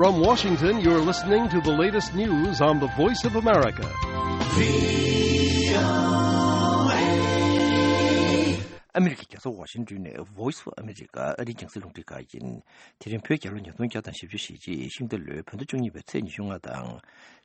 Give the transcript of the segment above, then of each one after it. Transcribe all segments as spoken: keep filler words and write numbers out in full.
From Washington, you're listening to the latest news on the Voice of America. ཨ་མི་རི་ཀའི་རྒྱལ་ས་ཝ་ཤིང་ཏོན་ནས་Voice of America ཨ་རིའི་རྒྱང་སྲིང་རླུང་འཕྲིན་ཁང་ཡིན། དེ་རིང་བོད་རྒྱལ་ལོ་ཉིས་སྟོང་བརྒྱ་དང་བཞི་བཅུ་ཞེ་གཅིག་ཤིང་རྟ་ལོའི་བོད་ཟླ་བཅུ་གཉིས་པའི་ཚེས་ཉི་ཤུ་ལྔ་དང་།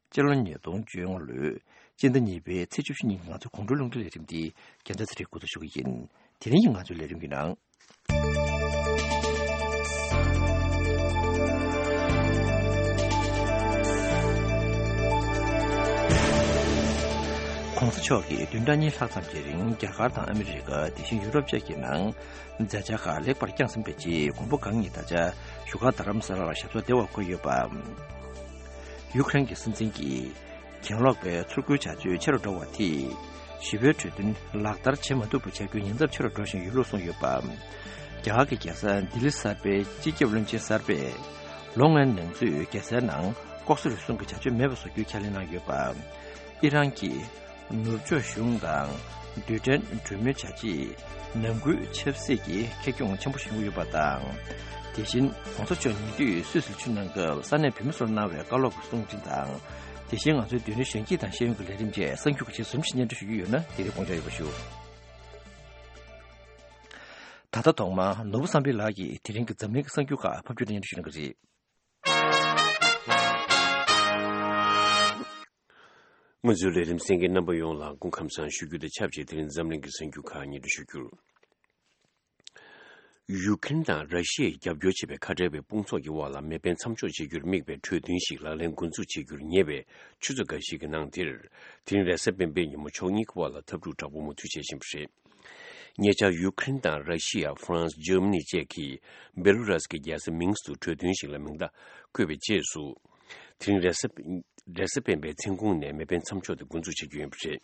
སྤྱི་ལོ་ཉིས་སྟོང་བཅོ་ལྔ་ལོའི་སྤྱི་ཟླ་གཉིས་པའི་ཚེས་བཅུ་བཞི་ཉིན་ང་ཚོའི་དགོང་དྲོའི་རླུང་འཕྲིན་ལས་རིམ་འདི་རྒྱལ་མཚན་ཚེ་རིང་འགོ་འཛུགས་ཞུ་གི་ཡིན། དེ་རིང་གི་ང་ཚོའི་ལས་རིམ་གྱི་ནང་།༸གོང་ས་མཆོག་གིས་བདུན་ཕྲག་གཉིས་ལྷག་ཙམ་གྱི་རིང་རྒྱ་གར་དང་ཨ་མི་རི་ཀ། དེ་བཞིན་ཡུ་རོབ་བཅས་ཀྱི་ནང་མཛད་འཆར་ཁག་ལེགས་པར་བསྐྱངས་ཟིན་པའི་རྗེས། མགོན་པོ་གང་ཉིད་ད་ཆ་བཞུགས་སྒར་རྡ་རམ་ས་ལ་ལ་ཞབས་སོར་བདེ་བར་འཁོད་ཡོད་པ། ཡུ་ཀེ་རེན་གྱི་སྲིད་འཛིན་གྱིས། གྱེན་ལོག་པའི་ཚུར་རྒོལ་བྱ་སྤྱོད་ཆེ་རུ་འགྲོ་བ་དེས། ཞི་བའི་གྲོས་མཐུན་ལག་བསྟར་བྱེད་མ་ཐུབ་པ་བྱ་རྒྱུའི་ཉེན་ཚབས་ཆེ་རུ་འགྲོ་བཞིན་ཡོད་ལུགས་གསུངས་ཡོད་པ། རྒྱ་གར་གྱི་རྒྱལ་ས་ལྡི་ལི་གསར་པའི་སྤྱི་ཁྱབ་བློན་ཆེན་གསར་པས། ལོ་ལྔའི་ནང་ཚུད་རྒྱལ་སའི་ནང་ལྐོག་ཟ་རུལ་སུངས་ཀྱི་བྱ་སྤྱོད་མེད་པ་བཟོ་རྒྱུའི་ཁས་ལེན་གནང་ཡོད་པ། ཨི་རན་གྱི་ནུབ་ཕྱོགས་གཞུང་དང་རྡུལ་ཕྲན་གྲོས་མོལ་བྱ་ཆེད་ནང་ཁུལ་ཆབ་སྲིད་ཀྱི་ཁེ་གྱོང་ཆེན་པོ་བྱུང་ཡོད་པ་དང་། དེ་བཞིན་གོང་ས་མཆོག་ཉེ་དུས་སུད་སིར་ཆིབས་གནང་སྐབས་ས་གནས་བོད་མི་ཚོར་གནང་བའི་བཀའ་སློབ་ཀྱི་གསུང་འཕྲིན་དང་། དེ་བཞིན་ང་ཚོའི་རྡུལ་ཕྲན་གཞོན་སྐྱེས་དང་ཤེས་ཡོན་གྱི་ལས་རིམ་བཅས་གསར་འགྱུར་ཁག་ཅིག་ཟུར་ཞིག་སྙན་སྒྲོན་ཞུ་རྒྱུ་ཡོད་ན་དེ་རིང་དགོངས་འཇགས་ཡོད་པ་ཞུ། ད་ལྟ་ཐོག་མར་ནོར་བུ་བསམ་འཕེལ་ལགས་ཀྱིས་དེ་རིང་གི་འཛམ་གླིང་གི་གསར་འགྱུར་ཁག་ཕབ་སྒྱུར་དང་སྙན་སྒྲོན་ཞུ་གནང་གི་རེད། ང་ཚོའི་ལས་རིམ་གསན་མཁན་རྣམ་པ་ཡོངས་ལ་སྐུ་ཁམས་བཟང་ཞུ་རྒྱུ་དང་ཆབས་ཅིག་དེ་རིང་འཛམ་གླིང་གི་གསར་འགྱུར་ཁག་སྙན་སྒྲོན་ཞུ་རྒྱུར། ཡུ་ཀེ་རེན་དང་ར་ཤི་ཡས་རྒྱབ་སྐྱོར་བྱེད་པའི་ཁ་བྲལ་བའི་དཔུང་ཚོགས་ཀྱི་དབར་ལ་མེ་འཕེན་མཚམས་འཇོག་བྱེད་རྒྱུར་དམིགས་པའི་གྲོས་མཐུན་ཞིག་ལག་ལེན་འགོ་འཛུགས་བྱེད་རྒྱུར་ཉེ་བའི་ཆུ་ཚོད་འགའ་ཞིག་གི་ནང་དེར། དེ་རིང་རེས་གཟའ་སྤེན་པའི་ཉིན་མོ་ཕྱོགས་གཉིས་ཀྱི་དབར་ལ་འཐབ་འཁྲུག་དྲག་པོ་མུ་མཐུད་བྱེད་བཞིན་པ་རེད། ཉེ་ཆར་ཡུ་ཀེ་རེན་དང་ར་ཤི་ཡ། ཧྥ་རན་སི། འཇར་མ་ནི་བཅས་ཀྱིས་བེ་ལུ་རཱས་ཀྱི་རྒྱལ་ས་མིན་སི་ཐུག་གྲོས་མཐུན་ཞིག་ལ་མིང་རྟགས་བཀོད་པའི་རྗེས་སུ། དེ་རིང་རེས་གཟའ་རེས་གཟའ་སྤེན་པའི་མཚན་གུང་ནས་མེ་འཕེན་མཚམས་འཇོག་དེ་འགོ་འཛུགས་བྱེད་རྒྱུ་ཡིན་པ་རེད།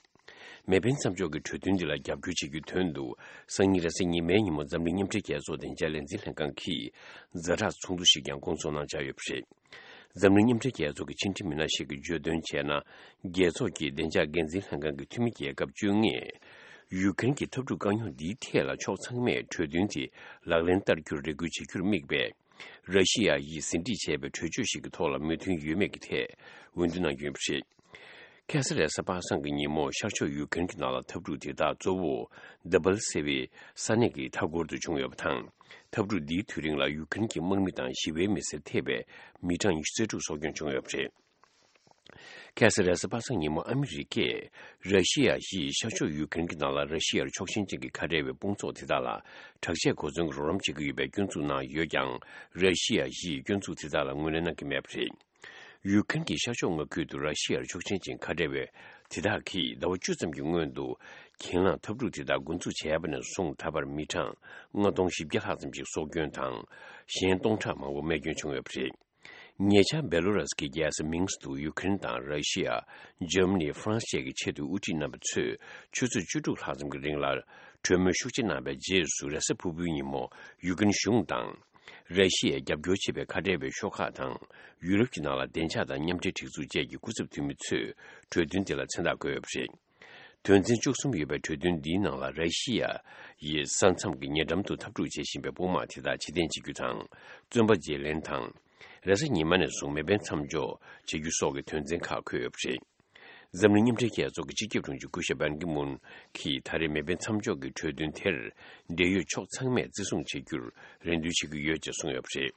མེ་འཕེན་མཚམས་འཇོག་གི་གྲོས་མཐུན་འདི་ལ་རྒྱབ་སྐྱོར་བྱེད་རྒྱུའི་དོན་དུ། སང་ཉིན་རེས་གཟའ་ཉི་མའི་ཉིན་མོ་འཛམ་གླིང་མཉམ་འབྲེལ་རྒྱལ་ཚོགས་བདེ་འཇགས་ལས་འཛིན་ལྷན་ཁང་གིས་ཛ་དྲག་ཚོགས་འདུ་ཞིག་ཀྱང་སྐོང་ཚོགས་གནང་འཆར་ཡོད་པ་རེད། འཛམ་གླིང་མཉམ་འབྲེལ་རྒྱལ་ཚོགས་ཀྱི་ཕྱི་འབྲེལ་མི་སྣ་ཞིག་གིས་བརྗོད་དོན་བྱས་ན། རྒྱལ་ཚོགས་ཀྱི་བདེ་འཇགས་འགན་འཛིན་ལྷན་ཁང་གི་འཐུས་མི་རྒྱལ་ཁབ་བཅོ་ལྔས། ཡུ་ཀེ་རེན་གྱི་འཐབ་འཁྲུག་དཀའ་རྙོག་འདིའི་ཐད་ལ་ཕྱོགས་ཚང་མས་གྲོས་མཐུན་དེ་ལག་ལེན་བསྟར་རྒྱུར་རེ་སྐུལ་བྱེད་རྒྱུར་དམིགས་པའི། ར་ཤི་ཡ་ཡིས་ཟིན་བྲིས་བྱས་པའི་གྲོས་ཆོད་ཞིག་གི་ཐོག་ལ་མོས་མཐུན་ཡོད་མེད་ཀྱི་ཐད་འོས་བསྡུ་གནང་རྒྱུ་ཡིན་པ་རེད། ཁ་སང་རེས་གཟའ་པ་སངས་ཀྱི་ཉིན་མོ་ཤར་ཕྱོགས་ཡུ་ཀེ་རེན་གྱི་ནང་ལ་འཐབ་འཁྲུག་དེ་དག་གཙོ་བོ་དཱ་བལ་ཟེར་བའི་ས་གནས་ཀྱི་མཐའ་འཁོར་དུ་བྱུང་ཡོད་པ་དང་། འཐབ་འཁྲུག་འདིའི་དུས་རིང་ལ་ཡུ་ཀེ་རེན་གྱི་དམག་མི་དང་ཞི་བའི་མི་སེར་ཐེ་བའི་མི་གྲངས་ཉི་ཤུ་རྩ་དྲུག་སྲོག་སྐྱོན་བྱུང་ཡོད་པ་རེད། ཁ་སང་རེས་གཟའ་པ་སངས་ཉིན་མོ་ཨ་མི་རི་ཀས་ར་ཤི་ཡ་ཡིས་ཤར་ཕྱོགས་ཡུ་ཀེ་རེན་གྱི་ནང་ལ་ར་ཤི་ཡར་ཕྱོགས་ཞེན་ཅན་གྱི་ཁ་བྲལ་བའི་དཔུང་ཚོགས་དེ་དག་ལ་དྲག་ཆས་གོ་མཚོན་གྱི་རོགས་རམ་བྱེད་ཀྱི་ཡོད་པའི་སྐྱོན་འཛུགས་གནང་ཡོད་ཀྱང་། ར་ཤི་ཡ་ཡིས་སྐྱོན་འཛུགས་དེ་དག་ལ་ངོས་ལེན་གནང་གི་མེད་པ་རེད། ཡུ་ཀེ་རེན་གྱི་ཤར་ཕྱོགས་མངའ་ཁུལ་དུ་ར་ཤི་ཡར་ཕྱོགས་ཞེན་ཅན་ཁ་བྲལ་བའི་དེ་དག་གིས་ཟླ་བ་བཅུ་ཙམ་གྱི་སྔོན་དུ་གྱེན་ལངས་འཐབ་འཁྲུག་དེ་དག་འགོ་འཛུགས་བྱས་པ་ནས་བཟུང་ད་བར་མི་གྲངས་ལྔ་སྟོང་བཞི་བརྒྱ་ལྷག་ཙམ་ཞིག་སྲོག་སྐྱོན་དང་། གཞན་སྟོང་ཕྲག་མང་པོ་རྨས་སྐྱོན་བྱུང་ཡོད་པ་རེད། ཉེ་ཆར་བེ་ལོ་རཱས་ཀྱི་རྒྱལ་ས་མིན་སི་ཐུག་ཡུ་ཀེ་རེན་དང་ར་ཤི་ཡ། འཇར་མ་ནི། ཧྥ་རན་སི་བཅས་ཀྱི་ཆེས་མཐོའི་དབུ་ཁྲིད་རྣམ་པ་ཚོས་ཆུ་ཚོད་བཅུ་དྲུག་ལྷག་ཙམ་གྱི་རིང་ལ་གྲོས་མོལ་ཤུགས་ཆེ་གནང་བའི་རྗེས་སུ། རེས་གཟའ་ཕུར་བུའི་ཉིན་མོ་ཡུ་ཀེ་རེན་གཞུང་དང་། ར་ཤི་ཡའི་རྒྱབ་སྐྱོར་བྱེད་པའི་ཁ་བྲལ་བའི་ཤོག་ཁག་དང་། ཡུ་རོབ་ཀྱི་ནང་ལ་བདེ་འཇགས་དང་མཉམ་འབྲེལ་སྒྲིག་འཛུགས་བཅས་ཀྱི་སྐུ་ཚབ་འཐུས་མི་ཚོས་གྲོས་མཐུན་དེ་ལ་མཚན་རྟགས་བཀོད་ཡོད་པ་རེད། དོན་ཚན་བཅུ་གསུམ་ཡོད་པའི་གྲོས་མཐུན་འདིའི་ནང་ལ་ར་ཤི་ཡ་ཡིས་ས་མཚམས་ཀྱི་ཉེ་འགྲམ་དུ་འཐབ་འཁྲུག་བྱེད་བཞིན་པའི་དཔུང་དམག་དེ་དག་ཕྱིར་འཐེན་བྱེད་རྒྱུ་དང་། བཙོན་པ་བརྗེ་ལེན་དང་། རེས་གཟའ་ཉི་མ་ནས་བཟུང་མེ་འཕེན་མཚམས་འཇོག་བྱེད་རྒྱུ་སོགས་ཀྱི་དོན་ཚན་ཁག་འཁོད་ཡོད་པ་རེད། འཛམ་གླིང་མཉམ་འབྲེལ་རྒྱལ་ཚོགས་ཀྱི་སྤྱི་ཁྱབ་དྲུང་ཆེ་སྐུ་ཞབས་པན་ཀི་མུན་གྱིས་ད་རེས་མེ་འཕེན་མཚམས་འཇོག་གི་གྲོས་མཐུན་དེར་འབྲེལ་ཡོད་ཕྱོགས་ཚང་མས་བརྩི་སྲུང་བྱེད་རྒྱུར་རེ་འདུན་བྱེད་ཀྱི་ཡོད་ཅེས་གསུངས་ཡོད་པ་རེད།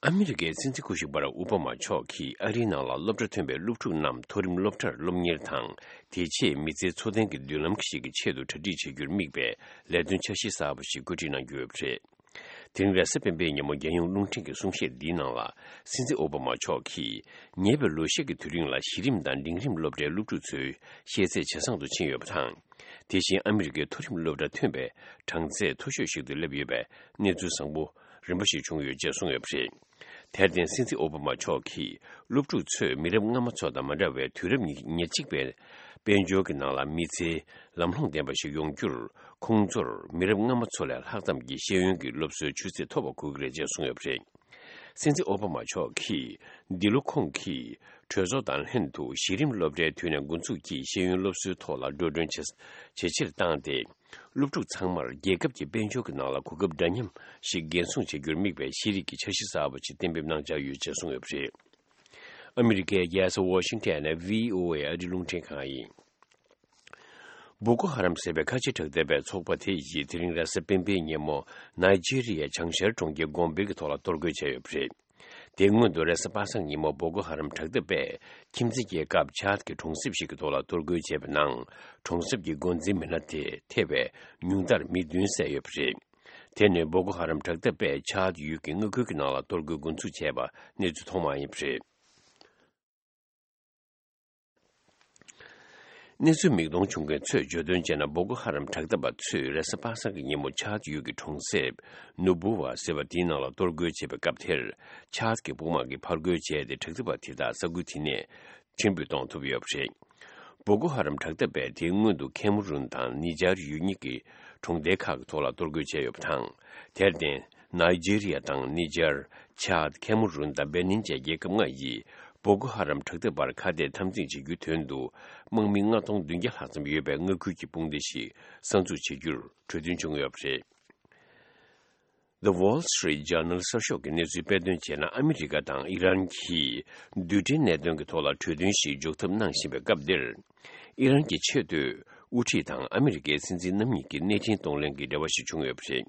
ཨ་མི་རི་ཀའི་སྲིད་འཛིན་སྐུ་ཞབས་བྷ་རག་ཨོ་བྷ་མ་མཆོག་གིས་ཨ་རིའི་ནང་ལ་སློབ་གྲྭ་ཐོན་པའི་སློབ་ཕྲུག་རྣམས་མཐོ་རིམ་སློབ་གྲྭར་སློབ་གཉེར་དང་། དེ་རྗེས་མི་ཚེའི་འཚོ་རྟེན་གྱི་མདུན་ལམ་ཞིག་གི་ཆེད་དུ་གྲ་སྒྲིག་བྱེད་རྒྱུར་དམིགས་པའི་ལས་དོན་འཆར་གཞི་གསར་པ་ཞིག་བཀོད་སྒྲིག་གནང་རྒྱུ་ཡོད་པ་རེད། དེ་རིང་རེས་གཟའ་སྤེན་པའི་ཉིན་མོ་རྒྱལ་ཡོངས་རླུང་འཕྲིན་གྱི་གསུང་བཤད་འདིའི་ནང་ལ། སྲིད་འཛིན་ཨོ་བྷ་མ་མཆོག་གིས་ཉེ་བའི་ལོ་ཤས་ཀྱི་དུས་རིང་ལ་གཞི་རིམ་དང་འབྲིང་རིམ་སློབ་གྲྭའི་སློབ་ཕྲུག་ཚོའི་ཤེས་ཚད་ཇེ་བཟང་དུ་ཕྱིན་ཡོད་པ་དང་། དེ་བཞིན་ཨ་མི་རི་ཀའི་མཐོ་རིམ་སློབ་གྲྭ་ཐོན་པའི་གྲངས་ཚད་མཐོ་ཤོས་ཤིག་ཏུ་སླེབས་ཡོད་པའི་གནས་ཚུལ་བཟང་པོ་རིམ་པ་ཞིག་བྱུང་ཡོད་ཅེས་གསུངས་ཡོད་པ་རེད། དེར་བརྟེན་སྲིད་འཛིན་ཨོ་བྷ་མ་མཆོག་གིས་སློབ་ཕྲུག་ཚོས་མི་རབས་སྔ་མ་ཚོ་དང་མ་འདྲ་བའི་དུས་རབས་ཉེར་གཅིག་པའི་དཔལ་འབྱོར་གྱི་ནང་ལ་མི་ཚེའི་ལམ་ལྷོང་ལྡན་པ་ཞིག་ཡོང་རྒྱུར། ཁོང་ཚོར་མི་རབས་སྔ་མ་ཚོ་ལས་ལྷག་ཙམ་གྱི་ཤེས་ཡོན་གྱི་སློབ་གསོའི་ཆུ་ཚད་ཐོབ་པ་དགོས་ཀྱི་རེད་ཅེས་གསུངས་ཡོད་པ་རེད། སྲིད་འཛིན་ཨོ་བྷ་མ་མཆོག་གིས་འདི་ལོ་ཁོང་གིས་གྲོས་ཚོགས་དང་ལྷན་དུ་གཞི་རིམ་སློབ་གྲྭའི་དུས་ནས་འགོ་འཛུགས་ཀྱིས་ཤེས་ཡོན་སློབ་གསོའི་ཐོག་ལ་འགྲོ་གྲོན་ཇེ་ཇེ་ཆེར་བཏང་སྟེ། སློབ་ཕྲུག་ཚང་མར་རྒྱལ་ཁབ་ཀྱི་དཔལ་འབྱོར་གྱི་ནང་ལ་གོ་སྐབས་འདྲ་མཉམ་ཞིག་འགན་སྲུང་བྱ་རྒྱུར་དམིགས་པའི་ཤེས་རིག་གི་འཆར་གཞི་གསར་པ་ཞིག་གཏན་འབེབས་གནང་འཆར་ཡོད་ཅེས་གསུངས་ཡོད་པ་རེད། ཨ་མི་རི་ཀའི་རྒྱལ་ས་ཝ་ཤིང་ཊོན་ནས་བྷི་ཨོ་ཨེ་ཨ་རིའི་རླུང་འཕྲིན་ཁང་ཡིན། བོ་ཀོ་ཧ་རམ་ཟེར་བའི་ཁ་ཆེ་དྲག་འཐབ་པའི་ཚོགས་པ་དེ་ཡིས་དེ་རིང་རེས་གཟའ་སྤེན་པའི་ཉིན་མོ་ནཱི་ཇི་རི་ཡའི་བྱང་ཤར་གྲོང་ཁྱེར་གོམ་བེ་གི་ཐོག་ལ་གཏོར་རྒོལ་བྱས་ཡོད་པ་རེད། དེའི་སྔོན་དུ་རེས་གཟའ་པ་སངས་ཉིན་མོ་བོ་ཀོ་ཧ་རམ་དྲག་འཐབ་པས་ཁྱིམ་མཚེས་རྒྱལ་ཁབ་ཆཱད་ཀྱི་གྲོང་གསེབ་ཞིག་གི་ཐོག་ལ་གཏོར་རྒོལ་བྱས་པའི་ནང་། གྲོང་གསེབ་ཀྱི་འགོ་འཛིན་མི་སྣ་དེ་ཐེ་བའི་ཉུང་མཐར་མི་བདུན་བསད་ཡོད་པ་རེད། དེ་ནི་བོ་ཀོ་ཧ་རམ་དྲག་འཐབ་པས་ཆཱད་ཡུལ་གྱི་མངའ་ཁུལ་གྱི་ནང་ལ་གཏོར་རྒོལ་འགོ་འཛུགས་བྱས་པ་གནས་ཚུལ་ཐོག་མ་ཡིན་པ་རེད། གནས་ཚུལ་མིག་མཐོང་བྱུང་མཁན་ཚོས་བརྗོད་དོན་བྱས་ན། བོ་ཀོ་ཧ་རམ་དྲག་འཐབ་པ་ཚོས་རེས་གཟའ་པ་སངས་ཀྱི་ཉིན་མོ་ཆཱད་ཡུལ་གྱི་གྲོང་གསེབ་ནུ་བུ་ཝ་ཟེར་བ་དེའི་ནང་ལ་གཏོར་རྒོལ་བྱེད་པའི་སྐབས་དེར། ཆཱད་ཀྱི་དཔུང་དམག་གིས་ཕར་རྒོལ་བྱས་ཏེ། དྲག་འཐབ་པ་དེ་དག་ས་ཁུལ་དེ་ནས་ཕྱིར་འབུད་གཏོང་ཐུབ་ཡོད་པ་རེད། བོ་ཀོ་ཧ་རམ་དྲག་འཐབ་པས་དེའི་སྔོན་དུ་ཁེ་མ་རུན་དང་ནི་ཇར་ཡུལ་གཉིས་ཀྱི་གྲོང་རྡལ་ཁག་གི་ཐོག་ལ་གཏོར་རྒོལ་བྱས་ཡོད་པ་དང་། དེར་བརྟེན། ནཱི་ཇི་རི་ཡ་དང་ནི་ཇར། ཆཱད། ཁེ་མ་རུན་དང་བེ་ནིན་བཅས་རྒྱལ་ཁབ་ལྔ་ཡིས་བོ་ཀོ་ཧ་རམ་དྲག་འཐབ་པར་ཁ་གཏད་འཐབ་འཛིང་བྱེད་རྒྱུའི་དོན་དུ། དམག་མི་ལྔ་སྟོང་བདུན་བརྒྱ་ལྷག་ཙམ་ཡོད་པའི་མངའ་ཁུལ་གྱི་དཔུང་སྡེ་ཞིག་གསར་འཛུགས་བྱེད་རྒྱུར་གྲོས་མཐུན་བྱུང་ཡོད་པ་རེད། The Wall Street Journal གསར་ཤོག་གི་གནས་ཚུལ་དཔེ་སྟོན་བྱས་ན། ཨ་མི་རི་ཀ་དང་ཨི་རན་གྱིས་རྡུལ་ཕྲན་གནད་དོན་གྱི་ཐོག་ལ་གྲོས་མཐུན་ཞིག་འཇོག་ཐབས་གནང་བཞིན་པའི་སྐབས་འདིར། ཨི་རན་གྱི་ཆེས་མཐོའི་དབུ་ཁྲིད་དང་ཨ་མི་རི་ཀའི་སྲིད་འཛིན་རྣམ་གཉིས་ཀྱི་གནས་འཕྲིན་གཏོང་ལེན་གྱི་འབྲེལ་བ་ཞིག་བྱུང་ཡོད་པ་རེད།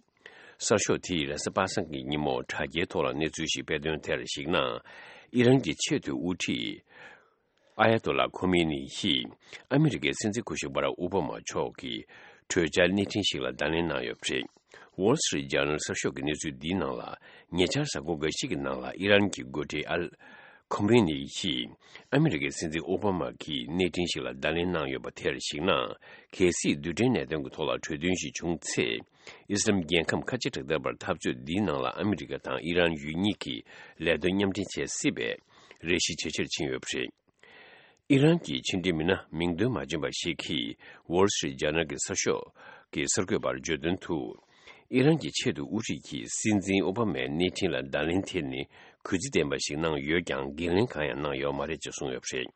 གསར་ཤོག་དེས་རེས་གཟའ་པ་སངས་ཀྱི་ཉིན་མོ་དྲ་རྒྱའི་ཐོག་ལ་གནས་ཚུལ་ཞིག་སྤེལ་དོན་དེར་གཞིགས་ན། ཨི་རན་གྱི་ཆེས་མཐོའི་དབུ་ཁྲིད་ཨ་ཡ་ཏོ་ལ་ཁོ་མེ་ནི་ཡིས་ཨ་མི་རི་ཀའི་སྲིད་འཛིན་སྐུ་ཞབས་བྷ་རག་ཨོ་བྷ་མ་མཆོག་གི་གྲོས་འཆར་གནས་འཕྲིན་ཞིག་ལ་བརྡ་ལན་གནང་ཡོད་པ་རེད། Wall Street Journal གསར་ཤོག་གི་གནས་ཚུལ་འདིའི་ནང་ལ། ཉེ་ཆར་གཟའ་འཁོར་འགའ་ཤས་ཀྱི་ནང་ལ་ཨི་རན་གྱི་འགོ་ཁྲིད་ཨལ་ཁོ་མེ་ནི་ཡིས་ཨ་མི་རི་ཀའི་སྲིད་འཛིན་ཨོ་བྷ་མ་གིས་གནས་འཕྲིན་ཞིག་ལ་བརྡ་ལན་གནང་ཡོད་པ་དེར་གཞིགས་ན། གལ་སྲིད་རྡུལ་ཕྲན་གནད་དོན་གྱི་ཐོག་ལ་གྲོས་མཐུན་ཞིག་བྱུང་ཚེ། ཨི་སི་ལམ་རྒྱལ་ཁམས་ཁ་ཆེ་དྲག་འཐབ་པར་འཐབ་རྩོད་འདིའི་ནང་ལ་ཨ་མི་རི་ཀ་དང་ཨི་རན་ཡུལ་གཉིས་ཀྱིས་ལས་དོན་མཉམ་འབྲེལ་བྱེད་སྲིད་པའི་རེ་ཞིག་ཇེ་ཆེར་ཕྱིན་ཡོད་པ་རེད། ཨི་རན་གྱི་ཕྱི་འབྲེལ་མི་སྣ་མིང་འདོན་མ་བྱུང་བ་ཞིག་གིས་Wall Street Journal གྱི་གསར་ཤོག་གི་གསར་འགོད་པར་བརྗོད་དོན་དུ། ཨི་རན་གྱི་ཆེས་མཐོའི་དབུ་ཁྲིད་ཀྱིས་སྲིད་འཛིན་ཨོ་བྷ་མའི་གནས་འཕྲིན་ལ་བརྡ་ལན་དེ་ནི་གུས་བརྩི་ལྡན་པ་ཞིག་གནང་ཡོད་ཀྱང་། འགན་ལེན་གང་ཡང་གནང་ཡོད་མ་རེད་ཅེས་གསུངས་ཡོད་པ་རེད།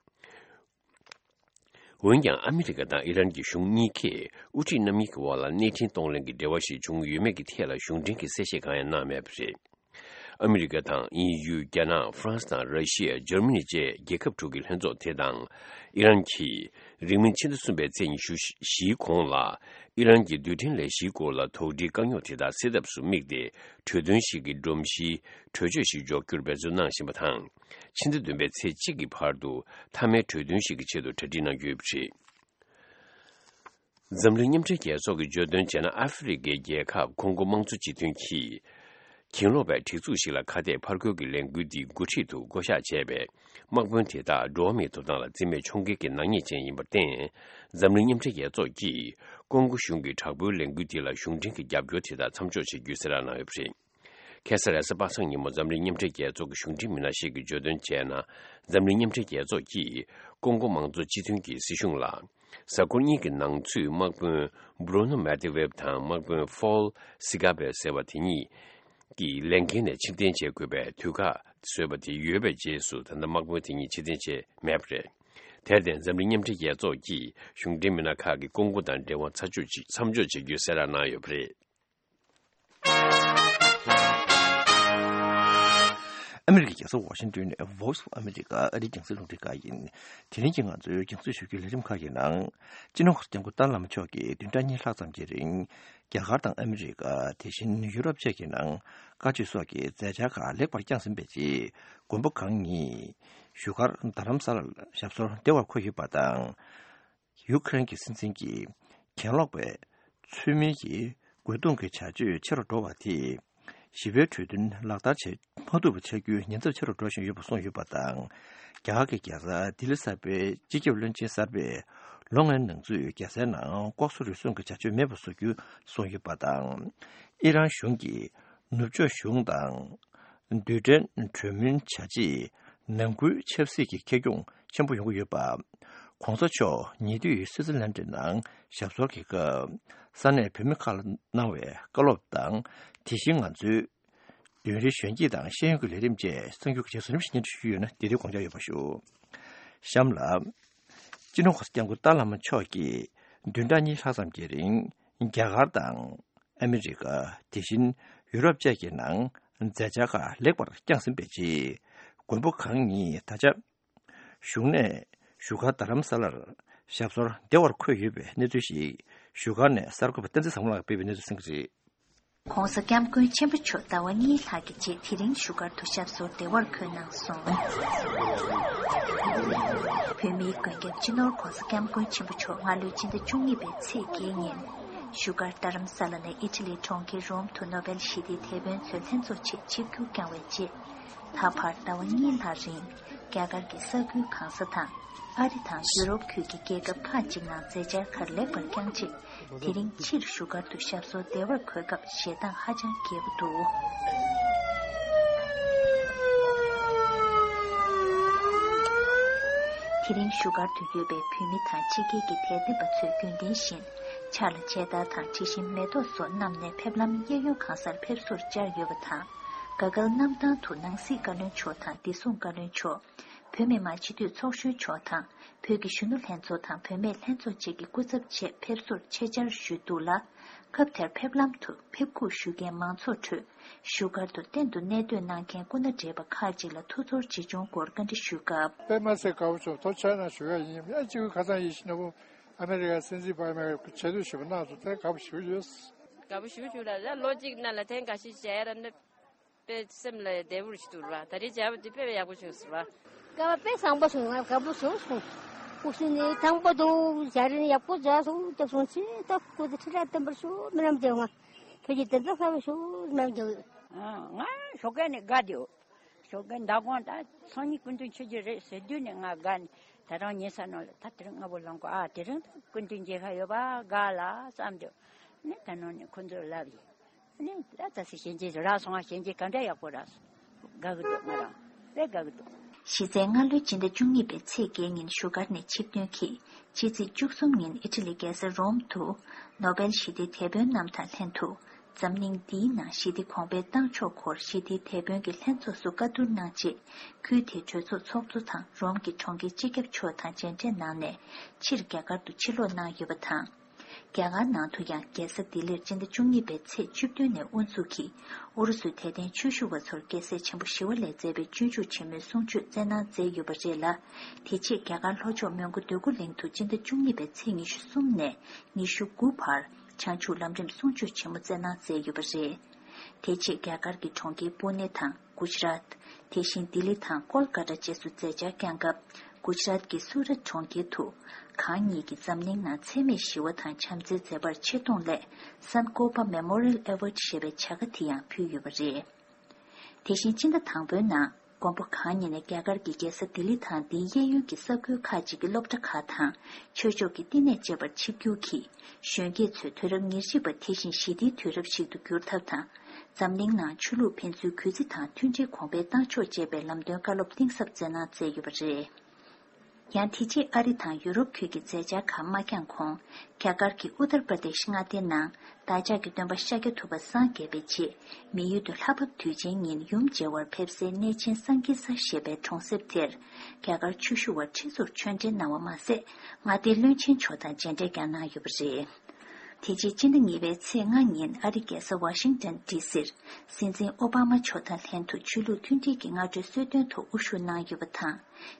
འོན་ཀྱང་། ཨ་མི་རི་ཀ་དང་ཨི་རན་གྱི་གཞུང་གཉིས་ཀས་དབུ་ཁྲིད་རྣམ་གཉིས་ཀྱི་དབར་ལ་གནས་འཕྲིན་གཏོང་ལེན་གྱི་འབྲེལ་བ་ཞིག་བྱུང་ཡོད་མེད་ཀྱི་ཐད་ལ་གཞུང་འབྲེལ་གྱི་གསལ་བཤད་གང་ཡང་གནང་མེད་པ་རེད། ཨ་མི་རི་ཀ་དང་དབྱིན་ཡུལ། རྒྱ་ནག་ཧྥ་རན་སི་དང་ར་ཤི་ཡ། འཇར་མ་ནི་བཅས་རྒྱལ་ཁབ་དྲུག་གི་ལྷན་ཚོགས་དེ་དང་། ཨི་རན་གྱིས་རིང་མིན་ཕྱི་ཟླ་གསུམ་པའི་ཚེས་ཉི་ཤུ་བཞིའི་གོང་ལ། ཨི་རན་གྱི་རྡུལ་ཕྲན་ལས་གཞིའི་སྐོར་ལ་དོགས་འདྲིའི་དཀའ་རྙོག་དེ་དག་སེལ་ཐབས་སུ་དམིགས་ཏེ། གྲོས་མཐུན་ཞིག་གི་སྒྲོམ་གཞིའི་གྲོས་ཆོད་ཞིག་འཇོག་རྒྱུར་འབད་བརྩོན་གནང་བཞིན་པ་དང་། ཕྱི་ཟླ་བདུན་པའི་ཚེས་གཅིག་གི་བར་དུ་མཐའ་མའི་གྲོས་མཐུན་ཞིག་གི་ཆེད་དུ་གྲ་སྒྲིག་གནང་རྒྱུ་ཡོད་པ་རེད། འཛམ་གླིང་མཉམ་འབྲེལ་རྒྱལ་ཚོགས་ཀྱིས་བརྗོད་དོན་བྱས་ན། ཨ་ཧྥེ་རི་ཁའི་རྒྱལ་ཁབ་ཀོང་ཀོ་དམངས་གཙོ་སྤྱི་མཐུན་གྱིས་གྱེན་ལོག་པའི་སྒྲིག་འཛུགས་ཤིག་ལ་ཁ་གཏད་ཕར་རྒོལ་གྱི་ལས་འགུལ་འདིའི་འགོ་ཁྲིད་དུ་བསྐོ་གཞག་བྱས་པའི་དམག་དཔོན་དེ་དག་འགྲོ་བ་མིའི་ཐོབ་ཐང་ལ་བརྩི་མེད་འཁྱོངས་འགེལ་གྱི་ནག་ཉེས་ཅན་ཡིན་པར་བརྟེན། འཛམ་གླིང་མཉམ་འབྲེལ་རྒྱལ་ཚོགས་ཀྱིས་ཀོང་ཀོ་གཞུང་གི་དྲག་པོའི་ལས་འགུལ་དེ་ལ་གཞུང་འབྲེལ་གྱི་རྒྱབ་སྐྱོར་དེ་དག་མཚམས་འཇོག་བྱེད་རྒྱུའི་གསལ་བསྒྲགས་གནང་ཡོད་པ་རེད། ཁ་སང་རེས་གཟའ་པ་སངས་ཉིན་མོ་འཛམ་གླིང་མཉམ་འབྲེལ་རྒྱལ་ཚོགས་ཀྱི་གཞུང་འབྲེལ་མི་སྣ་ཞིག་གིས་བརྗོད་དོན་བྱས་ན། འཛམ་གླིང་མཉམ་འབྲེལ་རྒྱལ་ཚོགས་ཀྱིས་ཀོང་ཀོ་དམངས་གཙོ་སྤྱི་མཐུན་གྱི་སྲིད་གཞུང་ལ། གཟའ་འཁོར་གཉིས་ཀྱི་ནང་ཚུད་དམག་དཔོན་Bruno Medvedev དང་དམག་དཔོན་Paul Sigabe ཟེར་བ་དེ་གཉིས་ཀྱི་ལས་འགན་ནས་ཕྱིར་འཐེན་བྱེད་དགོས་པའི་དུས་བཀག་བཟོས་པ་དེ་ཡོལ་བའི་རྗེས་སུ། ད་ལྟ་དམག་དཔོན་དེ་གཉིས་ཕྱིར་འཐེན་བྱས་མེད་པ་རེད། དེར་བརྟེན། འཛམ་གླིང་མཉམ་འབྲེལ་རྒྱལ་ཚོགས་ཀྱིས་གཞུང་འབྲེལ་མི་སྣ་ཁག་གིས་ཀོང་ཀོ་དང་འབྲེལ་བ་མཚམས་འཇོག་བྱེད། མཚམས་འཇོག་བྱེད་རྒྱུའི་གསལ་བསྒྲགས་གནང་ཡོད་པ་རེད། ཨ་མི་རི་ཀའི་རྒྱལ་ས་ཝ་ཤིང་ཏོན་ནས་Voice of America ཨ་རིའི་རྒྱང་སྲིང་རླུང་འཕྲིན་ཁང་ཡིན། དེ་རིང་གི་ང་ཚོའི་རྒྱང་སྲིང་ཞུ་རྒྱུའི་ལས་རིམ་ཁག་གི་ནང་། སྤྱི་ནོར་གོང་ས་སྐྱབས་མགོན་ཏཱ་ལའི་བླ་མ་མཆོག་གིས་བདུན་ཕྲག་གཉིས་ལྷག་ཙམ་གྱི་རིང་། རྒྱ་གར་དང་ཨ་མི་རི་ཀ། དེ་བཞིན་ཡུ་རོབ་བཅས་ཀྱི་ནང་བཀའ་ཆོས་སོགས་ཀྱི་མཛད་འཆར་ཁག་ལེགས་པར་བསྐྱངས་ཟིན་པའི་རྗེས། མགོན་པོ་གང་ཉིད་བཞུགས་སྒར་རྡ་རམ་ས་ལར་ཞབས་སོར་བདེ་བར་འཁོད་ཡོད་པ་དང་། ཡུ་ཁུ་རེན་གྱི་སྲིད་འཛིན་གྱིས་གྱེན་ལོག་པའི་ཚུལ་མིན་གྱི་རྒོལ་རྡུང་གི་བྱ་སྤྱོད་ཆེ་རུ་འགྲོ་བ་དེས། ཞི་བའི་གྲོས་མཐུན་ལག་བསྟར་བྱེད་མ་ཐུབ་པ་ཆགས་རྒྱུའི་ཉེན་ཚབས་ཆེ་རུ་འགྲོ་བཞིན་ཡོད་པ་གསུངས་ཡོད་པ་དང་། རྒྱ་གར་གྱི་རྒྱལ་ས་ལྡི་ལི་གསར་པའི་སྤྱི་ཁྱབ་བློན་ཆེན་གསར་པས། ལོ་ལྔའི་ནང་ཚུད་རྒྱལ་སའི་ནང་ལྐོག་ཟ་རུལ་སུངས་ཀྱི་བྱ་སྤྱོད་མེད་པ་བཟོ་རྒྱུ་གསུངས་ཡོད་པ་དང་། ཨི་རན་གཞུང་གིས་ནུབ་ཕྱོགས་གཞུང་དང་། རྡུལ་ཕྲན་གྲོས་མོལ་བྱ་ཆེད་ནང་ཁུལ་ཆབ་སྲིད་ཀྱི་ཁེ་གྱོང་ཆེན་པོ་ཡོང་གི་ཡོད་པ། ༸གོང་ས་མཆོག་ཉེ་དུས་སི་ཛི་ལན་ཌི་ནང་ཞབས་སོར་གྱི་སྐབས། ས་གནས་བོད་མི་ཁག་ལ་གནང་བའི་བཀའ་སློབ་དང་། དེ་བཞིན་ང་ཚོའི་མདུན་རི་གཞོན་སྐྱེས་དང་ཤེས་ཡོན་གྱི་ལས་རིམ་བཅས་གསར་འགྱུར་གྱི་རྗེས་སུ་རིམ་བཞིན་སྙན་སྒྲོན་ཞུས་ཡོད་ན། དེ་དུས་དགོངས་འཇགས་ཡོད་པ་ཞུ། གཤམ་ལ། སྤྱི་ནོར་གོང་ས་སྐྱབས་མགོན་ཏཱ་བླ་མ་མཆོག་གིས་བདུན་ཕྲག་གཉིས་ལྷག་ཙམ་གྱི་རིང་ རྒྱ་གར་དང་ཨ་མི་རི་ཀ། དེ་བཞིན་ཡུ་རོབ་བཅས་ཀྱི་ནང་མཛད་འཆར་ཁག་ལེགས་པར་བསྐྱངས་ཟིན་པའི་རྗེས། མགོན་པོ་གང་ཉིད་ད་ཆ་བཞུགས་གནས་བཞུགས་སྒར་རྡ་རམ་ས་ལར་ཞབས་སོར་བདེ་བར་འཁོད་ཡོད་པའི་གནས་ཚུལ་ཞིག་བཞུགས་སྒར་ནས་གསར་འགོད་པ་བསྟན་འཛིན་བཟང་མོ་ལགས་སྤེལ་བའི་གནས་ཚུལ་གསན་གྱི་རེད། ྋགོང་ས་ྋསྐྱབས་མགོན་ཆེན་པོ་མཆོག་ཟླ་བ་གཉིས་ལྷག་གི་རྗེས་དེ་རིང་བཞུགས་སྒར་དུ་ཞབས་སོར་བདེ་བར་འཁོད་གནང་སོང་། བོད་མིའི་མགོན་སྐྱབས་སྤྱི་ནོར་ྋགོང་ས་ྋསྐྱབས་མགོན་ཆེན་པོ་མཆོག་སྔ་ལོའི་སྤྱི་ཟླ་བཅུ་གཉིས་པའི་ཚེས་བརྒྱད་ཉིན་བཞུགས་སྒར་རྡ་རམ་ས་ལ་ནས་ཨི་ཊ་ལིའི་གྲོང་ཁྱེར་རོམ་དུ་ནོ་བེལ་ཞི་བདེའི་དེད་དཔོན་ཚོའི་ལྷན་ཚོགས་ཆེད་ཆིབས་བསྒྱུར་བསྐྱངས་བའི་རྗེས། ད་བར་ཟླ་བ་གཉིས་ལྷག་རིང་རྒྱ་གར་གྱི་ས་ཁུལ་གང་ས་དང་། ཨ་རི་དང་ཡུ་རོབ་ཁུལ་གྱི་རྒྱལ་ཁབ་ཁག་ཅིག་ནང་མཛད་འཆར་ཁག་ལེགས་པར་བསྐྱངས་རྗེས། དེ་རིང་ཕྱིར་བཞུགས་སྒར་དུ་ཞབས་སོར་བདེ་བར་འཁོད་སྐབས་ཞལ་ཏང་ཧ་ཅང་རྒྱས་པོ་འདུག་དེ་རིང་བཞུགས་སྒར་དུ་ཡོད་པའི་བོད་མི་དང་ཕྱི་རྒྱལ་གྱི་དད་ལྡན་པ་ཚོས་རྒྱུན་ལྡན་བཞིན་ཕྱག་ལ་མཇལ་དར་དང་དྲི་ཞིམ་མེ་ཏོག་སོགས་བསྣམས་ནས་ཕེབས་ལམ་གཡས་གཡོན་གང་སར་ཕེབས་བསུར་བཅར་ཡོད་པ་དང་། ག་གལ་གནམ་ཐང་དུ་ནང་སྲིད་བཀའ་བློན་མཆོག་དང་བདེ་སྲུང་བཀའ་བློན་མཆོག་བོད་མི་མང་སྤྱི་འཐུས་ཚོགས་གཞོན་མཆོག་དང་། བོད་ཀྱི་གཞོན་ནུ་ལྷན་ཚོགས་དང་བུད་མེད་ལྷན་ཚོགས་བཅས་ཀྱི་སྐུ་ཚབ་ཆེད་ཕེབས་བསུར་ཆེད་བཅར་ཞུས་འདུག་ལ། སྐབས་དེར་ཕེབས་ལམ་དུ་ཕེབས་སྒུག་ཞུ་མཁན་མང་ཚོགས་ཁྲོད་བཞུགས་སྒར་དུ་གཏན་དུ་གནས་སྡོད་གནང་མཁན་སྐུ་ན་བགྲེས་པ་ཁག་ཅིག་ལ་ཐུགས་ཚོར་ཇི་བྱུང་སྐོར་བཀའ་འདྲི་ཞུས་སྐབས། དཔེ་མ་སྲིད་དགའ་པོ་བྱུང་། ཐུགས་རྗེ་གནང་ཞུ་ཡ་ཡིན། ཨ་ཅིག་ཁ་སང་ཡིན་ཞིག་ན་བུ་ཨ་མེ་རི་ཀ་སྲིད་འཛིན་བར་མེ་ཆེ་བསྟོད་ཞུ་བ་གནང་སོང་། དེ་དགའ་པོ་ཞུ་ཡོད། དགའ་པོ་ཞུ་བྱུང་ལ་ལ་ལོ་གཅིག་ནང་ལ་ཐེངས་འགའ་ཞིག་བྱས་ར་ནི། དཔེ་སེམས་ལ་བདེ་པོ་ཞིག་འདུག་ར། ད་རེས་བྱས་པ་དེ་དཔེ་ཡག་པོ་བྱུང་སོང་ར། སྐལ་བ་དཔེ་བཟང་པོ་བྱུང་། ང་དགའ་པོ་བྱུང་སོང་། སྐུ་ཞབས་ནས་དང་པོ་དུ་ཞལ་རས་ཡག་པོ་མཛད་སོང་། སྐྱབས་སོང་ཆེ། ད་སྐུ་ཚེ་ཁྲི་ལ་བརྟན་པར་ཤོག། རྨི་ལམ་རྒྱལ་བ། བོད་ཀྱི་བདེན་མཐའ་གསལ་བར་ཤོག། རྨི་ལམ་རྒྱལ་བ། ང་ཞོགས་ཀས་ནས་དགའ་བསྡད་ཡོད། ཞོགས་ཀས་མདང་དགོང་ད་སང་ཉིན་སྐུ་མདུན་ཆོས་རྒྱུད་རེད་ཟེར་དུས་ནས་ང་དགའ་ནས། ད་རང་ཉལ་ས་ནང་ལ་ད་དེ་རིང་སྔ་པོ་ལངས་གོ། ཨ་དེ་རིང་ད་སྐུ་མདུན་མཇལ་ཁ་ཡོད་པ་དགའ་ལ་བསམ་དུས་ནས་ད་ནང་ནས་ཁོ་ཚོར་ལབ་ཡིན། ནི་ད་ད་སི་གཞན་གྱིས་རག་སོང་ང་། གཞན་གྱིས་ག་འདྲ་ཡག་པོ་རག་སོང་། དགའ་གི་འདུག་ང་རང་དཔེ་དགའ་གི་འདུག་གཞི་རྩའི་སྔ་ལོའི་སྤྱི་ཟླ་བཅུ་གཉིས་པའི་ཚེས་བརྒྱད་ཉིན་བཞུགས་སྒར་ནས་ཆིབས་ཐོན་གྱིས། ཕྱི་ཚེས་བཅུ་གསུམ་ཉིན་ཨི་ཊ་ལི་རྒྱལ་ས་རོམ་དུ་ནོ་བེལ་ཞི་བདེའི་དེད་དཔོན་རྣམས་དང་ལྷན་དུ། འཛམ་གླིང་འདིའི་ནང་ཞི་བདེ་གོང་འཕེལ་བཏང་ཕྱོགས་སྐོར་ཞི་བདེའི་དེད་དཔོན་གྱི་ལྷན་ཚོགས་སུ་བཀའ་བསྡུར་གནང་རྗེས། ཁུལ་དེའི་གྲོས་ཚོགས་ཚོགས་གཙོ་དང་རོམ་གྱི་གྲོང་ཁྱེར་སྤྱི་ཁྱབ་མཆོག་དང་མཇལ་འཕྲད་གནང་ནས། ཕྱིར་རྒྱ་གར་དུ་ཕྱིར་ལོག་གནང་ཡོད་པ་དང་། རྒྱ་གར་ནང་དུ་ཡང་རྒྱལ་ས་ལྡི་ལིར་སྤྱི་ཟླ་བཅུ་གཉིས་པའི་ཚེས་བཅུ་བདུན་ནས་དབུ་འཛུགས་ཀྱིས་ཨུ་རུ་སུའི་དད་ལྡན་ཆོས་ཞུ་བ་ཚོར་རྒྱལ་སྲས་ཆེན་པོ་ཞི་བ་ལྷས་མཛད་པའི་སྤྱོད་འཇུག་ཆེན་མོའི་གསུང་ཆོས་སྩལ་གནང་མཛད་ཡོད་པ་རེད་ལ། དེ་རྗེས་རྒྱ་གར་ལྷོ་ཕྱོགས་མོན་གྷོ་འདོད་རྒུ་གླིང་དུ་སྤྱི་ཟླ་བཅུ་གཉིས་པའི་ཚེས་ཉི་ཤུ་གསུམ་ནས་ཉི་ཤུ་དགུ་བར་བྱང་ཆུབ་ལམ་རིམ་གསུང་ཆོས་ཆེན་མོ་སྩལ་གནང་མཛད་ཡོད་པ་རེད། དེ་རྗེས་རྒྱ་གར་གྱི་གྲོང་ཁྱེར་པུ་ནེ་དང་གུ་ཇ་རཱཏ། དེ་བཞིན་ལྡི་ལི་དང་ཀོལ་ཀ་ཏ་བཅས་སུ་མཛད་འཆར་བསྐྱངས་སྐབས། གུ་ཇ་རཱཏ་ཀྱི་སུ་རཏ་གྲོང་ཁྱེར་དུ། གང་ཉིད་ཀྱིས་འཛམ་གླིང་ནང་འཚེ་མེད་ཞི་བ་དང་བྱམས་བརྩེའི་མཛད་པར་ཆེ་མཐོང་སླད། Sankalpa Memorial Award ཞེས་པའི་བྱ་དགའ་དེ་ཡང་ཕུལ་ཡོད་པ་རེད། དེ་བཞིན་སྤྱི་ཟླ་དང་པོའི་ནང་། མགོན་པོ་གང་ཉིད་ནས་རྒྱ་གར་གྱི་རྒྱལ་ས་ལྡི་ལི་དང་དེའི་གཡས་གཡོན་གྱི་ས་ཁུལ་ཁག་ཅིག་གི་སློབ་གྲྭ་ཁག་དང་། ཆོས་ཕྱོགས་ཀྱི་བསྟི་གནས་བཅས་པར་ཆིབས་བསྒྱུར་གྱིས། གཞོན་སྐྱེས་ཚོས་དུས་རབས་ཉེར་གཅིག་པ་དེ་བཞིན་ཞི་བདེའི་དུས་རབས་ཤིག་ཏུ་འགྱུར་ཐབས་དང་། འཛམ་གླིང་ནང་ཆོས་ལུགས་ཕན་ཚུན་གུས་བརྩི་དང་མཐུན་སྒྲིལ་གོང་འཕེལ་གཏང་ཕྱོགས་ཅེས་པའི་ལམ་སྟོན་བཀའ་སློབ་གཏིང་ཟབ་སྩལ་གནང་མཛད་ཡོད་པ་རེད། ཡང་དེ་རྗེས་ཨ་རི་དང་ཡུ་རོབ་ཁུལ་གྱི་མཛད་འཆར་ཁག་མ་བསྐྱངས་གོང་། རྒྱ་གར་གྱི་ཨུ་ཏར་པར་དེཤ་མངའ་སྡེའི་ནང་བདག་ཅག་གི་སྟོན་པ་ཤཱཀྱ་ཐུབ་པ་སངས་རྒྱས་པའི་རྗེས། མི་ཡུལ་དུ་ལྷ་བབས་དུས་ཆེན་ཉིན་ཡུམ་མཇལ་བར་ཕེབས་སའི་གནས་ཆེན་སཾ་ཀི་ས་ཞེས་པའི་གྲོང་གསེབ་དེར། རྒྱ་གར་ཆོས་ཞུ་བ་ཁྲི་ཟུར་ཆོས་འབྲེལ་གནང་བ་མ་ཟད། མངའ་སྡེའི་བློན་ཆེན་མཆོག་དང་མཇལ་འཕྲད་ཀྱང་གནང་ཡོད་པ་རེད། དེ་རྗེས་སྤྱི་ཟླ་གཉིས་པའི་ཚེས་ལྔ་ཉིན་ཨ་རི་རྒྱལ་ས་ཝ་ཤིང་ཏོན་ཌི་སིར། སྲིད་འཛིན་ཨོ་བྷ་མ་མཆོག་དང་ལྷན་དུ་ཆོས་ལུགས་མཐུན་སྒྲིལ་གྱི་སྔ་དྲོའི་གསོལ་སྟོན་ཐོག་དབུ་བཞུགས་གནང་ཡོད་པ་དང་།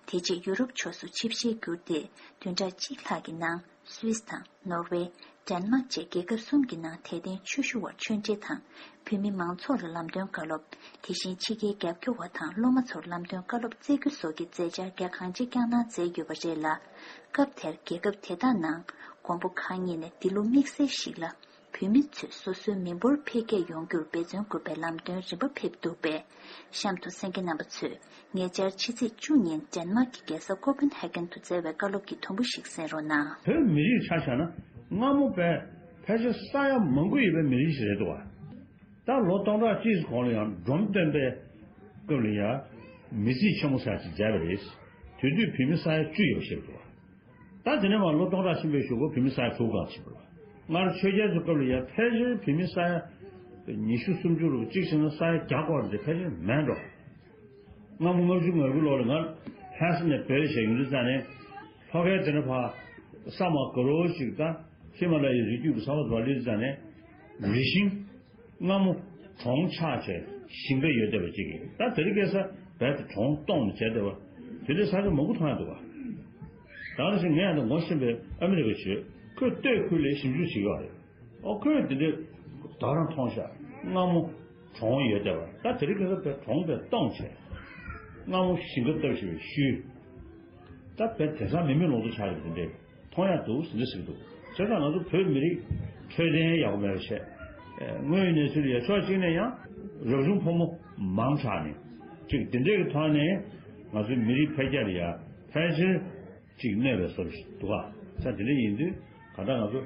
དེ་རྗེས་ཡུ་རོབ་ཕྱོགས་སུ་ཆིབས་ཞལ་བསྒྱུར་ཏེ། བདུན་ཕྲག་གཅིག་ལྷག་གི་ནང་སུད་སི་དང་ནོར་ཝེ། ཌེན་མཱག་བཅས་རྒྱལ་ཁབ་གསུམ་གྱི་ནང་དད་ལྡན་ཆོས་ཞུ་བར་ཆོས་འབྲེལ་དང་། བོད་མི་མང་ཚོགས་ལ་ལམ་སྟོན་བཀའ་སློབ། དེ་བཞིན་ཕྱི་རྒྱལ་རྒྱབ་སྐྱོར་བ་དང་སློབ་མ་ཚོར་ལམ་སྟོན་བཀའ་སློབ་སྩལ་རྒྱུ་སོགས་ཀྱི་མཛད་འཆར་རྒྱ་གང་ཆེ་བསྐྱངས་གནང་མཛད་ཡོད་པ་རེད་ལ། སྐབས་དེར་རྒྱལ་ཁབ་དེ་དག་ནང་མགོན་པོ་གང་ཉིད་ནས་འདི་ལོ་དམིགས་བསལ་ཞིག་ལ། བོད་མི་ཚོས་སོ་སོའི་མི་འབོར་འཕེལ་རྒྱས་ཡོང་རྒྱུར་འབད་བརྩོན་དགོས་པའི་ལམ་སྟོན་རིམ་པ་ཕེབས་འདུག་པས། གཤམ་དུ་གསན་མཁན་རྣམ་པ་ཚོས་ཉེ་ཆར་ཕྱི་ཚེས་བཅུ་ཉིན་ཌེན་མཱག་གི་རྒྱལ་ས་ཀོ་པན་ཧེ་གན་དུ་སྩལ་བའི་བཀའ་སློབ་ཀྱི་དུམ་བུ་ཞིག་གསན་རོགས་གནང་། བོད་མི་རིགས་ཆ་བཞག་ན་སྔ་མོ་བས་ཕལ་ཆེར་ས་ཡ་མང་པོ་ཡོད་པའི་མི་རིགས་ཤིག་རེད་འདུག་བ། ད་ལོ་སྟོང་ཕྲག་གཅིག་གོང་ལ་ཡང་འབྲོམ་སྟོན་པའི་སྐབས་ལ་ཡང་མི་རྩིས་ཆེན་མོ་ཟེར་ཅིག་མཛད་པ་རེད། དེ་དུས་བོད་མི་ས་ཡ་བཅུ་ཡོད་ཞེས་འདུག་བ། ད་དེ་ནས་མར་ལོ་སྟོང་ཕྲག་ཕྱིན་པའི་གཞུག་གུ་བོད་མི་ས་ཡ་དྲུག་ག་ཕྱིན་པ་རེད་བ། སྔར་ཆོས་རྒྱལ་ཚོའི་སྐབས་ལ་ཡང་ཕལ་ཆེར་བོད་མི་ས་ཡ་ཉི་ཤུ་སུམ་ཅུ་རུ་གཅིག་བྱས་ན་ས་ཡ་བརྒྱ་སྐོར་འདི་ཕལ་ཆེར་མེད་འགྲོ། སྔ་མོ་ལྔ་བཅུ་ང་དགུ་ལོ་ལ་ང་ལྷ་ས་ནས་བོད་བྱས་ཡོང་དུས་ཙང་ནས་ལྷོ་ཁའི་དེ་ནས་ཕར་ས་མ་དགའ་རོགས་ཤིག་དང་ ཧི་མ་ལ་ཡའི་རི་རྒྱུད་ཀྱི་ས་བབ་ར་ལི་ཙ་ནས་རི་ཤིང་སྔ་མོ་གྲོང་ཆགས་བྱས་ཞིང་ཁ་ཡོད་བསྡད་པ་ཅིག་གིས། ད་དེ་རིང་ཁ་སང་རྦད་དེ་གྲོང་སྟོངས་ནས་བྱས་བསྡད་པ། དེ་འདྲའི་ས་ཆ་མང་པོ་མཐོང་ཡ་འདུག་ག་ད་ག་ནང་བཞིན་ངས་ཡང་ད་ངོ་ཤེས་པའི་ཨ་མི་རི་ཀ་ཆོས་ཁོས་སྟོད་ཁུལ་ལ་ཞིབ་འཇུག་བྱེད་ཀྱི་ཡོད་རེད། ཨོ་ཁོས་དེ་འདྲའི་ད་རང་མཐོང་ཤག་སྔ་མོ་གྲོང་ཡོད་བསྡད་པ། ད་དེ་རིང་ཁ་སང་བས་གྲོང་བས་སྟོངས་བྱས། སྔ་མོ་ཞིང་ཁ་བཏབ་བཞིན་པའི་ཤུལ། ད་བས་དེང་སང་མི་མེད་ལོང་དུ་ཆགས་ཡོད་པ་དེ་འདྲའི་མཐོང་ཡ་འདུག་ཟེར་འདྲ་ཟེར་གྱི་འདུག་བྱས་ཙང་ང་ཚོ་བོད་མི་རིགས་འཕྲོད་བསྟེན་ཡག་པོ་མེད་པ་བྱས། དངོས་ཡོད་གནས་ཚུལ་ཡ་ཕྱོགས་གཅིག་ནས་ཡང་རབ་བྱུང་ཕོ་མོ་མང་དྲགས་ནས་ཅིག་དེ་འདྲའི་གི་ཐོག་ནས་ང་ཚོའི་མི་རིགས་འཕེལ་རྒྱས་ལ་ཡ་ཕལ་ཆེར་ཅིག་གནོད་པའི་བཟོ་འདྲ་ཞིག་འདུག་ག་ས་དེ་འདྲ་ཡིན་དུས་ག་ད་ང་ཚོ་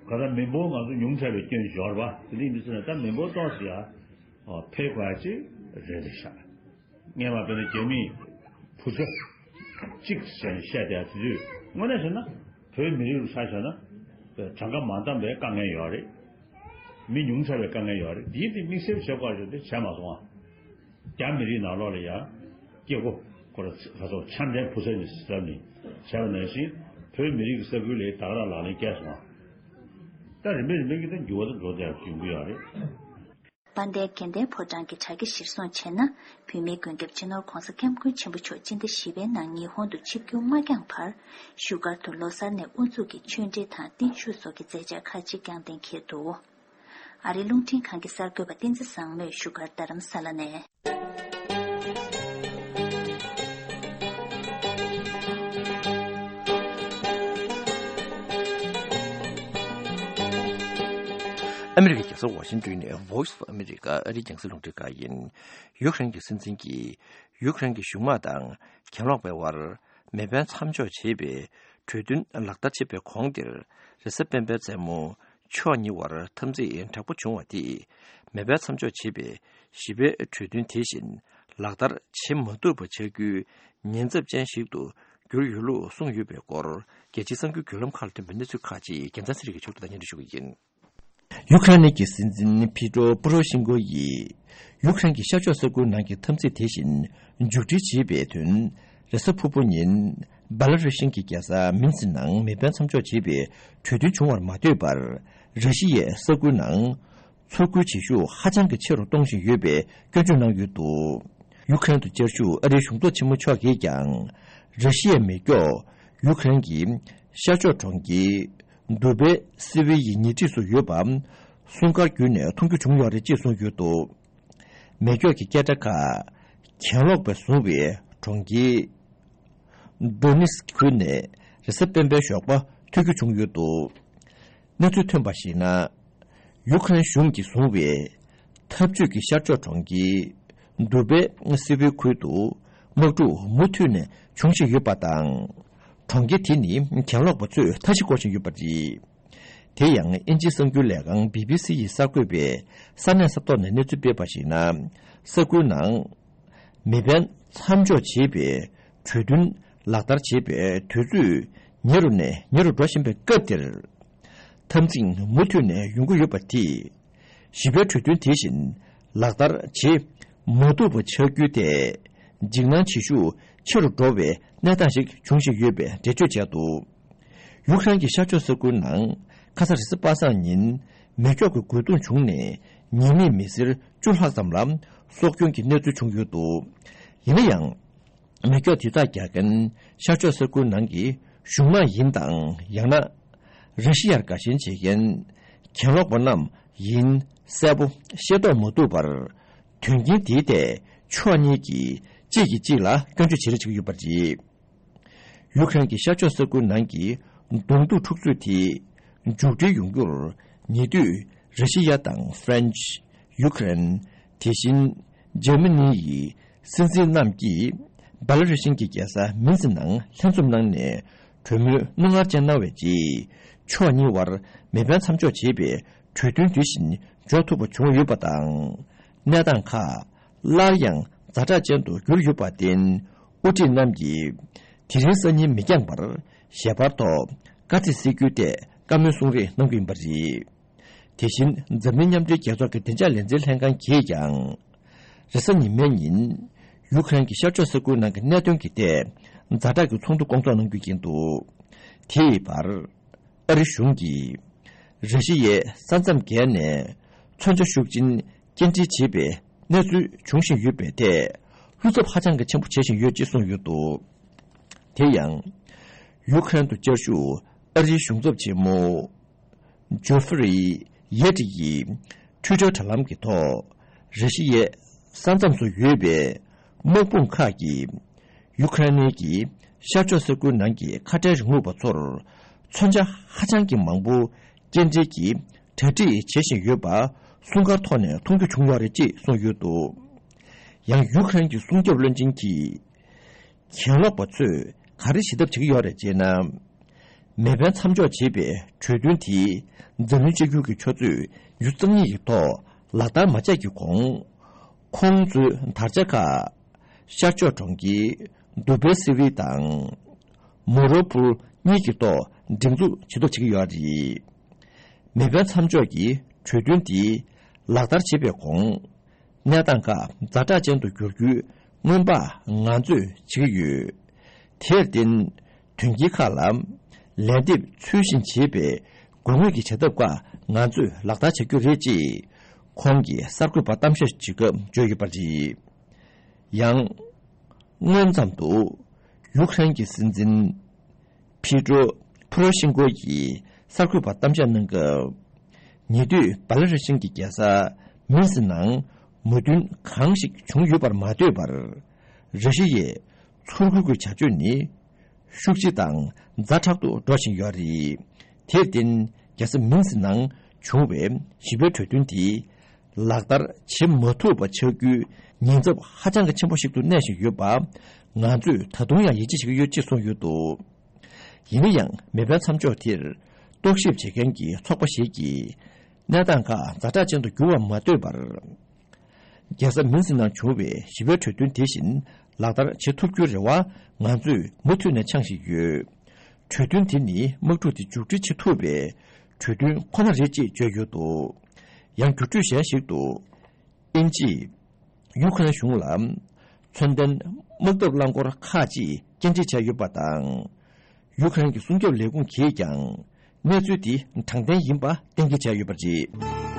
ག་ད་མི་འབོར་ང་ཚོ་ཉུང་དྲགས་པའི་སྐྱོན་ཞིག་ཡོད་རེད་པ། དེ་འདྲ་ཡིན་དུས་ཙང་ནས་ད་མི་འབོར་ཏོག་ཙམ་ཡ་འཕེལ་དགོས་ཡ་ཅིག་རེད་རེད་ཤག་སྔས་མ་དཔེར་ན་རྒྱ་མིས་བུ་ཚ་གཅིག་ཟེར་ནས་བཤད་བསྡད་དུས་དངོས་གནས་བྱས་ན་བོད་མི་རིགས་ལ་ཆ་བཞག་ན་གྲངས་ཀ་མ་འདང་བའི་དཀའ་ངལ་ཡོད་རེད། མི་ཉུང་དྲགས་པའི་དཀའ་ངལ་ཡོད་རེད། འདིའི་དེ་དམིགས་བསལ་བྱེད་དགོས་ཞེས་དེ་བྱས་མ་སོང་ཨ། རྒྱ་མི་རིགས་ནང་ལོགས་ལ་ཡང་སྐྱེ་སྒོ་ཁོ་ར་ཚ་ཚོ་འཆམ་མཐུན་བུ་ཚ་གཉིས་ཟེར་ནས་བྱས་པ་ནང་བཞིན་བོད་མི་རིགས་ཀྱི་ས་ཁུལ་ལ་ད་ག་རང་ལག་ལེན་བཀལ་སོང་ཨ། ད་རིམ་པས་རིམ་པས་ཀྱི་ད་འགྱུར་བ་དང་འགྲོ་བསྡད་ཡོང་གི་ཡོད་རེད། དཔལ་ལྡན་དགེ་ལྡན་ཕོ་བྲང་གི་དྲ་རྒྱ་གཞིར་བཟུང་བྱས་ན། བོད་མིའི་མགོན་སྐྱབས་སྤྱི་ནོར་༧གོང་ས་༧སྐྱབས་མགོན་ཆེན་པོ་མཆོག་སྤྱི་ཟླ་བཞི་པའི་ནང་ཉི་ཧོང་དུ་ཆིབས་བསྒྱུར་མ་བསྐྱངས་བར། བཞུགས་སྒར་དུ་ལོ་གསར་ནས་དབུ་འཛུགས་ཀྱིས་ཆོས་འབྲེལ་དང་བརྟན་བཞུགས་སོགས་ཀྱི་མཛད་འཆར་ཁག་ཅིག་ཀྱང་གཏན་འཁེལ་འདུག་ཨ་རིའི་རླུང་འཕྲིན་ཁང་གི་གསར་འགོད་པ་བསྟན་འཛིན་བཟང་མོས་བཞུགས་སྒར་རྡ་རམ་ས་ལ་ནས། ཨ་མི་རི་ཀའི་རྒྱལ་ས་ཝ་ཤིང་ཏོན་ནས་Voice of America ཨ་རིའི་རྒྱང་སྲིང་རླུང་འཕྲིན་ཁང་ཡིན། ཡུཀ་རེན་གྱི་སྲིད་འཛིན་གྱིས་ཡུཀ་རེན་གྱི་གཞུང་དམག་དང་གྱེན་ལོག་པའི་དབར་མེ་འཕེན་མཚམས་འཇོག་བྱེད་པའི་གྲོས་མཐུན་ལག་བསྟར་བྱེད་པའི་གོང་དེར་རེས་གཟའ་སྤེན་པའི་མཚན་མོ་ཕྱོགས་གཉིས་དབར་འཐབ་འཛིང་དྲག་པོ་བྱུང་བ་དེས་མེ་འཕེན་མཚམས་འཇོག་བྱེད་པའི་བཞི་པའི་གྲོས་མཐུན་དེ་བཞིན་ལག་བསྟར་བྱེད་མ་ཐུབ་པ་ཆགས་རྒྱུའི་ཉེན་ཚབས་ཅན་ཞིག་ཏུ་གྱུར་ཡོད་ལུགས་གསུངས་ཡོད་པའི་སྐོར་རྒྱལ་སྤྱིའི་གསར་འགྱུར་བརྒྱུད་ལམ་ཁག་ལ་ཐོན་པའི་གནས་ཚུལ་ཁག་ཅིག་རྒྱལ་མཚན་ཚེ་རིང་གིས་ཕྱོགས་བསྒྲིགས་དང་སྙན་སྒྲོན་ཞུ་གི་ཡིན། ཡུ་ཁ་རེན་གྱི་སྲིད་འཛིན་ཕི་ཏྲོ་པོ་རོ་ཤིན་ཀོ་ཡིས་ཡུ་ཁ་རེན་གྱི་ཤར་ཕྱོགས་ས་ཁུལ་ནང་གི་འཐབ་འཛིང་དེ་བཞིན་མཇུག་སྒྲིལ་བྱེད་པའི་དོན། རེས་གཟའ་ཕུར་བུ་ཉིན་སྦེ་ལ་རུ་ཤིན་གྱི་རྒྱལ་ས་མིན་སི་ནང་མེ་འཕེན་མཚམས་འཇོག་བྱེད་པའི་གྲོས་མཐུན་བྱུང་བར་མ་ལྟོས་པར། ར་ཤི་ཡས་ས་ཁུལ་ནང་ཚོར་སྐུལ་བྱེད་ཤུགས་ཧ་ཅང་གི་ཆེ་རུ་གཏོང་བཞིན་ཡོད་པའི་སྐྱོན་བརྗོད་གནང་ཡོད་འདུག་ཡུ་ཁ་རེན་དུ་བཅའ་བཞུགས་ཨ་རིའི་གཞུང་ཚབ་ཆེན་མོ་མཆོག་གིས་ཀྱང་། ར་ཤི་ཡའི་མེ་སྒྱོགས་ཡུ་ཁ་རེན་གྱི་ཤར་ཕྱོགས་གྲོང་ཁྱེར་དུ་བེ་སི་བི་ཡི་ཉེ་འཁྲིས་སུ་ཡོད་པ་སྲུང་སྐར་བརྒྱུད་ནས་མཐོང་རྒྱུ་བྱུང་ཡོད་རེད་ཅེས་གསུངས་ཡོད་འདུག་མེ་སྒྱོགས་ཀྱི་སྐད་སྒྲ་ཁག་གྱེན་ལོག་པས་བཟུང་བའི་གྲོང་ཁྱེར་དོ་ནེ་སི་ཁུལ་ནས་རེས་གཟའ་སྤེན་པའི་ཞོགས་པ་ཐོས་རྒྱུ་བྱུང་ཡོད་འདུག་གནས་ཚུལ་ཐོན་པར་གཞིགས་ན། ཡུ་ཁ་རེན་གཞུང་གིས་བཟུང་བའི་འཐབ་ཇུས་ཀྱི་ཤར་ཕྱོགས་གྲོང་ཁྱེར་དུ་བེ་སི་བི་ཁུལ་དུ་དམག་འཁྲུག་མུ་མཐུད་ནས་འབྱུང་བཞིན་ཡོད་པ་དང་། གྲོང་ཁྱེར་དེ་ནི་གྱེན་ལོག་པ་ཚོས་མཐའ་བཞི་བསྐོར་བཞིན་ཡོད་པ་རེད། དེ་ཡང་དབྱིན་ཇིའི་གསར་འགྱུར་ལས་ཁང་བི་བི་སི་ཡིས་གསར་འགོད་པས་ས་གནས་ས་ཐོག་ནས་གནས་ཚུལ་སྤེལ་བར་གཞིགས་ན། ས་ཁུལ་ནང་མེ་འཕེན་མཚམས་འཇོག་བྱེད་པའི་གྲོས་མཐུན་ལག་བསྟར་བྱེད་པའི་དུས་ཚོད་ཉེ་རུ་ནས་ཉེ་རུ་འགྲོ་བཞིན་པའི་སྐབས་འདིར། འཐབ་འཛིང་མུ་མཐུད་ནས་ཡོང་གི་ཡོད་པ་དེས། བཞི་པའི་གྲོས་མཐུན་དེ་བཞིན་ལག་བསྟར་བྱེད་མ་ཐུབ་པ་ཆགས་རྒྱུ་དེ། འཇིགས་སྣང་བྱེད་ཤུགས་ཆེ་རུ་འགྲོ་བའི་གནས་སྟངས་ཤིག་འབྱུང་བཞིན་ཡོད་པའི་འགྲེལ་བརྗོད་བྱས་འདུག་ཡུ་ཁ་རེན་གྱི་ཤར་ཕྱོགས་ས་ཁུལ་ནང་ཁ་ས་རེས་གཟའ་པ་སངས་ཉིན་མེ་སྒྱོགས་ཀྱི་རྒོལ་རྡུང་བྱུང་ནས་ཉེས་མེད་མི་སེར་བཅུ་ལྷག་ཙམ་ལ་སྲོག་སྐྱོན་གྱི་གནས་ཚུལ་བྱུང་ཡོད་འདུག་ཡིན་ན་ཡང་། མེ་སྒྱོགས་དེ་དག་རྒྱག་མཁན་ཤར་ཕྱོགས་ས་ཁུལ་ནང་གི་གཞུང་དམག་ཡིན་དང་ཡང་ན། ར་ཤི་ཡར་དགའ་ཞེན་བྱེད་མཁན་གྱེན་ལོག་པ་རྣམས་ཡིན་གསལ་པོ་ཤེས་རྟོགས་མ་ཐུབ་པར། དོན་རྐྱེན་དེའི་ཐད་ཕྱོགས་གཉིས་ཀྱིས་གཅིག་གིས་གཅིག་ལ་སྐྱོན་བརྗོད་བྱེད་རེས་བྱེད་ཀྱི་ཡོད་པ་རེད། ཡུ་ཁ་རེན་གྱི་ཤར་ཕྱོགས་ས་ཁུལ་ནང་གི་གདོང་ཐུག་འཁྲུག་རྩོད་དེ་མཇུག་སྒྲིལ་ཡོང་རྒྱུར་ཉེ་དུས་ར་ཤི་ཡ་དང་ཧྥ་རན་ཆི། ཡུ་ཁ་རེན། དེ་བཞིན་འཇར་མ་ནི་ཡི་སྲིད་འཛིན་རྣམས་ཀྱིས་སྦེ་ལ་རུ་ཤིན་གྱི་རྒྱལ་ས་མིན་སི་ནང་ལྷན་འཛོམས་གནང་ནས་གྲོས་མོལ་རྣོ་ངར་ཅན་གནང་བའི་རྗེས་ཕྱོགས་གཉིས་དབར་མེ་འཕེན་མཚམས་འཇོག་བྱེད་པའི་གྲོས་མཐུན་དེ་བཞིན་འཇོག་ཐུབ་པ་བྱུང་ཡོད་པ་དང་། གནས་སྟངས་ཁག་སླར་ཡང་ཛ་དྲག་ཅན་དུ་གྱུར་ཡོད་པར་བརྟེན། དབུ་ཁྲིད་རྣམས་ཀྱིས་དེ་རིང་སང་ཉིན་མི་འགྱངས་པར་ཞལ་པར་ཐོག་དཀའ་ཚེགས་སེལ་རྒྱུའི་ཐད་བཀའ་མོལ་གསུང་རེས་གནང་རྒྱུ་ཡིན་པ་རེད། དེ་བཞིན་འཛམ་གླིང་མཉམ་འབྲེལ་རྒྱལ་ཚོགས་ཀྱི་བདེ་འཇགས་ལས་འཛིན་ལྷན་ཁང་གིས་ཀྱང་། རེས་གཟའ་ཉི་མའི་ཉིན་ཡུ་ཁ་རེན་གྱི་ཤར་ཕྱོགས་ས་ཁུལ་ནང་གི་གནད་དོན་གྱི་ཐད་ཛ་དྲག་གི་ཚོགས་འདུ་སྐོང་ཚོགས་གནང་རྒྱུ་ཡིན་འདུག་དེའི་བར། ཨ་རི་གཞུང་གིས་ ར་ཤི་ཡའི་ས་མཚམས་བརྒལ་ནས་མཚོན་ཆ་ཤུགས་ཆེན་སྐྱེལ་འདྲེན་བྱེད་པའི་གནས་ཚུལ་འབྱུང་བཞིན་ཡོད་པའི་ཐད། བློ་འཚབ་ཧ་ཅང་གི་ཆེན་པོ་བྱེད་བཞིན་ཡོད་ཅེས་གསུངས་ཡོད་འདུག་དེ་ཡང་། ཡུ་ཁ་རན་དུ་བཅའ་བཞུགས་ཨ་རིའི་གཞུང་ཚབ་ཆེན་མོ་ཇོ་ཧྥེ་རི་ཡེ་ཏི་ཡིས་ཊུའི་ཊར་དྲ་ལམ་གྱི་ཐོག་ར་ཤི་ཡའི་ས་མཚམས་སུ་ཡོད་པའི་དམག་དཔུང་ཁག་གིས་ཡུ་ཁ་རན་གྱི་ཤར་ཕྱོགས་ས་ཁུལ་ནང་གི་ཁ་བྲལ་རིང་ལུགས་པ་ཚོར་མཚོན་ཆ་ཧ་ཅང་གི་མང་པོ་སྐྱེལ་འདྲེན་གྱི་གྲ་སྒྲིག་བྱེད་བཞིན་ཡོད་པ་སྲུང་སྐར་ཐོག་ནས་མཐོང་རྒྱུ་བྱུང་ཡོད་རེད་ཅེས་གསུངས་ཡོད་འདུག་ཡང་ཡུ་ཁ་རན་གྱི་སྲུང་སྐྱོབ་བློན་ཆེན་གྱིས། གྱེན་ལོག་པ་ཚོས་ག་རེ་བྱེད་ཐབས་བྱེད་ཀྱི་ཡོད་རེད་ཅེ་ན། མེ་འཕེན་མཚམས་འཇོག་བྱེད་པའི་གྲོས་མཐུན་དེ་འཛམ་གླིང་གཅིག་གྱུར་གྱི་ཆུ་ཚོད་ཉི་ཤུ་རྩ་གཉིས་ཀྱི་ཐོག་ལག་བསྟར་མ་བྱས་ཀྱི་གོང་། ཁོང་ཚོའི་དར་ཆ་ཁག་ཤར་ཕྱོགས་གྲོང་ཁྱེར་དུ་བེ་སི་ཝི་དང་མོ་རོ་པུར་གཉིས་ཀྱི་ཐོག་སྒྲིག་འཛུགས་བྱེད་ཐབས་བྱེད་ཀྱི་ཡོད་རེད། མེ་འཕེན་མཚམས་འཇོག་གི་གྲོས་མཐུན་དེ་ལག་བསྟར་བྱེད་པའི་གོང་། གནས་སྟངས་ཁག་ཛ་དྲག་ཅན་དུ་འགྱུར་རྒྱུའི་སྔོན་དཔག་ང་ཚོས་བྱེད་ཀྱི་ཡོད། དེར་བརྟེན། དོན་རྐྱེན་ཁག་ལ་ལན་འདེབས་ཚུལ་བཞིན་བྱེད་པའི་དགོས་ངེས་ཀྱི་བྱ་ཐབས་ཁག་ང་ཚོས་ལག་བསྟར་བྱ་རྒྱུ་རེད་ཅེས་ཁོང་གིས་གསར་འགོད་པར་གཏམ་བཤད་བྱེད་སྐབས་བརྗོད་ཡོད་པ་རེད། ཡང་། སྔོན་ཙམ་དུ་ཡུ་ཁ་རེན་གྱི་སྲིད་འཛིན་ཕི་ཏྲོ་ཕུ་རོ་ཤིན་ཀོ་ཡིས་གསར་འགོད་པར་གཏམ་བཤད་གནང་སྐབས། ཉེ་དུས་སྦ་ལ་རི་ཤིན་གྱི་རྒྱལ་ས་མིན་སི་ནང་མོས་མཐུན་གང་ཞིག་བྱུང་ཡོད་པར་མ་ལྟོས་པར། ར་ཤི་ཡའི་ཚུར་རྒོལ་གྱི་བྱ་སྤྱོད་ནི་ཤུགས་ཆེ་དང་ཛ་དྲག་ཏུ་འགྲོ་བཞིན་ཡོད་རེད། དེར་བརྟེན་རྒྱལ་ས་མིན་སི་ནང་བྱུང་བའི་ཞི་བའི་གྲོས་མཐུན་དེ། ལག་བསྟར་བྱེད་མ་ཐུབ་པ་ཆགས་རྒྱུའི་ཉེན་ཚབས་ཧ་ཅང་གི་ཆེན་པོ་ཞིག་ཏུ་གནས་བཞིན་ཡོད་པ། ང་ཚོས་ད་དུང་ཡང་ཡིད་ཆེས་བྱེད་ཀྱི་ཡོད་ཅེས་གསུངས་ཡོད་འདུག་ཡིན་ན་ཡང་མེ་འཕེན་མཚམས་འཇོག་དེར་རྟོག་ཞིབ་བྱེད་མཁན་གྱི་ཚོགས་པ་ཞིག་གིས་གནས་སྟངས་ཁག་ཛ་དྲག་ཅན་དུ་འགྱུར་བར་མ་ལྟོས་པར། རྒྱལ་ས་མིན་སི་ནང་བྱུང་བའི་ཞི་བའི་གྲོས་མཐུན་དེ་བཞིན་ལག་བསྟར་བྱེད་ཐུབ་རྒྱུའི་རེ་བ་ང་ཚོས་མུ་མཐུད་ནས་འཆང་བཞིན་ཡོད། གྲོས་མཐུན་དེ་ནི་དམག་འཁྲུག་དེ་མཇུག་སྒྲིལ་བྱེད་ཐུབ་པའི་གྲོས་མཐུན་ཁོ་ན་རེད་ཅེས་བརྗོད་ཡོད་འདུག་ཡང་བརྒྱུད་སྤྲོད་གཞན་ཞིག་ཏུ། དབྱིན་ཇིས་ཡུ་ཁ་རེན་གཞུང་ལ་མཚོན་ལྡན་དམག་འཐབ་རླངས་འཁོར་ཁག་ཅིག་སྐྱེལ་འདྲེན་བྱས་ཡོད་པ་དང་། ཡུ་ཁ་རེན་གྱི་སྲུང་སྐྱོབ་ལས་ཁུངས་ཀྱིས་ཀྱང་གནས་ཚུལ་དེ་དྲང་བདེན་ཡིན་པ་གཏན་འཁེལ་བྱས་ཡོད་པ་རེད།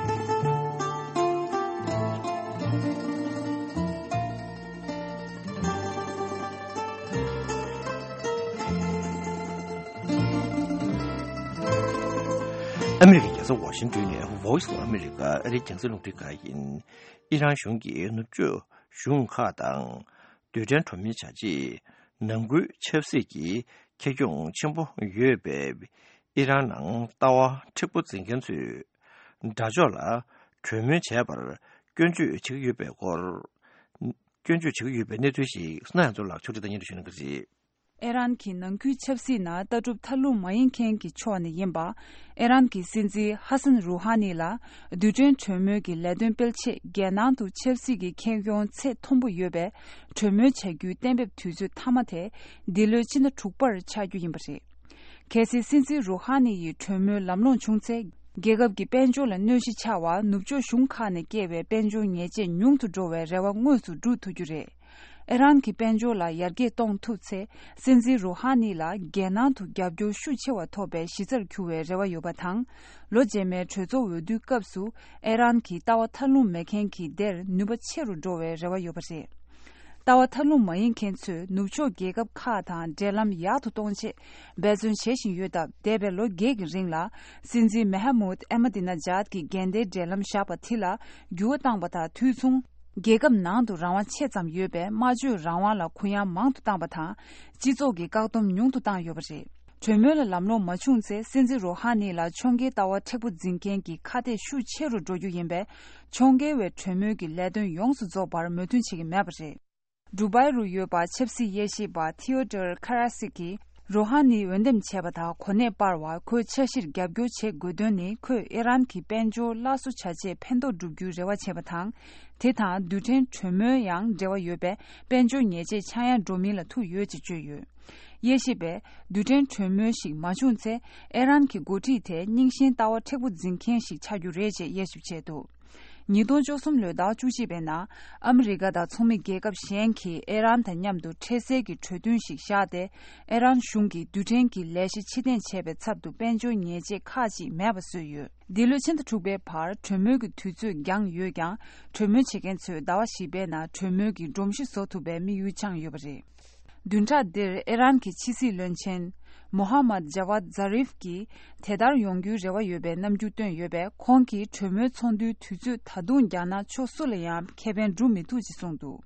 ཨ་མི་རི་ཀའི་རྒྱལ་ས་ཝ་ཤིང་ཏོན་ནས་Voice of America ཨ་རིའི་རྒྱང་སྲིང་རླུང་འཕྲིན་ཁང་ཡིན། ཨི་རན་གཞུང་གིས་ནུབ་ཕྱོགས་གཞུང་ཁག་དང་རྡུལ་ཕྲན་གྲོས་མོལ་བྱ་ཆེད་ནང་ཁུལ་ཆབ་སྲིད་ཀྱི་ཁེ་གྱོང་ཆེན་པོ་ཡོད་པའི་ཨི་རན་ནང་ལྟ་བ་མཁྲེགས་པོ་འཛིན་མཁན་ཚོས་དགྲ་ཕྱོགས་ལ་གྲོས་མོལ་བྱས་པར་སྐྱོན་བརྗོད་བྱེད་ཀྱི་ཡོད་པའི་སྐོར། སྐྱོན་བརྗོད་བྱེད་ཀྱི་ཡོད་པའི་གནས་ཚུལ་ཞིག་སྣ་ཡང་ཚོ་ལགས་ཕྱོགས་སྒྲིག་དང་སྙན་སྒྲོན་ཞུ་གནང་གི་རེད། ཨི་རན་གྱི་ནང་ཁུལ་ཆབ་སྲིད་ནང་ལྟ་གྲུབ་མཐའ་ལྷུང་མ་ཡིན་མཁན་གྱི་ཕྱོགས་ནས་ཡིན་པ། ཨི་རན་གྱི་སྲིད་འཛིན་ཧ་སན་རུ་ཧ་ནི་ལ་རྡུལ་ཕྲན་གྲོས་མོལ་གྱི་ལས་དོན་སྤེལ་ཆེད་རྒྱལ་ནང་དུ་ཆབ་སྲིད་ཀྱི་ཁེ་གྱོང་ཚད་མཐོན་པོ་ཡོད་པའི་གྲོས་མོལ་བྱ་རྒྱུའི་གཏན་འབེབས་དུས་ཚོད་མཐའ་མ་དེ་འདི་ལོའི་ཕྱི་ཟླ་དྲུག་པར་ཆགས་རྒྱུ་ཡིན་པ་རེད། གལ་སྲིད་སྲིད་འཛིན་རུ་ཧ་ནི་ཡི་གྲོས་མོལ་ལམ་ལྷོང་བྱུང་ཚེ། རྒྱལ་ཁབ་ཀྱི་དཔལ་འབྱོར་ལ་གནོད་གཞི་ཆགས་པ་ནུབ་ཕྱོགས་གཞུང་ཁག་ནས་བསྐྱེད་པའི་དཔལ་འབྱོར་ཉེས་ཆད་ཉུང་དུ་འགྲོ་བའི་རེ་བ་དངོས་སུ་སྒྲུབ་ཐུབ་རྒྱུ་རེད། ཨི་རན་གྱི་དཔལ་འབྱོར་ལ་ཡར་རྒྱས་གཏོང་ཐུབ་ཚེ། སྲིད་འཛིན་རུ་ཧ་ནི་ལ་རྒྱལ་ནང་དུ་རྒྱབ་སྐྱོར་ཤུགས་ཆེ་བ་ཐོབ་པའི་གཞི་རྩར་གྱུར་བའི་རེ་བ་ཡོད་པ་དང་། ལོ་རྗེས་མའི་གྲོས་ཚོགས་འོས་བསྡུའི་སྐབས་སུ་ཨི་རན་གྱི་ལྟ་བ་མཐའ་ལྷུང་མེད་མཁན་གྱི་སྡེར་ནུས་པ་ཆེ་རུ་འགྲོ་བའི་རེ་བ་ཡོད་པ་རེད། ལྟ་བ་མཐའ་ལྷུང་མ་ཡིན་མཁན་ཚོས་ནུབ་ཕྱོགས་རྒྱལ་ཁབ་ཁག་དང་འབྲེལ་ལམ་ཡག་ཏུ་གཏོང་ཆེད་འབད་བརྩོན་བྱེད་བཞིན་ཡོད་སྟབས། འདས་པའི་ལོ་བརྒྱད་ཀྱི་རིང་ལ་སྲིད་འཛིན་མེ་ཧ་མུད་ཨེ་མ་དི་ན་ཇཱད་ཀྱིས་འགལ་ཟླའི་འབྲེལ་ལམ་བཞག་པ་དེ་ལ་འགྱུར་བ་བཏང་པ་དང་། དུས་མཚུངས་རྒྱལ་ཁབ་ནང་དུ་རང་དབང་ཆེ་ཙམ་ཡོད་པའི་སྨྲ་བརྗོད་རང་དབང་ལ་གུ་ཡངས་མང་དུ་བཏང་པ་དང་། སྤྱི་ཚོགས་ཀྱི་བཀག་སྡོམ་ཉུང་དུ་བཏང་ཡོད་པ་རེད། གྲོས་མོལ་ལ་ལམ་ལྷོང་མ་བྱུང་ཚེ། སྲིད་འཛིན་རོ་ཧ་ནི་ལ་ཕྱོགས་འགལ་ལྟ་བ་མཁྲེགས་པོ་འཛིན་མཁན་གྱི་ཁ་གཏད་ཤུགས་ཆེ་རུ་འགྲོ་རྒྱུ་ཡིན་པས། ཕྱོགས་འགལ་བའི་གྲོས་མོལ་གྱི་ལས་དོན་ཡོངས་སུ་རྫོགས་པར་མོས་མཐུན་བྱེད་ཀྱི་མེད་པ་རེད། ཌུ་བྷའི་རུ་ཡོད་པ་ཆབ་སྲིད་དབྱེ་ཞིབ་པ་ཐི་ཡོ་ཏར་ཁ་ར་སི་ཀིས་རོ་ཧ་ནི་འོས་འདེམས་བྱས་པ་དང་གོ་གནས་སྤར་བར་ཁོའི་འཆར་གཞིར་རྒྱབ་སྐྱོར་བྱེད་དགོས་དོན་ནི། ཁོས་ཨི་རན་གྱི་དཔལ་འབྱོར་སླར་གསོ་བྱ་ཆེད་ཕན་ཐོགས་བསྒྲུབ་རྒྱུའི་རེ་བ་བྱས་པ་དང་། དེ་དང་རྡུལ་ཕྲན་གྲོས་མོལ་ཡང་འབྲེལ་བ་ཡོད་པས། དཔལ་འབྱོར་ཉེས་ཆད་ཆག་ཡང་འགྲོ་མིན་ལ་ཐུག་ཡོད་ཅེས་བརྗོད་ཡོད། དབྱེ་ཞིབ་པས། རྡུལ་ཕྲན་གྲོས་མོལ་ཞིག་མ་བྱུང་ཚེ། ཨི་རན་གྱི་འགོ་ཁྲིད་དེ་རྙིང་ཞེན་ལྟ་བ་མཁྲེགས་པོ་འཛིན་མཁན་ཞིག་ཆགས་རྒྱུ་རེད་ཅེས་དབྱེ་ཞིབ་བྱས་འདུག་ཉིས་སྟོང་བཅུ་གསུམ་ལོའི་ཟླ་བ་བཅུ་གཅིག་པའི་ནང་ཨ་མི་རི་ཀ་དང་ཚོགས་མི་རྒྱལ་ཁབ་གཞན་གྱིས་ཨི་རན་དང་མཉམ་དུ་འཕྲལ་སེལ་གྱི་གྲོས་མཐུན་ཞིག་བཞག་སྟེ། ཨི་རན་གཞུང་གིས་རྡུལ་ཕྲན་གྱི་ལས་གཞི་ཕྱིར་འཐེན་བྱས་པའི་ཚབ་ཏུ་དཔལ་འབྱོར་ཉེས་ཆད་ཁག་ཅིག་མེད་པ་བཟོས་ཡོད། འདི་ལོའི་ཕྱི་ཟླ་དྲུག་པའི་བར་གྲོས་མོལ་གྱི་དུས་ཚོད་འགྱངས་ཡོད་ཀྱང་། གྲོས་མོལ་བྱེད་མཁན་ཚོས་ཟླ་བ་བཞི་པའི་ནང་གྲོས་མོལ་གྱི་སྒྲོམ་གཞི་བཟོ་ཐུབ་པའི་དམིགས་ཡུལ་འཆང་ཡོད་པ་རེད། བདུན་ཕྲག་འདིར་ཨི་རན་གྱི་ཕྱི་སྲིད་བློན་ཆེན་མོ་ཧ་མད་ཇ་ཝད་ཛ་རིབ་ཀྱིས་དེ་ལྟར་ཡོང་རྒྱུའི་རེ་བ་ཡོད་པའི་རྣམ་འགྱུར་བཏོན་ཡོད་པས། ཁོང་གིས་གྲོས་མོལ་ཚོགས་འདུའི་དུས་ཚོད་ད་དུང་འགྱངས་ན་ཕྱོགས་སུ་ལ་ཡང་ཁེ་ཕན་སྒྲུབ་མི་ཐུབ་ཅེས་གསུངས་འདུག།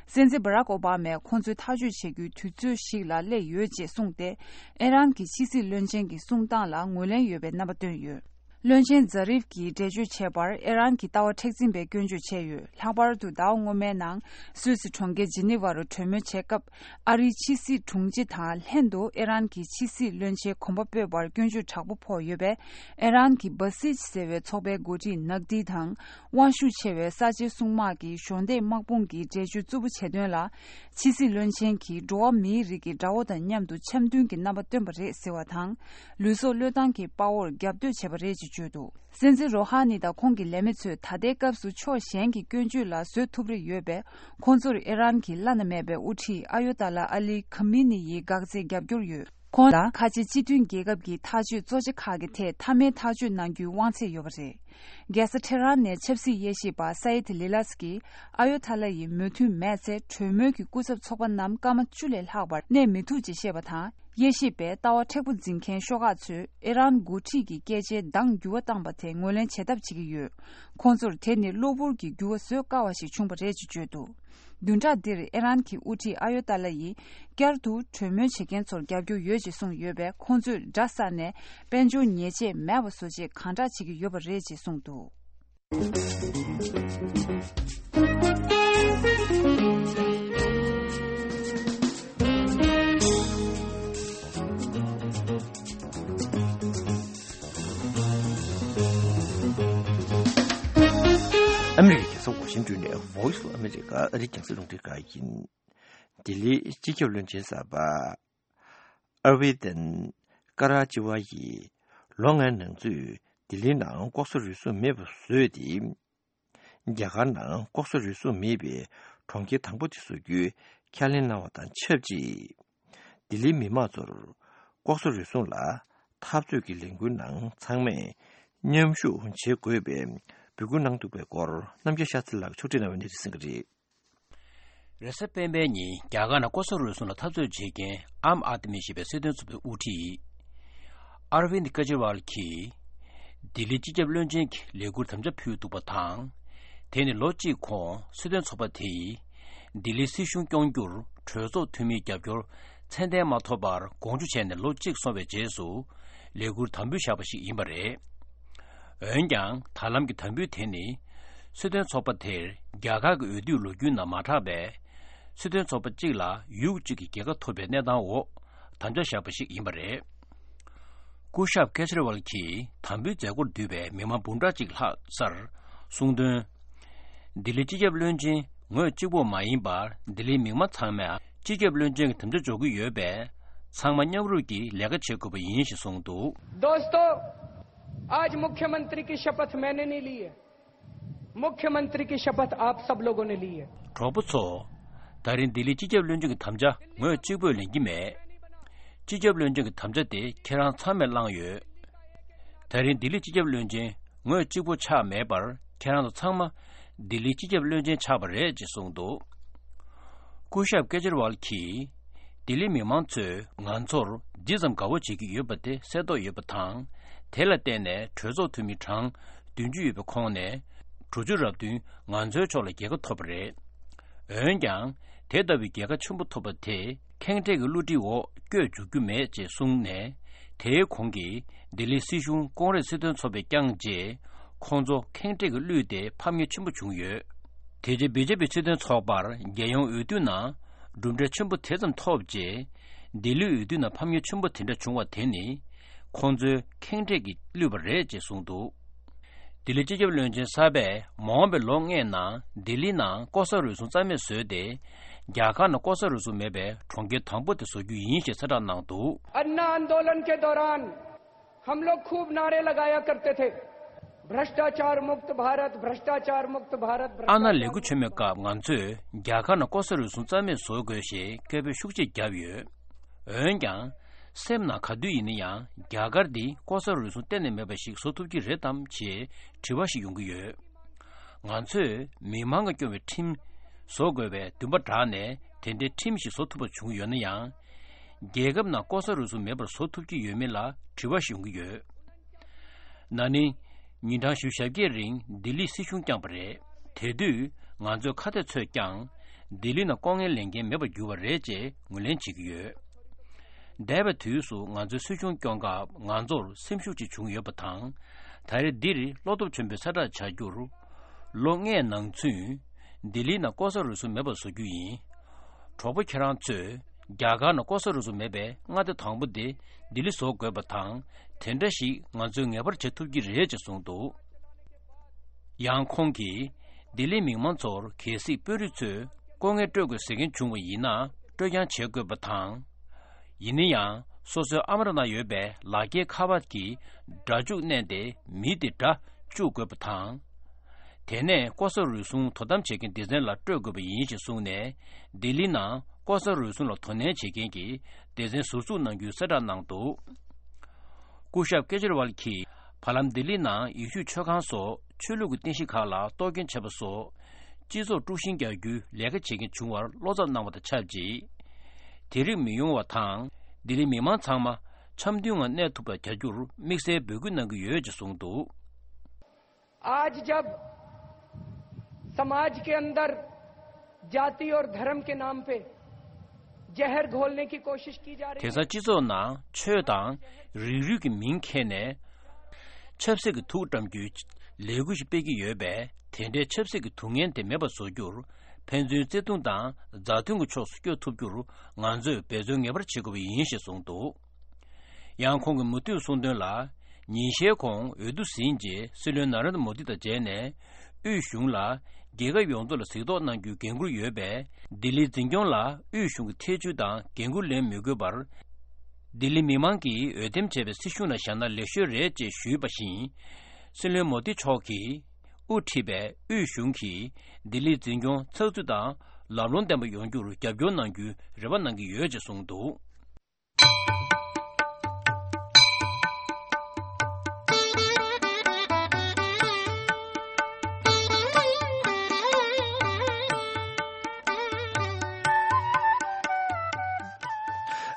སྲིད་འཛིན་བྷ་རག་ཨོ་བྷ་མས་ཁོང་ཚོའི་ཐག་གཅོད་བྱེད་རྒྱུའི་དུས་ཚོད་ཞིག་ལ་སླེབས་ཡོད་ཅེས་གསུངས་ཏེ། ཨི་རན་གྱི་ཕྱི་སྲིད་བློན་ཆེན་གྱི་གསུང་སྟངས་ལ་ངོས་ལེན་ཡོད་པའི་རྣམ་པ་བཏོན་ཡོད། བློན་ཆེན་ཛ་རིབ་ཀྱིས་འགྲེལ་བརྗོད་བྱས་པར། ཨི་རན་གྱི་ལྟ་བ་མཁྲེགས་འཛིན་པའི་སྐྱོན་བརྗོད་བྱས་ཡོད། ལྷག་པར་དུ་ཟླ་བ་སྔོན་མའི་ནང་སུད་སི་གྲོང་ཁྱེར་ཇི་ནི་ཝ་རུ་གྲོས་མོལ་བྱེད་སྐབས། ཨ་རིའི་ཕྱི་སྲིད་དྲུང་ཆེ་དང་ལྷན་དུ་ཨི་རན་གྱི་ཕྱི་སྲིད་བློན་ཆེན་གོམ་པ་སྤོས་པར་སྐྱོན་བརྗོད་དྲག་པོ་ཕོག་ཡོད་པས། ཨི་རན་གྱི་སྦ་སིཇ་ཟེར་བའི་ཚོགས་པའི་འགོ་ཁྲིད་ནག་ཏི་དང་། དབང་ཤུགས་ཆེ་བའི་གསར་བརྗེའི་སྲུང་དམག་གི་གཞོན་སྡེ་དམག་དཔུང་གིས་འགྲེལ་བརྗོད་རྩུབ་པོ་བྱས་དོན་ལ། ཕྱི་སྲིད་བློན་ཆེན་གྱིས་འགྲོ་བ་མིའི་རིགས་ཀྱི་དགྲ་བོ་དང་མཉམ་དུ་འཆམ་མཐུན་གྱི་རྣམ་པ་སྟོན་པ་རེད་ཟེར་བ་དང་། ལུས་སྲོག་བློས་བཏང་གི་དཔའ་བོར་རྒྱབ་གཏོད་བྱས་པ་རེད་ཅེས་བརྗོད་འདུག། སྲིད་འཛིན་རོ་ཧ་ནི་དང་ཁོང་གི་ལས་མི་ཚོས་ད་ལྟའི་སྐབས་སུ་ཕྱོགས་གཞན་གྱི་སྐྱོན་བརྗོད་ལ་བཟོད་ཐུབ་རེ་ཡོད་པས། ཁོང་ཚོར་ཨི་རན་གྱི་བླ་ན་མེད་པའི་དབུ་ཁྲིད་ཨ་ཡོ་ཏཱ་ལ་ཨ་ལི་ཁ་མི་ནི་ཡི་འགག་རྩའི་རྒྱབ་སྐྱོར་ཡོད། ཁོང་ལ་ཁ་ཆེ་སྤྱི་མཐུན་རྒྱལ་ཁབ་ཀྱི་ཐག་གཅོད་གཙོ་ཆེ་ཁག་གི་ཐད་མཐའ་མའི་ཐག་གཅོད་གནང་རྒྱུའི་དབང་ཚད་ཡོད་པ་རེད། རྒྱལ་ས་ཐེ་རན་ནས་ཆབ་སྲིད་དབྱེ་ཞིབ་པ་སའེད་ལི་ལཱས་ཀྱིས། ཨ་ཡོ་ཐ་ལ་ཡི་མོས་མཐུན་མེད་ཚེ། གྲོས་མོལ་གྱི་སྐུ་ཚབ་ཚོགས་པ་རྣམས་སྐར་མ་བཅུ་ལས་ལྷག་པར་གནས་མི་ཐུབ་ཅེས་བཤད་པ་དང་། དབྱེ་ཞིབ་པས་ལྟ་བ་མཁྲེགས་པོ་འཛིན་མཁན་ཤོག་ཁག་ཚོས་ཨི་རན་འགོ་ཁྲིད་ཀྱི་སྐད་ཆའི་གདངས་འགྱུར་བ་བཏང་པ་དེ་ངོས་ལེན་བྱེད་ཐབས་བྱེད་ཀྱི་ཡོད། ཁོང་ཚོར་དེ་ནི་གློ་བུར་གྱི་འགྱུར་བ་བཟོ་དཀའ་བ་ཞིག་བྱུང་བ་རེད་ཅེས་བརྗོད་འདུག། བདུན་ཕྲག་འདིར་ཨི་རན་གྱི་དབུ་ཁྲིད་ཨ་ཡོ་ཏཱ་ལ་ཡིས་བསྐྱར་དུ་གྲོས་མོལ་བྱེད་མཁན་ཚོར་རྒྱབ་སྐྱོར་ཡོད་ཅེས་གསུངས་ཡོད་པས། ཁོང་ཚོས་སྒྲ་བསལ་ནས་དཔལ་འབྱོར་ཉེས་ཆད་མེད་པ་བཟོ་ཆེད་གང་དྲག་བྱེད་ཀྱི་ཡོད་པ་རེད་ཅེས་གསུངས་འདུག། ཨ་མི་རི་ཀའི་རྒྱལ་ས་ཝ་ཤིང་ཏོན་ནས་Voice of America ཨ་རིའི་རྒྱང་སྲིང་རླུང་འཕྲིན་ཁང་ཡིན། ལྡི་ལིའི་སྤྱི་ཁྱབ་བློན་ཆེན་གསར་པ་ཨར་བི་དན་ཀ་ར་ཅི་ཝ་ཡིས་ལོ་ལྔའི་ནང་ཚུད་ལྡི་ལིའི་ནང་ལྐོག་ཟ་རུལ་སུངས་མེད་པ་བཟོས་ཏེ། རྒྱ་གར་ནང་ལྐོག་ཟ་རུལ་སུངས་མེད་པའི་གྲོང་ཁྱེར་དང་པོ་དེ་བཟོ་རྒྱུའི་ཁས་ལེན་གནང་བ་དང་ཆབས་ཅིག། ལྡི་ལིའི་མི་མང་ཚོར་ལྐོག་ཟ་རུལ་སུངས་ལ་འཐབ་རྩོད་ཀྱི་ལས་འགུལ་ནང་ཚང་མས་མཉམ་ཞུགས་བྱེད་དགོས་པའི་འབོད་སྐུལ་གནང་འདུག་པའི་སྐོར། རྣམ་རྒྱལ་ཤཱ་ཚེ་ལགས་ཕྱོགས་སྒྲིག་གནང་བའི་གནས་ཚུལ་གསན་གྱི་རེད། རེས་གཟའ་སྤེན་པའི་ཉིན་རྒྱ་གར་ནང་ལྐོག་ཟ་རུལ་སུངས་ལ་འཐབ་རྩོད་བྱེད་མཁན་ཨམ་ཨཱད་མི་ཞེས་པའི་སྲིད་དོན་ཚོགས་པའི་དབུ་ཁྲིད་ཨར་བིན་ཀེ་ཇི་རི་ཝལ་གྱིས་ལྡི་ལི་སྤྱི་ཁྱབ་བློན་ཆེན་གྱི་ལས་ཁུར་དམ་བཅའ་ཕུལ་འདུག་པ་དང་། དེ་ནི་ལོ་གཅིག་གོང་སྲིད་དོན་ཚོགས་པ་དེ་ཡིས་ལྡི་ལིའི་སྲིད་གཞུང་སྐྱོང་རྒྱུར་གྲོས་ཚོགས་འཐུས་མིའི་རྒྱབ་སྐྱོར་ཚད་ལྡན་མ་ཐོབ་པར་དགོངས་ཞུ་བྱས་ནས་ལོ་གཅིག་སོང་བའི་རྗེས་སུ་ལས་ཁུར་དམ་འབུལ་བཞག་པ་ཞིག་ཡིན་པ་རེད། འོན་ཀྱང་ད་ལམ་གྱི་དམ་འབུལ་དེ་ནི་སྲིད་དོན་ཚོགས་པ་དེར་རྒྱ་གར་གྱི་འོས་བསྡུའི་ལོ་རྒྱུས་ནང་མ་གྲགས་པའི་སྲིད་དོན་ཚོགས་པ་གཅིག་ལ་ཡུག་གཅིག་གི་རྒྱལ་ཁ་ཐོབ་པའི་གནས་སྟངས་འོག་དམ་བཅའ་བཞག་པ་ཞིག་ཡིན་པ་རེད། སྐུ་ཞབས་ཀེ་ཇི་རི་ཝལ་གྱིས་དམ་འབུལ་མཛད་སྒོར་འདུས་པའི་མི་མང་འབུམ་ཕྲག་གཅིག་ལྷག་སར་གསུངས་དོན། ལྡི་ལི་སྤྱི་ཁྱབ་བློན་ཆེན་ངོས་གཅིག་པོ་མ་ཡིན་པར་ལྡི་ལིའི་མི་མང་ཚང་མས་སྤྱི་ཁྱབ་བློན་ཆེན་གྱི་དམ་བཅའ་འཇོག་གི་ཡོད་པས། ཚང་མ་མཉམ་རུབ་ཀྱིས་ལས་ཀ་བྱེད་དགོས་པ་ཡིན་ཞེས་གསུངས་འདུག། दोस्तों, आज मुख्यमंत्री की शपथ मैंने नहीं ली है, मुख्यमंत्री की शपथ आप सब लोगों ने ली है। གྲོགས་པོ་ཚོ། ད་རིང་ལྡི་ལི་སྤྱི་ཁྱབ་བློན་ཆེན་གྱི་དམ་བཅའ་ངོས་གཅིག་པོས་ལེན་གྱི་མེད། སྤྱི་ཁྱབ་བློན་ཆེན་གྱི་དམ་བཅའ་དེ་ཁྱེད་རང་ཚང་མས་བླངས་ཡོད། ད་རིང་ལྡི་ལི་སྤྱི་ཁྱབ་བློན་ཆེན་ངོས་གཅིག་པོ་ཆགས་མེད་པར་ཁྱེད་རང་ཚོ་ཚང་མ་ལྡི་ལིའི་སྤྱི་ཁྱབ་བློན་ཆེན་ཆགས་པ་རེད་ཅེས་གསུངས་འདུག། སྐུ་ཞབས་ཀེ་ཇི་རི་ཝལ་གྱིས། ལྡི་ལིའི་མི་མང་ཚོས་ང་ཚོར་ཇི་ཙམ་དགའ་བོ་བྱེད་ཀྱི་ཡོད་པ་དེ་གསལ་རྟོགས་ཡོད་པ་དང་། དེ་ལ་བརྟེན་ནས་གྲོས་ཚོགས་འཐུས་མི་གྲངས་བདུན་ཅུ་ཡོད་པའི་ཁོངས་ནས་དྲུག་ཅུ་རབ་བདུན་ང་ཚོའི་ཕྱོགས་ལ་རྒྱལ་ཁ་ཐོབ་པ་རེད། འོན་ཀྱང་། དེ་ལྟ་བུའི་རྒྱལ་ཁ་ཆེན་པོ་ཐོབ་པ་དེ་ཁེངས་དྲེགས་ཀྱི་བསླུ་བྲིད་འོག་བསྐྱོད་འཇུག་རྒྱུ་མེད་ཅེས་གསུངས་ནས། དེའི་གོང་གི་ལྡི་ལིའི་སྲིད་གཞུང་ཀོང་རེས་སྲིད་དོན་ཚོགས་པས་བསྐྱངས་རྗེས། ཁོང་ཚོ་ཁེངས་དྲེགས་ཀྱིས་བསླུས་ཏེ་ཕམ་ཉེས་ཆེན་པོ་བྱུང་ཡོད། དེ་རྗེས་བི་ཇེ་པི་སྲིད་དོན་ཚོགས་པར་རྒྱལ་ཡོངས་འོས་བསྡུ་ནང་གྲུབ་འབྲས་ཆེན་པོ་དེ་ཙམ་ཐོབ་རྗེས། ལྡི་ལིའི་འོས་བསྡུ་ནང་ཕམ་ཉེས་ཆེན་པོ་དེ་འདྲ་བྱུང་བ་དེ་ནི། ཁོང་ཚོའི་ཁེངས་དྲེགས་ཀྱིས་བསླུས་པ་རེད་ཅེས་གསུངས་འདུག། ལྡི་ལི་སྤྱི་ཁྱབ་བློན་ཆེན་གསར་པས་མ་འོངས་པའི་ལོ་ལྔའི་ནང་ལྡི་ལི་ནང་ལྐོག་ཟ་རུལ་སུངས་རྩ་མེད་བཟོས་ཏེ། རྒྱ་གར་ནང་ལྐོག་ཟ་རུལ་སུངས་མེད་པའི་གྲོང་ཁྱེར་དང་པོ་དེ་བཟོ་རྒྱུ་ཡིན་ཞེས་གསལ་བསྒྲགས་གནང་འདུག། अन्ना आंदोलन के दौरान हम लोग खूब नारे लगाया करते थे। भ्रष्टाचार मुक्त भारत, भ्रष्टाचार मुक्त भारत, ཨ་ན་ལས་འགུལ་ཆེན་མོའི་སྐབས་ང་ཚོས་རྒྱ་གར་ནང་ལྐོག་ཟ་རུལ་སུངས་རྩ་མེད་བཟོ་དགོས་ཞེས་སྐད་འབོད་ཤུགས་ཆེ་བརྒྱབ་ཡོད། འོན་ཀྱང་། སེམས་ནང་ག་དུས་ཡིན་ན་ཡང་རྒྱ་གར་འདི་ལྐོག་ཟ་རུལ་སུངས་གཏན་ནས་མེད་པ་ཞིག་བཟོ་ཐུབ་ཀྱི་རེད་དམ་ཞེས་དྲི་བ་ཞིག་ཡོང་གི་ཡོད། ང་ཚོས་མི་མང་གིས་སྐྱོང་བའི་ཁྲིམས་བཟོ་དགོས་པའི་འདུན་པ་དྲག་ནས་དེ་འདྲའི་ཁྲིམས་ཤིག་བཟོ་ཐུབ་པ་བྱུང་ཡོད་ན་ཡང་། རྒྱལ་ཁབ་ནང་ལྐོག་ཟ་རུལ་སུངས་མེད་པར་བཟོ་ཐུབ་ཀྱི་ཡོད་མེད་ལ་དྲི་བ་ཞིག་ཡོང་གི་ཡོད། ན་ནིང་། ཉིན་གྲངས་བཞི་བཅུ་ཞེ་བརྒྱད་རིང་ལྡི་ལིའི་སྲིད་གཞུང་བསྐྱངས་པ་རེད། དེ་དུས་ང་ཚོས་ཁ་གཏད་ཚོས་ཀྱང་ལྡི་ལི་ནང་ལྐོག་རྔན་ལེན་མཁན་མེད་པར་གྱུར་བ་རེད་ཅེས་ངོས་ལེན་བྱེད་ཀྱི་ཡོད། འདས་པའི་དུས་སུ་ང་ཚོའི་སྲིད་གཞུང་སྐྱོང་སྐབས་ང་ཚོར་སེམས་ཤུགས་ཅིག་བྱུང་ཡོད་པ་དང་། ད་རེས་འདིར་བློ་སྟོབས་ཆེན་པོས་གསལ་བསྒྲགས་བྱ་རྒྱུར། ལོ་ལྔའི་ནང་ཚུན། ལྡི་ལིའི་ནང་ལྐོག་ཟ་རུལ་སུངས་མེད་པར་བཟོ་རྒྱུ་ཡིན། གྲོགས་པོ་ཁྱེད་རང་ཚོས་རྒྱ་གར་ནང་ལྐོག་ཟ་རུལ་སུངས་མེད་པའི་མངའ་སྡེ་དང་པོ་དེ་ལྡི་ལི་བཟོ་དགོས་པ་དང་། དེ་འདྲ་ཞིག་ང་ཚོས་ངེས་པར་བྱེད་ཐུབ་ཀྱི་རེད་ཅེས་གསུངས་འདུག། ཡང་ཁོང་གིས་ལྡི་ལིའི་མི་མང་ཚོར་གལ་སྲིད་དཔོན་རིགས་ཚོས་ལྐོག་རྔན་སྤྲོད་དགོས་ཟེར་མཁན་བྱུང་བ་ཡིན་ན་སྤྲོད་རྐྱང་བྱེད་དགོས་པ་དང་། ཡིན་ན་ཡང་སོ་སོའི་ཨ་མ་ར་ནང་ཡོད་པའི་ལག་འཁྱེར་ཁ་པར་གྱི་སྒྲ་འཇུག་མནན་ཏེ་མི་དེ་སྒྲ་བཅུག་དགོས་པ་དང་། དེ་ནས་ལྐོག་ཟ་རུལ་སུངས་དོ་དམ་བྱེད་མཁན་སྡེ་ཚན་ལ་སྤྲོད་དགོས་པ་ཡིན་ཞེས་གསུངས་ནས་ལྡི་ལི་ནང་ལྐོག་ཟ་རུལ་སུངས་ལ་དོ་ནན་བྱེད་མཁན་གྱི་སྡེ་ཚན་ཟུར་འཛུགས་གནང་རྒྱུའི་གསལ་བསྒྲགས་གནང་འདུག། སྐུ་ཞབས་ཀེ་ཇི་རི་ཝལ་གྱིས་བར་ལམ་ལྡི་ལི་ནང་ཡེ་ཤུའི་མཆོད་ཁང་སོགས་ཆོས་ལུགས་ཀྱི་རྟེན་གཞི་ཁག་ལ་གཏོར་སྐྱོན་བྱས་པ་སོགས་སྤྱི་ཚོགས་དཀྲུག་ཤིང་རྒྱག་རྒྱུའི་ལས་ཀ་བྱེད་མཁན་བྱུང་བར་བློ་འཚབ་གནང་བ་དང་ཆབས་ཅིག། དེ་རིགས་མི་ཡོང་བ་དང་ལྡི་ལིའི་མི་མང་ཚང་མ་འཆམ་མཐུན་ངང་གནས་ཐུབ་པ་བྱ་རྒྱུར་དམིགས་བསལ་འབོད་སྐུལ་གནང་གི་ཡོད་ཅེས་གསུངས་འདུག། आज जब समाज के अंदर जाति और धर्म के नाम पे जहर घोलने की कोशिश की जा रही है। དེང་སང་སྤྱི་ཚོགས་ནང་ཆོས་དང་རིགས་རུས་ཀྱི་མིང་འཁྱེར་ནས་ཆབ་སྲིད་ཀྱི་དུག་བཀྲམ་རྒྱུའི་ལས་འགུལ་ཞིག་སྤེལ་གྱི་ཡོད་པས། དེ་འདྲའི་ཆབ་སྲིད་ཀྱི་དུག་ངན་དེ་མེད་པར་བཟོ་རྒྱུར་ཕན་ཚུན་བརྩེ་དུང་དང་མཛའ་མཐུན་གྱི་ཕྱོགས་སུ་བསྐྱོད་ཐུབ་རྒྱུར་ང་ཚོས་འབད་བརྩོན་ངེས་པར་བྱེད་དགོས་པ་ཡིན་ཞེས་གསུངས་འདུག། ཡང་ཁོང་གིས་མུ་མཐུད་གསུངས་དོན་ལ། ཉིན་ཤས་གོང་འོས་བསྡུ་ཟིན་རྗེས་སྲིད་བློན་ན་རེན་དྲ་མོ་དི་དང་མཇལ་ནས། དབུས་གཞུང་ལ་རྒྱལ་ཁབ་ཡོངས་རྫོགས་ལ་གཟིགས་རྟོག་གནང་རྒྱུའི་འགན་འཁུར་ཡོད་པས། ལྡི་ལིའི་འཛིན་སྐྱོང་ལ་དབུས་གཞུང་གི་ཐེ་བྱུས་དང་འགན་འཁུར་ལེན་མི་དགོས་པར། ལྡི་ལིའི་མི་མང་གིས་འོས་འདེམས་བྱས་པའི་སྲིད་གཞུང་ནང་བཞག་ན་ལེགས་ཤོས་རེད་ཅེས་ཞུས་པ་བཞིན། སྲིད་བློན་མོ་དི་མཆོག་གིས་དབུ་ཁྲིད་པའི་དབུས་གཞུང་གིས་ལྡི་ལིའི་འཛིན་སྐྱོང་ཚགས་ཚུད་དང་ལམ་ལྷོང་ལྡན་པ་ཡོང་རྒྱུར་རྒྱབ་སྐྱོར་གནང་རྒྱུའི་རེ་བ་གནང་གི་ཡོད་ཅེས་གསུངས་འདུག།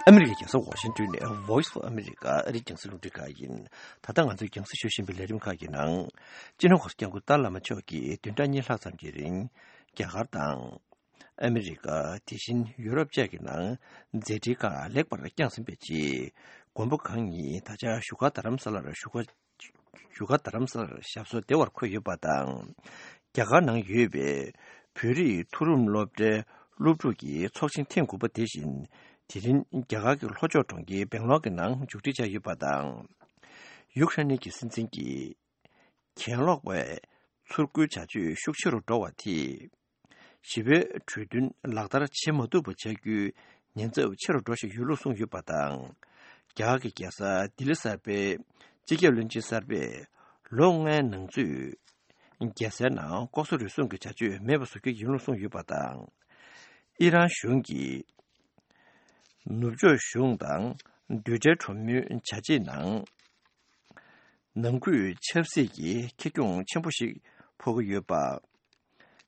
ཨ་མི་རི་ཀའི་རྒྱལ་ས་ཝ་ཤིང་ཏོན་ནས་Voice of America ཨ་རིའི་རྒྱང་སྲིང་རླུང་འཕྲིན་ཁང་ཡིན། ད་ལྟ་ང་ཚོས་རྒྱང་སྲིང་ཞུ་བཞིན་པའི་ལས་རིམ་ཁག་གི་ནང་། སྤྱི་ནོར་༸གོང་ས་༸སྐྱབས་མགོན་ཏཱ་བླ་མ་མཆོག་གིས་བདུན་ཕྲག་གཉིས་ལྷག་ཙམ་གྱི་རིང་། རྒྱ་གར་དང་། ཨ་མི་རི་ཀ། དེ་བཞིན་ཡུ་རོབ་བཅས་ཀྱི་ནང་མཛད་འཕྲིན་ཁག་ལེགས་པར་བསྐྱངས་ཟིན་པའི་རྗེས། མགོན་པོ་གང་ཉིད་ད་ཆ་བཞུགས་སྒར་རྡ་རམ་ས་ལར་བཞུགས་སྒར། བཞུགས་སྒར་རྡ་རམ་ས་ལར་ཞབས་སོར་བདེ་བར་འཁོད་ཡོད་པ་དང་། རྒྱ་གར་ནང་ཡོད་པའི་བོད་རིགས་མཐོ་རིམ་སློབ་གྲྭའི་སློབ་ཕྲུག་གི་ཚོགས་ཆེན་ཐེངས་དགུ་པ་དེ་བཞིན། དེ་རིང་རྒྱ་གར་གྱི་ལྷོ་ཕྱོགས་གྲོང་ཁྱེར་སྦེང་ལོར་གྱི་ནང་མཇུག་སྒྲིལ་བྱས་ཡོད་པ་དང་། ཡུཀ་རེན་གྱི་སྲིད་འཛིན་གྱིས། གྱེན་ལོག་པའི་ཚུར་རྒོལ་བྱ་སྤྱོད་ཤུགས་ཆེ་རུ་འགྲོ་བ་དེས། ཞི་བའི་གྲོས་མཐུན་ལག་བསྟར་བྱེད་མ་ཐུབ་པ་བྱ་རྒྱུའི་ཉེན་ཚབས་ཆེ་རུ་འགྲོ་བཞིན་ཡོད་ལུགས་གསུངས་ཡོད་པ་དང་། རྒྱ་གར་གྱི་རྒྱལ་ས་ལྡི་ལི་གསར་པའི་སྤྱི་ཁྱབ་བློན་ཆེན་གསར་པས་ལོ་ལྔའི་ནང་ཚུད། རྒྱལ་སའི་ནང་ལྐོག་ཟ་རུལ་སུངས་ཀྱི་བྱ་སྤྱོད་མེད་པ་བཟོ་རྒྱུ་ཡིན་ལུགས་གསུངས་ཡོད་པ་དང་། ཨི་རན་གཞུང་གིས་ནུབ་ཕྱོགས་གཞུང་དང་རྡུལ་ཕྲན་གྲོས་མོལ་བྱ་ཆེད་ནང་། ནང་ཁུལ་ཆབ་སྲིད་ཀྱི་ཁེ་གྱོང་ཆེན་པོ་ཞིག་ཕོག་གི་ཡོད་པ།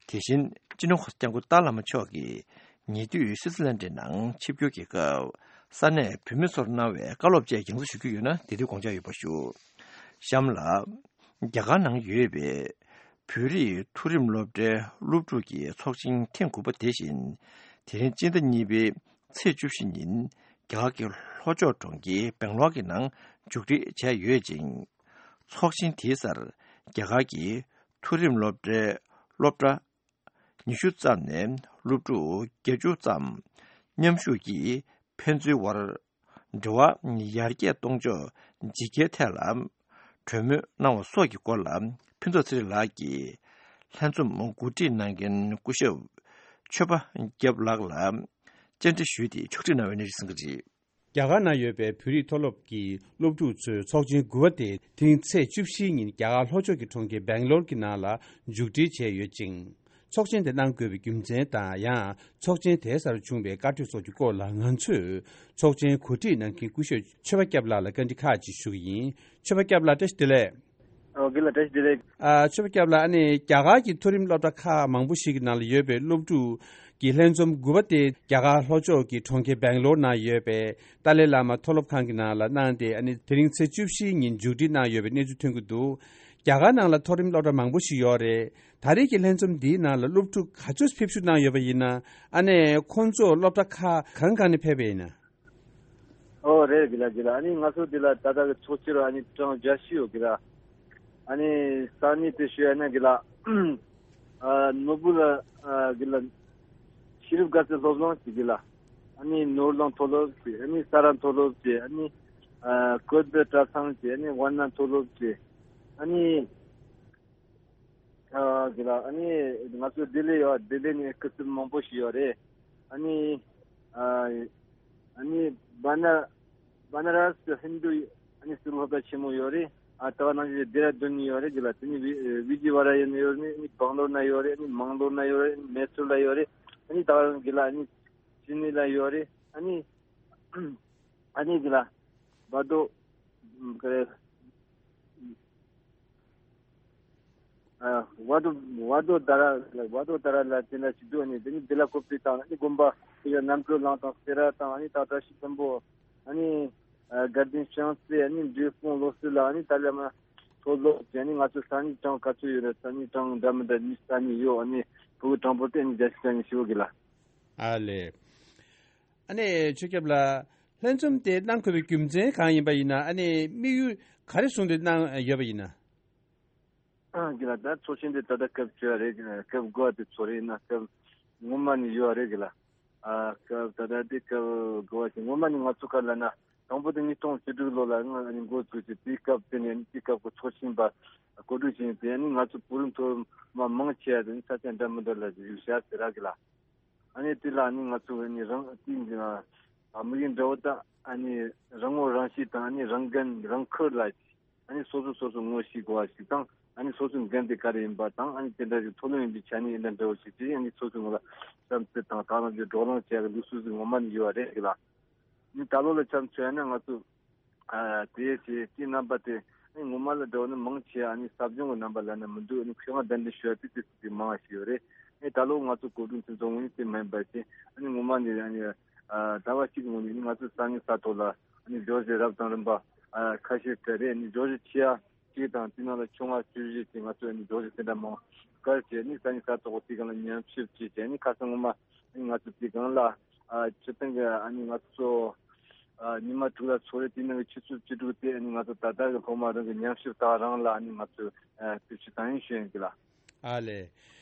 དེ་བཞིན་སྤྱི་ནོར་༸གོང་ས་༸སྐྱབས་མགོན་ཏཱ་བླ་མ་མཆོག་གིས་ཉེ་དུས་སིས་ལན་ཌི་ནང་ཆིབས་བསྒྱུར་གྱི་སྐབས་ས་གནས་བོད་མི་ཚོར་གནང་བའི་བཀའ་སློབ་བཅས་རྒྱང་སྲིང་ཞུ་རྒྱུ་ཡོད་ན་དེ་དུས་དགོངས་འཇགས་ཡོད་པ་ཞུ། གཤམ་ལ། རྒྱ་གར་ནང་ཡོད་པའི་བོད་རིགས་མཐོ་རིམ་སློབ་གྲྭའི་སློབ་ཕྲུག་གི་ཚོགས་ཆེན་ཐེངས་དགུ་པ་དེ་བཞིན། དེ་རིང་སྤྱི་ཟླ་གཉིས་པའི་ཚེས་བཅུ་བཞི་ཉིན་རྒྱ་གར་གྱི་ལྷོ་ཕྱོགས་གྲོང་ཁྱེར་སྦེང་ལོར་གྱི་ནང་མཇུག་སྒྲིལ་བྱས་ཡོད་ཅིང་། ཚོགས་ཆེན་དེའི་སར་རྒྱ་གར་གྱི་མཐོ་རིམ་སློབ་གྲྭའི་སློབ་གྲྭ་ཉི་ཤུ་ཙམ་ནས་སློབ་ཕྲུག་བརྒྱད་ཅུ་ཙམ་མཉམ་ཞུགས་ཀྱིས་ཕན་ཚུན་དབར་འབྲེལ་བ་ཡར་རྒྱས་གཏོང་ཕྱོགས་ཇི་སྐྱེལ་ཐད་ལ་གྲོས་མོལ་གནང་བ་སོགས་ཀྱི་སྐོར་ལ་ཕུན་ཚོགས་ཚེ་རིང་ལགས་ཀྱིས་ལྷན་འཛོམས་གོ་སྒྲིག་གནང་མཁན་སྐུ་ཞབས་ཆོས་པ་སྐྱབས་ལགས་ལ་བཅར་འདྲི་ཞུས་ཏེ་ཕྱོགས་སྒྲིག་གནང་བའི་གནས་ཚུལ་གསན་གྱི་རེད། རྒྱ་གར་ནང་ཡོད་པའི་བོད་རིགས་མཐོ་སློབ་ཀྱི་སློབ་ཕྲུག་ཚོས་ཚོགས་ཆེན་དགུ་པ་དེ་དེ་རིང་ཚེས་བཅུ་བཞིའི་ཉིན་རྒྱ་གར་ལྷོ་ཕྱོགས་ཀྱི་གྲོང་ཁྱེར་སྦེང་ལོར་གྱི་ནང་ལ་མཇུག་སྒྲིལ་བྱས་ཡོད་ཅིང་། ཚོགས་ཆེན་དེ་གནང་དགོས་པའི་རྒྱུ་མཚན་དང་ཡང་ཚོགས་ཆེན་དེའི་སར་བྱུང་བའི་བཀའ་གྲོས་སོགས་ཀྱི་སྐོར་ལ་ང་ཚོས་ཚོགས་ཆེན་གོ་སྒྲིག་གནང་མཁན་སྐུ་ཞབས་ཆོས་པ་སྐྱབས་ལགས་ལ་བཀའ་འདྲི་ཁག་ཅིག་ཞུ་གི་ཡིན། ཆོས་པ་སྐྱབས་ལགས་བཀྲ་ཤིས་བདེ་ལེགས། ཨོ་དགེ་ལགས་བཀྲ་ཤིས་བདེ་ལེགས། ཨ་ཆོས་པ་སྐྱབས་ལགས། ཨ་ནི་རྒྱ་གར་གྱི་མཐོ་རིམ་སློབ་གྲྭ་ཁག་མང་པོ་ཞིག་གི་ནང་ལ་ཡོད་པའི་སློབ་ཕྲུག་གི་ལྷན་འཛོམས་དགུ་པ་དེ་རྒྱ་གར་ལྷོ་ཕྱོགས་ཀྱི་གྲོང་ཁྱེར་སྦེང་ལོར་ནང་ཡོད་པའི་ཏཱ་ལའི་བླ་མ་མཐོ་སློབ་ཁང་གི་ནང་ལ་གནང་སྟེ། ཨ་ནི་དེ་རིང་ཚེས་བཅུ་བཞིའི་ཉིན་མཇུག་སྒྲིལ་གནང་ཡོད་པའི་གནས་ཚུལ་ཐོན་གྱི་འདུག་རྒྱ་གར་ནང་ལ་མཐོ་རིམ་སློབ་གྲྭ་མང་པོ་ཞིག་ཡོད་རེད། ད་རེས་ཀྱི་ལྷན་འཛོམས་འདིའི་ནང་ལ་སློབ་ཕྲུག་ག་ཚོད་ཕེབས་བསུ་གནང་ཡོད་པ་ཡིན་ན། ཨ་ནི་ཁོང་ཚོ་སློབ་གྲྭ་ཁག་གང་གང་ནས་ཕེབས་པ་ཡིན་ན། ཨོ་རེད་དགེ་ལགས། དགེ་ལགས། ཨ་ནི་ང་ཚོ་འདི་ལ་ད་ལྟ་གི་ཚོགས་སྤྱིར་ཨ་ནི་གྲངས་བརྒྱད་ཅུ་ཡོད་དགེ་ལགས། ཨ་ནི་ས་གནས་དེ་ཞུ་ཡ་ན་དགེ་ལགས། ཨ་ནོར་བུ་ལ་ཨ་དགེ་ལགས། ཤེས་རབ་དགའ་ཚལ་སློབ་གླིང་ཅིག་དགེ་ལགས། ཨ་ནི་ནོར་གླིང་མཐོ་སློབ་ཅིག་ཨ་ནི་ས་ར་མཐོ་སློབ་ཅིག་ཨ་ནི་ཨ་ཀོས་པེ་གྲྭ་ཚང་ཅིག་ཨ་ནི་ཝཱ་ཎ་མཐོ་སློབ་ཅིག་ཨ་ནི། ཨ་དགེ་ལགས། ཨ་ནི་ང་ཚོ་ལྡི་ལི་ཡོད། ལྡི་ལི་ནས་སྐུ་ཚབ་མང་པོ་ཞིག་ཡོད་རེད། ཨ་ནི་ཨ་ཨ་ནི་བ་ན་བ་ན་ར་སི་ཧིན་དུ་ཨ་ནི་སི་ལྷོ་ད་ཆེན་མོ་ཡོད་རེད། ཨ་ད་ག་ནང་བཞིན་ལྡེ་ར་ལྡུན་ནས་ཡོད་རེད་དགེ་ལགས། དེ་ནི་བི་བི་ཇི་ཝ་ར་ཡ་ནས་ཡོད་རེད། ཨ་ནི་སྦང་ལོར་ན་ཡོད་རེད། ཨ་ནི་མང་ལོར་ན་ཡོད་རེད། ཨ་ནི་མེ་སུར་ལ་ཡོད་རེད། ཨ་ནི་ད་ག་དགེ་ལགས། ཨ་ནི་ཅི་ནི་ལ་ཡོད་རེད། ཨ་ནི་ཨ་ནི་དགེ་ལགས། བ་དོ་ཨ་ཀ་རེ། ཨ་ཝ་དོ་ཝ་དོ་ད་ར་ཝ་དོ་ད་ར་ལ་དེ་འདྲ་ཞིག་འདུག་ཨ་ནི་དེ་ནི་དེ་ལ་ཀོ་པི་དང་ཨ་ནི་དགོན་པ་དེ་ཡང་རྣམ་གྲོལ་གླིང་དང་སེ་ར་དང་ཨ་ནི་ད་བཀྲ་ཤིས་ལྷུན་པོ། ཨ་ནི་ཨ་དགའ་ལྡན་ཤང་རྩེ། ཨ་ནི་འབྲས་སྤུངས་ལོ་སི་ལ། ཨ་ནི་ཏཱ་ལའི་བླ་མ་མཐོ་སློབ་ཅིག་ཨ་ནི་ང་ཚོ་ས་གནས་གྲངས་ག་ཚོད་ཡོད་རེད། ས་གནས་གྲངས་འདྲ་མི་འདྲ་གཉིས་ས་གནས་ཡོད། ཨ་ནི་ཕྲུ་གུ་གྲངས་འབོར་དེ་ཨ་ནི་བརྒྱ་ཆ་གྱ་གཉིས་ཞེ་པོ་དགེ་ལགས། ཨ་ལེ། ཨ་ནི་ཆོས་སྐྱབས་ལགས། ལྷན་འཛོམས་དེ་གནང་དགོས་པའི་རྒྱུ་མཚན་གང་ཡིན་པ་ཡིན་ན། ཨ་ནི་དམིགས་ཡུལ་ག་རེ་བཟུང་སྟེ་གནང་ཡོད་པ་ཡིན་ན། ཨ་དགེ་ལགས། ད་ཚོགས་ཆེན་དེ་ད་ལྟ་སྐབས་བཅོ་ཡ་རེད། སྐབས་དགུ་པ་དེ་ཚོགས་རེད། ཡིན་ན་སྐབས་སྔོན་མ་ནས་ཡོད་རེད་དགེ་ལགས། ཨ་སྐབས་ད་ལྟ་དེ་སྐབས་དགུ་པ་དེ་སྔོན་མ་ནས་ང་ཚོ་ག་ལ་ན་དང་པོ་དེ་ཉིས་སྟོང་བཅུ་དྲུག་ལོ་ལ་ང་ནི་འགོ་བཙུགས་ཏེ་དེའི་སྐབས་དེ་ནས་དེའི་སྐབས་ཀྱི་ཚོགས་ཆེན་པ་གོ་སྒྲིག་བྱས་ཏེ་ནི་ང་ཚོ་བོད་རིགས་མཐོ་དམན་མང་ཆེ་བ་དེ་ནི་ས་ཆ་འདྲ་མི་འདྲ་ལ་བཞུགས་བཞག་ཟེར་ར་དགེ་ལགས། ཨ་ནི་དེ་ལ་ནི་ང་ཚོ་ནི་རང་དེ་ནི་དམིགས་ཡུལ་འདྲ་བོ་དང་ཨ་ནི་རང་ངོ་རང་ཤེས་དང་ཨ་ནི་རང་འགན་རང་འཁུར་ལ་ཨ་ནི་སོ་སོ་སོ་སོ་ངོ་ཤེས་དགོས་པ་ཞིག་དང་། ཨ་ནི་སོ་སོའི་འགན་དེ་ག་རེ་ཡིན་པ་དང་། ཨ་ནི་དེ་འདྲ་ཞིག་མཐོ་རིམ་ཡིན་པའི་ཆ་ནས་ཡིན་ན་འདྲ་བོ་ཞིག་དེ་ཨ་ནི་སོ་སོའི་ངོ་ལ་བསམ་ཚུལ་དང་དག་སྣང་ཅིག་བགྲོ་གླེང་བྱེད་ཡག་གི་ལུགས་སྲོལ་ཞིག་ངོ་མ་ནས་ཡོད་པ་རེད་ལ། ཨ་ནི་ད་ལོ་ལ་ཆ་མཚོན་ན་ང་ཚོ་ཨ་དེ་བྱས་དེ་རྣམ་པ་དེ་ཨ་ནི་ངོ་མ་ལ་འདྲ་བོ་ནི་མང་ཆེ་བ་ཨ་ནི་ཟབ་སྦྱོང་གི་རྣམ་པ་ལ་ནི་མི་འདུག་ཨ་ནི་མཁས་དབང་གདན་འདྲེན་ཞུ་བ་དེ་དེ་ཚོ་དེ་མང་བ་ཞིག་ཡོད་རེད། ཨ་ནི་ད་ལོ་ང་ཚོ་གོ་སྒྲིག་མཁན་ཚོ་ངོས་ནས་དེ་མ་ཡིན་པ་བྱས། ཨ་ནི་ངོ་མ་ནས་ཨ་ནི་ཨ་ཟླ་བ་གཅིག་གི་སྔོན་ནས་ནི་ང་ཚོ་ས་གནས་ས་ཐོག་ལ་ཨ་ནི་སྦྱོར་གཞི་རབ་དང་རིམ་པ་ཨ་ཁ་ཤས་སྤྲད་རེད། ཨ་ནི་སྦྱོར་གཞི་ཆེ་བ་གཅིག་དང་དེ་ནང་ལ་ཆུང་བ་བཅུ་བཞི་ཅིག་ང་ཚོས་ཨ་ནི་སྦྱོར་གཞི་དེ་འདྲ་མང་བཀར་བྱས་ནས་ས་གནས་ས་ཐོག་དེ་གང་ལ་ཉམས་ཞིབ་བྱས་བྱས་ནས་ཁ་སང་ངོ་མ་ཨ་ནི་ང་ཚོ་དེ་གང་ལ་ཨ་སྤྱིར་བཏང་གི་ཨ་ནི་ང་ཚོ་ཨ་ཉི་མ་དྲུག་ལ་ཚོགས་རེད། དེ་ནང་གི་ཆུ་ཚོད་བཅུ་དྲུག་དེ་ཨ་ནི་ང་ཚོ་ད་ལྟ་གི་སློབ་མ་རང་གི་ཉམས་ཞིབ་དག་རང་ལ་ཨ་ནི་ང་ཚོས་ཨ་དུས་ཚོད་དང་ཡིན་ཞུ་ཡིན་གི་ལ། ཨ་ལས།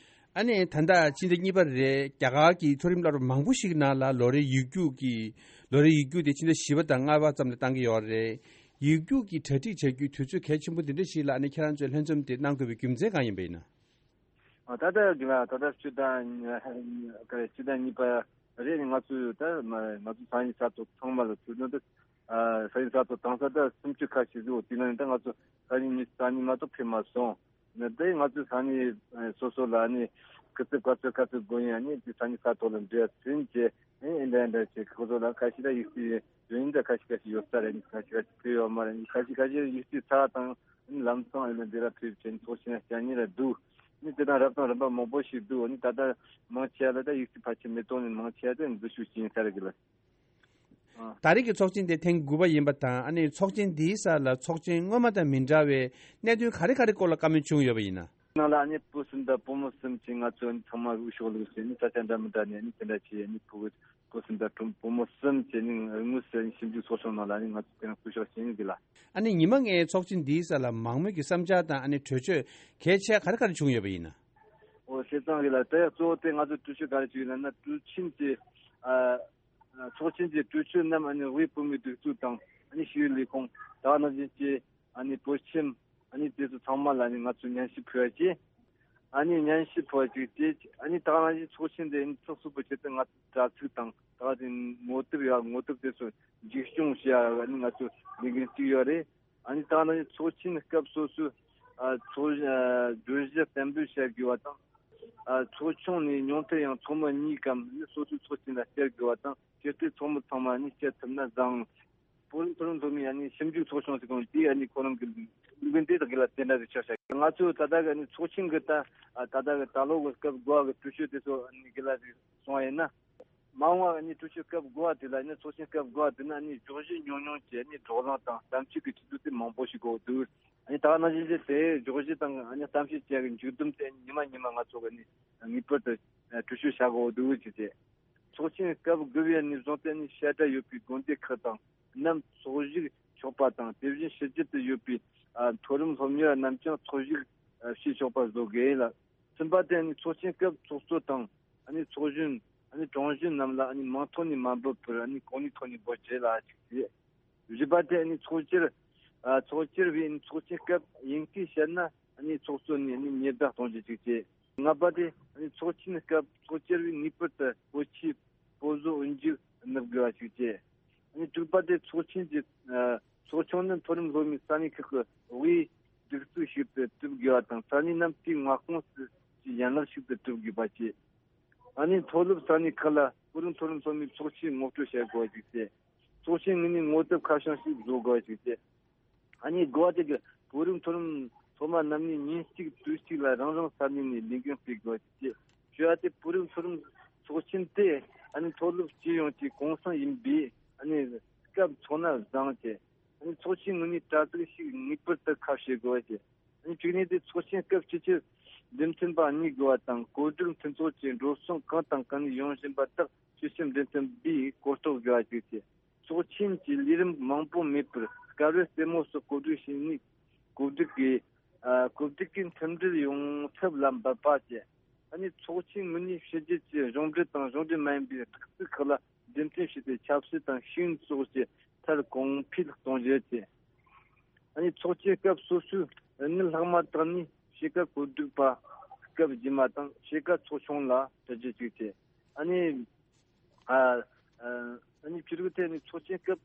ཨ་ནི་ད་ལྟ་ཕྱི་ཟླ་གཉིས་པ་རེད། རྒྱ་གར་གྱི་མཐོ་རིམ་སློབ་གྲྭ་མང་པོ་ཞིག་ནང་ལ་ལོ་རེའི་ཡིག་རྒྱུགས་ཀྱི་ལོ་རེའི་ཡིག་རྒྱུགས་དེ་ཕྱི་ཟླ་བཞི་པ་དང་ལྔ་པ་ཙམ་ལ་བཏང་གི་ཡོད་རེད། ཡིག་རྒྱུགས་ཀྱི་གྲ་སྒྲིག་བྱ་རྒྱུའི་དུས་ཚོད་གལ་ཆེན་པོ་འདི་འདྲ་ཞིག་ལ་ཨ་ནི་ཁྱེད་རང་ཚོས་ལྷན་འཛོམས་དེ་གནང་དགོས་པའི་རྒྱུ་མཚན་གང་ཡིན་པ་ཡིན་ན། ཨ་ད་ལྟ་གི་ལ་ད་ལྟ་སྤྱི་ཟླ་ག་སྤྱི་ཟླ་གཉིས་པ་རེད། ང་ཚོས་ད་ང་ཚོ་ས་གནས་ས་ཐོག་ཚང་མ་ལ་ཐུག་ནོ་ད་ས་གནས་ས་ཐོག་དང་ས་ད་སུམ་ཅུ་ཁ་ཤས་ཟིག་འོ་དེ་ན་ད་ང་ཚོ་ས་གནས་མི་ས་གནས་མ་གཏོགས་ཕེབས་མ་སོང་། ནི་དེ་ང་ཚོའི་ས་གནས་སོ་སོ་ལ་ནི་སྐུ་ཚབ་ག་ཚོད་ག་ཚོད་དགོས་ཡིན། ནི་དེ་ས་གནས་ས་ཐོག་ལ་འབྲེལ་ཟིན་བྱས་ཨེ་འདྲ་འདྲ་བྱས་ཁོ་ཚོ་ལ་ཁ་ཤས་ད་ཡིག་རྩིས་ཡོད་ཡིན་ད་ཁ་ཤས་ཁ་ཤས་ཡོད་ས་རེད། ནི་ཁ་ཤས་ཁ་ཤས་ཕེབས་ཡོད་མ་རེད། ནི་ཁ་ཤས་ཁ་ཤས་ཡིག་རྩིས་ཚར་དང་ནི་ལམ་སང་ཨེ་འདྲ་འདི་ལ་ཕེབས་བྱས་ནི་ཚོགས་ཆེན་ལ་བཅར་མཁན་ལ་འདུག་ནི་དེ་དང་རབ་དང་རིམ་པ་མང་པོ་ཞིག་འདུག་ནི་ད་ལྟ་མང་ཆེ་བ་ལ་ད་ཡིག་རྩིས་ཕལ་ཆེར་མི་གཏོང་ནི་མང་ཆེ་བ་དེ་འཛུལ་ཞུགས་བྱེད་ཡིན་ས་རེད་གི་ལ། ཨ། ད་རེས་ཀྱི་ཚོགས་ཆེན་དེ་ཐེངས་དགུ་པ་ཡིན་པ་དང་། ཨ་ནི་ཚོགས་ཆེན་འདིའི་སར་ལ་ཚོགས་ཆེན་སྔོན་མ་དང་མི་འདྲ་བའི་གནད་དོན་ག་རེ་ག་རེ་སྐོར་ལ་བཀའ་མོལ་བྱུང་ཡོད་པ་ཡིན་ན། ནང་ལ་ཨ་ནི་བུ་གསུམ་དང་བུ་མོ་གསུམ་གྱིས་ང་ཚོ་ཚང་མ་དབུ་ཤོག་ལུགས་ཟེར་ནི་ས་ཆ་འདྲ་མི་འདྲ་ནས་ཨ་ནི་དེ་འདྲ་བྱས། ཨ་ནི་བུ་བུ་གསུམ་བྱས་ནི་བུ་མོ་གསུམ་བྱས་ནི་དངོས་སུ་ཨ་ནི་ཞིབ་འཇུག་ཚོགས་ཆུང་ནང་ལ་ཨ་ནི་ང་ཚོ་དེ་རིང་སྐུ་ཞབས་ཞིང་གི་ལ། ཨ་ནི་ཉི་མ་ལྔའི་ཚོགས་ཆེན་འདིའི་སར་ལ་མང་མོས་ཀྱི་བསམ་འཆར་དང་ཨ་ནི་གྲོས་ཆོད་གལ་ཆེ་ག་རེ་ག་རེ་བྱུང་ཡོད་པ་ཡིན་ན། ཨོ་བྱས་ཙང་གི་ལ་ད་ཡང་གཙོ་བོ་དེ་ང་ཚོ་གྲོས་ཆོད་ག་རེ་བྱུང་ཡོད་ལབ་ན། གྲོས་ཆིན་གྱི་ཨ། ཚོགས་ཆེན་གྱི་གྲོས་ཆོད་རྣམས་ཨ་ནི་དབུས་བོད་མིའི་སྒྲིག་འཛུགས་དང་ཨ་ནི་ཞི་བའི་ལས་ཁུངས་ད་ག་ནང་བཞིན་གྱི་ཨ་ནི་བོད་ཁྱིམ་ཨ་ནི་དེ་ཚོ་ཚང་མ་ལ་ཨ་ནི་ང་ཚོས་ཉན་ཞིབ་ཕུལ་བ་བྱས། ཨ་ནི་ཉན་ཞིབ་ཕུལ་བ་བྱས་ཏེ་ཨ་ནི་ད་ག་ནང་བཞིན་ཚོགས་ཆེན་དེ་ཨ་ནི་ཚོགས་སུ་བོད་ཆེད་དུ་ང་ཚོ་དྲ་ཚིགས་དང་ད་ག་དེ་ངོ་དེབ་ཡ་ངོ་དེབ་དེ་ཚོ་ འཛུགས་སྐྱོང་བྱེད་ཡ་ནི་ང་ཚོ་ལས་འགན་བཙུགས་ཡོད་རེད། ཨ་ནི་ད་ནི་ཚོགས་ཆེན་སྐབས་སོ་སོའི་ཨ་ཚོགས་ཨ་བརྗོད་གཞི་གཏན་འབེབས་བྱ་དགོས་པ་དང་། ཨ་ཚོགས་ཆུང་ནས་ཉུང་མཐར་ཡང་ཚོགས་མི་གཉིས་གམ་ནི་སོ་སོའི་ཚོགས་ཆེན་ལ་བསྐྱལ་དགོས་པ་དང་། སྤྱིར་དུ་ཚོགས་མི་ཚང་མ་ནི་བསྐྱལ་ཐུབ་ན་བཟང་། བོད་རིགས་མཐོ་རིམ་སློབ་མའི་ཨ་ནི་ཞིབ་འཇུག་ཚོགས་ཆུང་ཟེར་གོ་ནོ་དེ་ཨ་ནི་ཁོ་རང་གི་ལས་འགན་དེ་དང་འགལ་ལ་དེ་འདྲ་ཟིག་ཆགས་བཞག་ང་ཚོས་ད་ལྟ་གི་ཨ་ནི་ཚོགས་ཆེན་གི་ད་ཨ་ད་ལྟ་གི་ད་ལོ་གི་སྐབས་དགུ་བ་གི་གྲོས་ཆོད་དེ་ཚོ་ཨ་ནི་འགལ་ལ་ཟིག་སོང་བ་ཡིན་ན། མ་འོངས་པ་ནས་གྲོས་ཆོད་སྐབས་དགུ་པ་དེ་ལ་ནི་ཚོགས་ཆེན་སྐབས་དགུ་པ་དེ་ན་ནི་བརྗོད་གཞི་ཉུང་ཉུང་བྱས་ནས་བགྲོ་གླེང་དང་གཏམ་བཤད་ཀྱི་ཆུ་ཚོད་དེ་མང་པོ་ཞིག་དགོས་འདུག་ཨ་ནི་ད་ག་ནང་བཞིན་བྱས་ཏེ་བརྗོད་གཞི་དང་ཨ་ནི་གཏམ་བཤད་བཅས་ཀྱི་མཇུག་བསྡོམས་དེ་ཉི་མ་ཉི་མ་ང་ཚོ་གི་ནི་ངེས་པར་དུ་གྲོས་ཆོད་བྱ་དགོས་འདུག་ཅེས་བྱས། ཚོགས་ཆེན་སྐབས་དགུ་པའི་ནས་བཟུང་སྟེ་ནི་བཤད་གྲྭ་ཡོད་པའི་དགོན་སྡེ་ཁག་དང་རྣམས་ཚོགས་ཞུགས་ཆོག་པ་དང་དེ་བཞིན་ཕྱི་རྒྱལ་དུ་ཡོད་པའི་ཨ་མཐོ་རིམ་སློབ་གཉེར་རྣམས་ཀྱང་ཚོགས་ཞུགས་བྱེད་ཆོག་པ་བཟོ་དགོས་ལ། གསུམ་པ་དེ་ནི་ཚོགས་ཆེན་སྐབས་ཚོགས་གཙོ་དང་ཨ་ནི་ཚོགས་གཞོན་ཨ་ནི་དྲུང་གཞོན་རྣམས་ལ་ཨ་ནི་མིང་ཐོག་ནས་མ་འབོད་པར་ཨ་ནི་གོ་གནས་ཐོག་ནས་འབོད་རྒྱུ་ལ་གཅིག་བྱས། བཞི་པ་དེ་ཨ་ནི་ཚོགས་བཅར་ཨ་ཚོགས་བཅར་བས་ཨ་ནི་ཚོགས་ཆེན་སྐབས་དབྱིན་སྐད་བཤད་ན་ཨ་ནི་ཚོགས་གཙོ་ནས་ཨ་ནི་ཉེས་བསྡད་གཏོང་རྒྱུ་གཅིག་བྱས། ལྔ་པ་དེ་ཨ་ནི་ཚོགས་ཆེན་སྐབས་ཚོགས་བཅར་བས་ངེས་པར་དུ་བོད་ཆས་པོ་བཟོ་འོས་འཇུག་ནུབ་དགོས་པ་ཞིག་བྱས། ཨ་ནི་དྲུག་པ་དེ་ཚོགས་ཆེན་གྱི་ཨ་ཚོགས་ཆུང་ནི་མཐོ་རིམ་སློབ་མའི་ས་གནས་ཁག་གི་དབུས་སྒྲིག་འཛུགས་ཤིག་ཏུ་གྲུབ་དགོས་པ་དང་ས་གནས་རྣམས་དེའི་མངའ་ཁོངས་སུ་ཡན་ལག་ཞིག་ཏུ་གྲུབ་དགོས་པ་བཅས། ཨ་ནི་མཐོ་སློབ་ས་གནས་ཁག་ལ་བོད་རིགས་མཐོ་རིམ་སློབ་མའི་ཚོགས་ཆེན་ངོ་སྤྲོད་བྱ་དགོས་པ་ཞིག་བྱས། ཚོགས་ཆེན་ངོས་ནས་ངོ་དེབ་ཁ་བྱང་ཞིག་བཟོ་དགོས་པ་ཞིག་བྱས། ཨ་ནི་དགུ་པ་དེ་གི་བོད་རིགས་མཐོ་རིམ་སློབ་མ་རྣམས་ནས་ཉིན་གཅིག་དུས་གཅིག་ལ་རང་རང་ས་གནས་ནས་ལས་འགན་སྤེལ་དགོས་ཅེས། བཞི་པ་དེ་བོད་རིགས་མཐོ་རིམ་ཚོགས་ཆེན་དེ་ཨ་ནི་མཐོ་སློབ་སྤྱི་ཡོངས་ཀྱི་གུང་སེང་ཡིན་པས་ཨ་ནི་སྐབས་འཚོགས་ན་བཟང་ཅེས། ཨ་ནི་ཚོགས་ཆེན་ངོས་ནས་དྲ་ཚིགས་ཤིག་ངེས་པར་དུ་ཁ་ཕྱེ་དགོས་ཅེས། ཨ་ནི་བཅུ་གཉིས་དེ་ཚོགས་ཆེན་སྐབས་སྤྱི་ཁྱབ་འདེམས་ཐོན་པ་གཉིས་དགོས་པ་དང་གོ་སྒྲིག་མཐུན་ཚོགས་ཀྱི་འགྲོ་སོང་གང་དང་གང་ནས་ཡོང་བཞིན་པ་དག་སྤྱི་ཁྱབ་འདེམས་ཐོན་པས་གོ་རྟོགས་དགོས་པ་བཅས་ཏེ། ཚོགས་ཆེན་གྱི་ལས་རིམ་མང་པོ་མེད་པར་སྐབས་རེ་རྩེད་མོ་སོགས་གོ་སྒྲིག་བྱས་ནས་གོ་སྒྲིག་གིས་ཨ་གོ་སྒྲིག་གིས་མཐུན་སྒྲིལ་ཡོང་ཐབས་ལ་འབད་པ་བཅས། ཨ་ནི་ཚོགས་ཆེན་ངོས་ནས་ཕྱི་རྒྱལ་གྱི་གཞུང་འབྲེལ་དང་གཞུང་འབྲེལ་མ་ཡིན་པའི་སྒྲིག་འཛུགས་ཁག་ལ་འདེམས་ཐོན་བྱས་ཏེ་ཆབ་སྲིད་དང་ཤེས་ཡོན་སོགས་ཀྱི་ཐད་གོང་འཕེལ་གཏོང་རྒྱུ་བཅས། ཨ་ནི་ཚོགས་ཆེན་སྐབས་སོ་སོའི་དངུལ་ལྷག་མ་དག་ནི་ཕྱེད་ཀ་གོ་སྒྲིག་པ་སྐབས་རྗེས་མ་དང་ཕྱེད་ཀ་ཚོགས་ཆུང་ལ་སྤྲད་རྒྱུ་བཅས་ཏེ། ཨ་ནི། ཨ་ཨ་ནི་ཕྱི་རྒྱལ་ཐད་ནས་ཚོགས་ཆེན་སྐབས་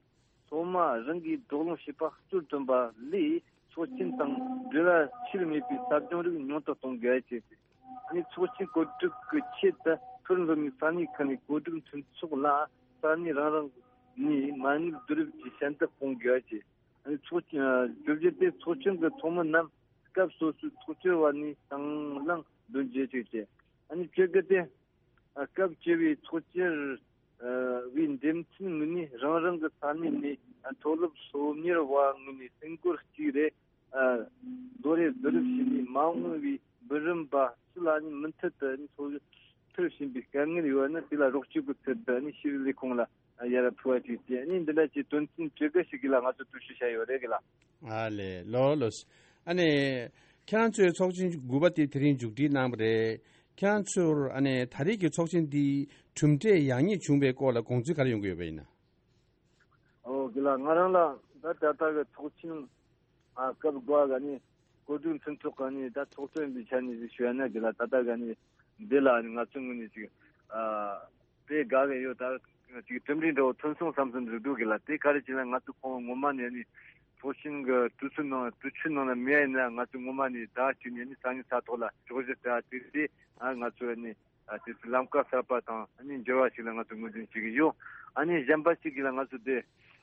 སློབ་མ་རང་གིས་བགྲོ་གླེང་བྱེད་པ་གཙོར་བཏོན་པ་ལས་ཚོགས་ཆེན་དང་འབྲེལ་བ་ཆེར་མེད་པའི་ཟབ་སྦྱོང་རིགས་ཉུང་དུ་གཏོང་དགོས་ཅེས། ཨ་ནི་ཚོགས་ཆེན་གོ་སྒྲིག་གི་ཆེད་དུ་མཐོ་རིམ་སློབ་མའི་ས་གནས་ཁག་ནས་གོ་སྒྲིག་མཐུན་ཚོགས་ལ་ས་གནས་རང་རང་ནས་མ་དངུལ་བསྡུ་རུབ་ཀྱིས་ཞལ་འདེབས་གཏོང་དགོས་ཅེས། ཨ་ནི་ཚོགས་ཆེན་བརྗོད་གཞི་དེ་ཚོགས་ཆུང་གི་ཚོགས་མི་རྣམས་སྐབས་སོ་སོའི་ཚོགས་ཆུང་བར་ནས་དང་བླངས་འདོན་རྒྱུ་བཅས་ཏེ། ཨ་ནི་བཅོ་བརྒྱད་དེ། ཨ་སྐབས་བཅུ་པའི་ཚོགས་ཆེན་བའི་འདེམས་ཐོན་ངོས་ནས་རང་རང་གི་ས་གནས་ནས་མཐོ་སློབ་སློབ་གཉེར་བ་ངོས་ནས་སེམས་ཁུར་གཅིག་རེ་ཨ་རྡོ་རེ་བསྡུ་རུབ་བྱས་ནས་མ་འོངས་པའི་འབུམ་རམས་པ་སུ་ལ་ནི་མུ་མཐུད་དུ་ནི་སློབ་ཁྲིད་བྱེད་པའི་དཀའ་ངལ་ཡོད་ན་དེ་ལ་རོགས་སྐྱོབ་ཀྱི་ཚུལ་དུ་ནི་ཤེས་རིག་ལས་ཁུངས་ལ་ཡར་ཕུལ་བ་ཅིག་བྱས་ནི་འདི་འདྲ་གྱི་དོན་ཚན་བཅོ་བརྒྱད་ཞིག་གི་ལ་ང་ཚོ་གྲོས་ཞིབ་བྱས་ཡོད་རེད་གི་ལ། ཨ་ལེ་ལོ་ལོ། ཨ་ནི་ཁྱེད་རང་ཚོའི་ཚོགས་ཆེན་དགུ་པ་དེ་དེ་རིང་མཇུག་སྒྲིལ་གནང་བ་རེད། ཁྱེད་རང་ཚོར་ཨ་ནི་ད་རེས་ཀྱི་ཚོགས་ཆེན་འདི་གྲུབ་འབྲས་ཡག་ཉེས་བྱུང་བའི་སྐོར་ལ་དགོངས་ཚུལ་ག་རེ་ཡོང་གི་ཡོད་པ་ཡིན་ན། ཨོ་གི་ལ་ང་རང་ལ་ད་ད་ལྟ་གི་ཚོགས་ཆེན་ཨ་སྐབས་དགུ་པ་ག་ནི་གོ་སྒྲིག་མཐུན་ཚོགས་ག་ནི་ད་ཚོགས་གཙོ་ཡིན་པའི་ཆ་ནས་ཞུ་ཡ་ན་གི་ལ་ད་ལྟ་ག་ནི་འདི་ལ་ནི་ང་ཚོ་ངོས་ནས་ཅིག་ཨ་དཔེ་དགའ་གི་ཡོད། ད་ཅིག་གྲུབ་འབྲས་འདྲ་བོ་ཐོན་སོང་བསམ་བསམ་ཟིག་འདུག་གི་ལ། དེ་ག་རེ་བྱས་ན་ང་ཚོ་ཁོང་ངོ་མ་ནས་ནི་ཚོགས་ཆེན་གི་གྲོས་ཚོགས་ནང་གྲོས་ཆོད་ནང་ལ་མེད་ཡིན་ན་ང་ཚོ་ངོ་མ་ནས་ཟླ་གཅིག་ནས་ནི་ས་གནས་ས་ཐོག་ལ་ཕྱོགས་བཞི་ལྟ་དེ་དེ་ཨ་ང་ཚོ་ནི་ཨ་དེ་ཚོ་ལམ་ཀ་གསར་པ་དང་ཨ་ནི་འགྱུར་བ་ཞིག་ལ་ང་ཚོ་ངོས་འཛིན་བྱེད་ཀྱི་ཡོད། ཨ་ནི་གཞན་པ་ཞིག་གིས་ལ་ང་ཚོ་དེ་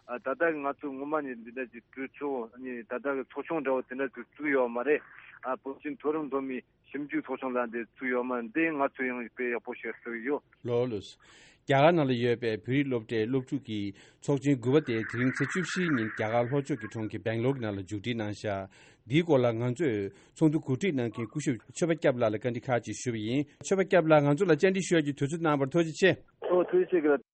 ཨ་ད་ལྟ་གི་ང་ཚོ་ངོ་མ་ནས་འདི་འདྲ་གྱི་གྲོས་ཚོགས་ཨ་ནི་ད་ལྟ་གི་ཚོགས་ཆུང་འདྲ་བོ་དེ་འདྲ་ཚོ་བཙུགས་ཡོད་མ་རེད། ཨ་བོད་ཀྱི་མཐོ་རིམ་སློབ་མའི་ཞིབ་འཇུག་ཚོགས་ཆུང་ལ་འདི་བཙུགས་ཡོད་མ་འདི་ང་ཚོ་ཡང་དཔེ་ཡག་པོ་ཞིག་བརྩི་གི་ཡོད། ལོ་ལོ། རྒྱ་གར་ནང་ལ་ཡོད་པའི་བོད་རིགས་སློབ་གྲྭའི་སློབ་ཕྲུག་གི་ཚོགས་ཆེན་དགུ་པ་དེ་དེ་རིང་ཚེས་བཅུ་བཞི་ཉིན་རྒྱ་གར་ལྷོ་ཕྱོགས་ཀྱི་གྲོང་ཁྱེར་སྦེང་ལོར་ནང་ལ་མཇུག་སྒྲིལ་གནང་ཤག་འདིའི་སྐོར་ལ་ང་ཚོས་ཚོགས་འདུ་གོ་སྒྲིག་གནང་མཁན་སྐུ་ཞབས་ཆོས་པ་སྐྱབས་ལགས་ལ་བཀའ་འདྲི་ཁག་ཅིག་ཞུས་པ་ཡིན། ཆོས་པ་སྐྱབས་ལགས་ང་ཚོ་ལ་བཅར་འདྲི་ཞུ་ཡག་གི་དུས་ཚོད་གནང་བར་ཐུགས་རྗེ་ཆེ། ཨོ་ཐུགས་རྗེ་ཆེ་གི་ལ།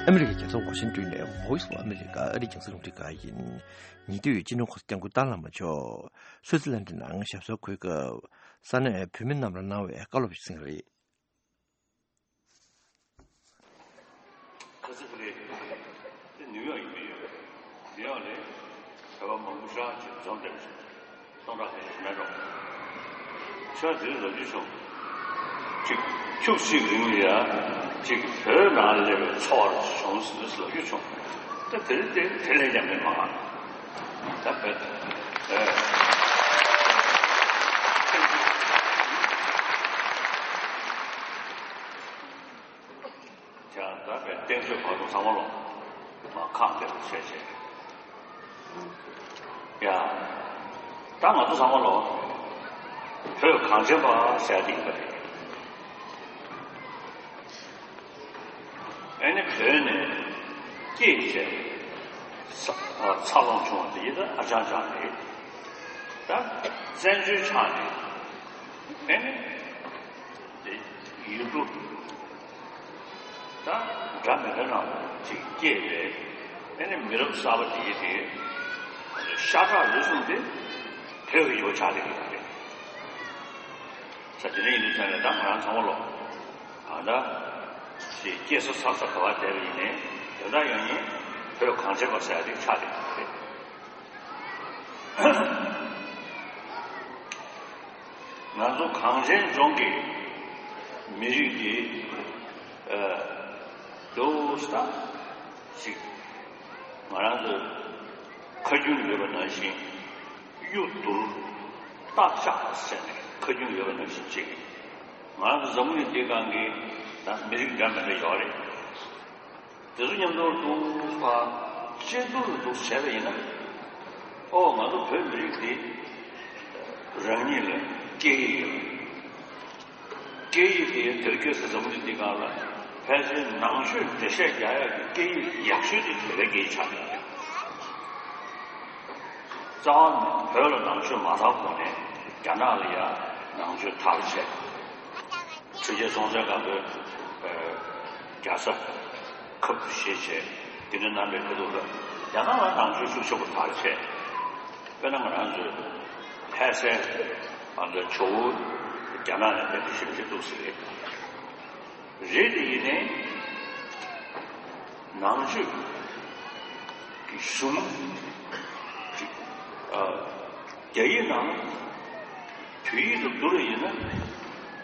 ཨ་མི་རི་ཀའི་རྒྱལ་ས་ཝ་ཤིང་ཏོན་ནས་Voice of America ཨ་རིའི་རྒྱང་སྲིང་རླུང་འཕྲིན་ཁང་ཡིན། ཉེ་དུས་སྤྱི་ནོར་གོང་ས་སྐྱབས་མགོན་ཏཱ་ལའི་བླ་མ་མཆོག་སུའུ་ཙི་ལན་ཌི་ནང་ཞབས་སོར་འཁོད་སྐབས་ས་གནས་བོད་མི་རྣམས་ལ་གནང་བའི་བཀའ་སློབ་ཅིག་གསན་གྱི་རེད། ཁ་སང་ཁ་ལས་དེ་ནིའུ་ཡོག་ཡིན་པས་ཡོད། ནིའུ་ཡོག་ནས་བོད་པ་མང་པོ་ཞེ་དྲག་ཅིག་འཛོམས་བསྡད་པ་ཞིག་རེད། སྟོང་ཕྲག་ཁ་ཤས་མེད་འགྲོ། ཆོས་འདིར་ལབ་རྒྱུ་བྱུང་། ཅིག་ཁྱུག་ཅིག་རིང་ལ་ཡ། ཅིག་བོད་ནང་ལ་སླེབས་པའི་ཚོར་བ་བྱུང་ཟེར་ལབ་རྒྱུ་བྱུང་། ད་དེ་རིང་དེ་དེ་ལས་ཀྱང་མི་མང་། ད་བོད་ཨེ། ཀྱང་ད་བོད་བསྟན་བཅོས་བར་དུ་ཚང་མ་ལོ་མ་ཁག་འདེབས་བྱས་བྱས། ཡ། ད་ང་ཚོ་ཚང་མ་ལོ་བོད་གངས་ཅན་པ་ཟེར་ཡ་དེ་ཡིན་པ་རེད། ཨེ་ནི་བོད་ནས་སྐྱེས་བྱས་ས་ཨ་འཚར་ལོངས་བྱུང་བ་དེ་ཡིན་ད་ཨ་ཅང་ཅང་རེད། ད་བཙན་བྱོལ་ཆགས་ནས་ཨེ་ནི་དེ་ཡུལ་གྲུ་ད་འདྲ་མི་འདྲ་ནང་ཅིག་སྐྱེས་པའི་ཨེ་ནི་མི་རབས་གསར་པ་དེ་ཡིན་དེ་ཤ་ཁྲག་ལུས་ཟུངས་དེ་བོད་ཀྱི་ཡོད་ཆགས་དེ་ཡིན་པ་རེད། ས་དེ་འདྲ་ཡིན་དུས་ཙང་ནས་ད་ང་རང་ཚང་མ་ལོ། ཨ་ད། ཞེས་སྐྱེས་ས་འཚར་ས་ག་བ་བསྡད་པ་ཡིན་ནའི་དེ་འདྲ་ཡང་ཡིན་བོད་གངས་ཅན་པ་ཟེར་ཡ་དེ་ཆགས་བསྡད་ཀྱི་རེད། ང་ཚོ་གངས་ཅན་ལྗོངས་ཀྱི་མི་རིགས་འདི་ཨ་འདུག་ས་ཞིག་ང་རང་ཚོ་ཁ་རྒྱུན་ཡོད་པ་ནང་བཞིན། གཡུ་དུར་རྟ་ལྕག་ཟེར་ནས་ཁ་རྒྱུན་ཡོད་པ་ནང་བཞིན་བྱེད་ཀྱི། ང་རང་ཚོ་འཛམ་བུ་གླིང་འདིའི་སྒང་གི་ད་མི་རིགས་འདྲ་མི་འདྲ་ཡོད་རེད། དེ་ཚོ་མཉམ་དུ་འདུག་ཕ་གཅིག་ཏུ་འདུག་བྱས་པ་ཡིན་ན། ཨོ་ང་ཚོ་བོད་མི་རིགས་འདི་རང་ཉིད་ལ་སྐད་ཡིག་ཡོད། སྐད་ཡིག་དེ་དེར་སྐྱེས་སུ་འཛམ་བུ་གླིང་འདི་སྒང་ལ་ཕལ་ཆེར་ནང་ཆོས་འགྲེལ་བཤད་རྒྱག་ཡག་གི་སྐད་ཡིག་ཡག་ཤོས་དེ་བོད་པའི་སྐད་ཡིག་ཆགས་ཡོད། རྩ་བ་ནས་བོད་ལ་ནང་ཆོས་མ་དར་གོང་ནས་རྒྱ་ནག་ལ་ཡང་ནང་ཆོས་དར་བྱས། ཆོས་རྒྱལ་སྲོང་བཙན་སྒམ་པོས་རྒྱལ་ས་ཁབ་ཏུ་བཞེས་བྱས་དེ་འདྲ་གནང་བའི་ཁ་ཐུག་ལ་རྒྱ་ནག་ལ་ནང་ཆོས་ཤུགས་ཆེན་པོ་དར་བྱས། དཔེར་ན་ང་རང་ཚོའི་ལྷ་སའི་ང་ཚོའི་ཇོ་བོ་རྒྱ་ནག་ནས་ཕེབས་པའི་ཞིང་ཆེན་འདུག་ཟེར་གི་རེད། དེ་ཡིན་ནའི་ནང་ཆོས་ཀྱི་གཞུང་ཨ་རྒྱ་ཡིག་ནང་བོད་ཡིག་ཏུ་བསྒྱུར་བ་ཡིན་ན་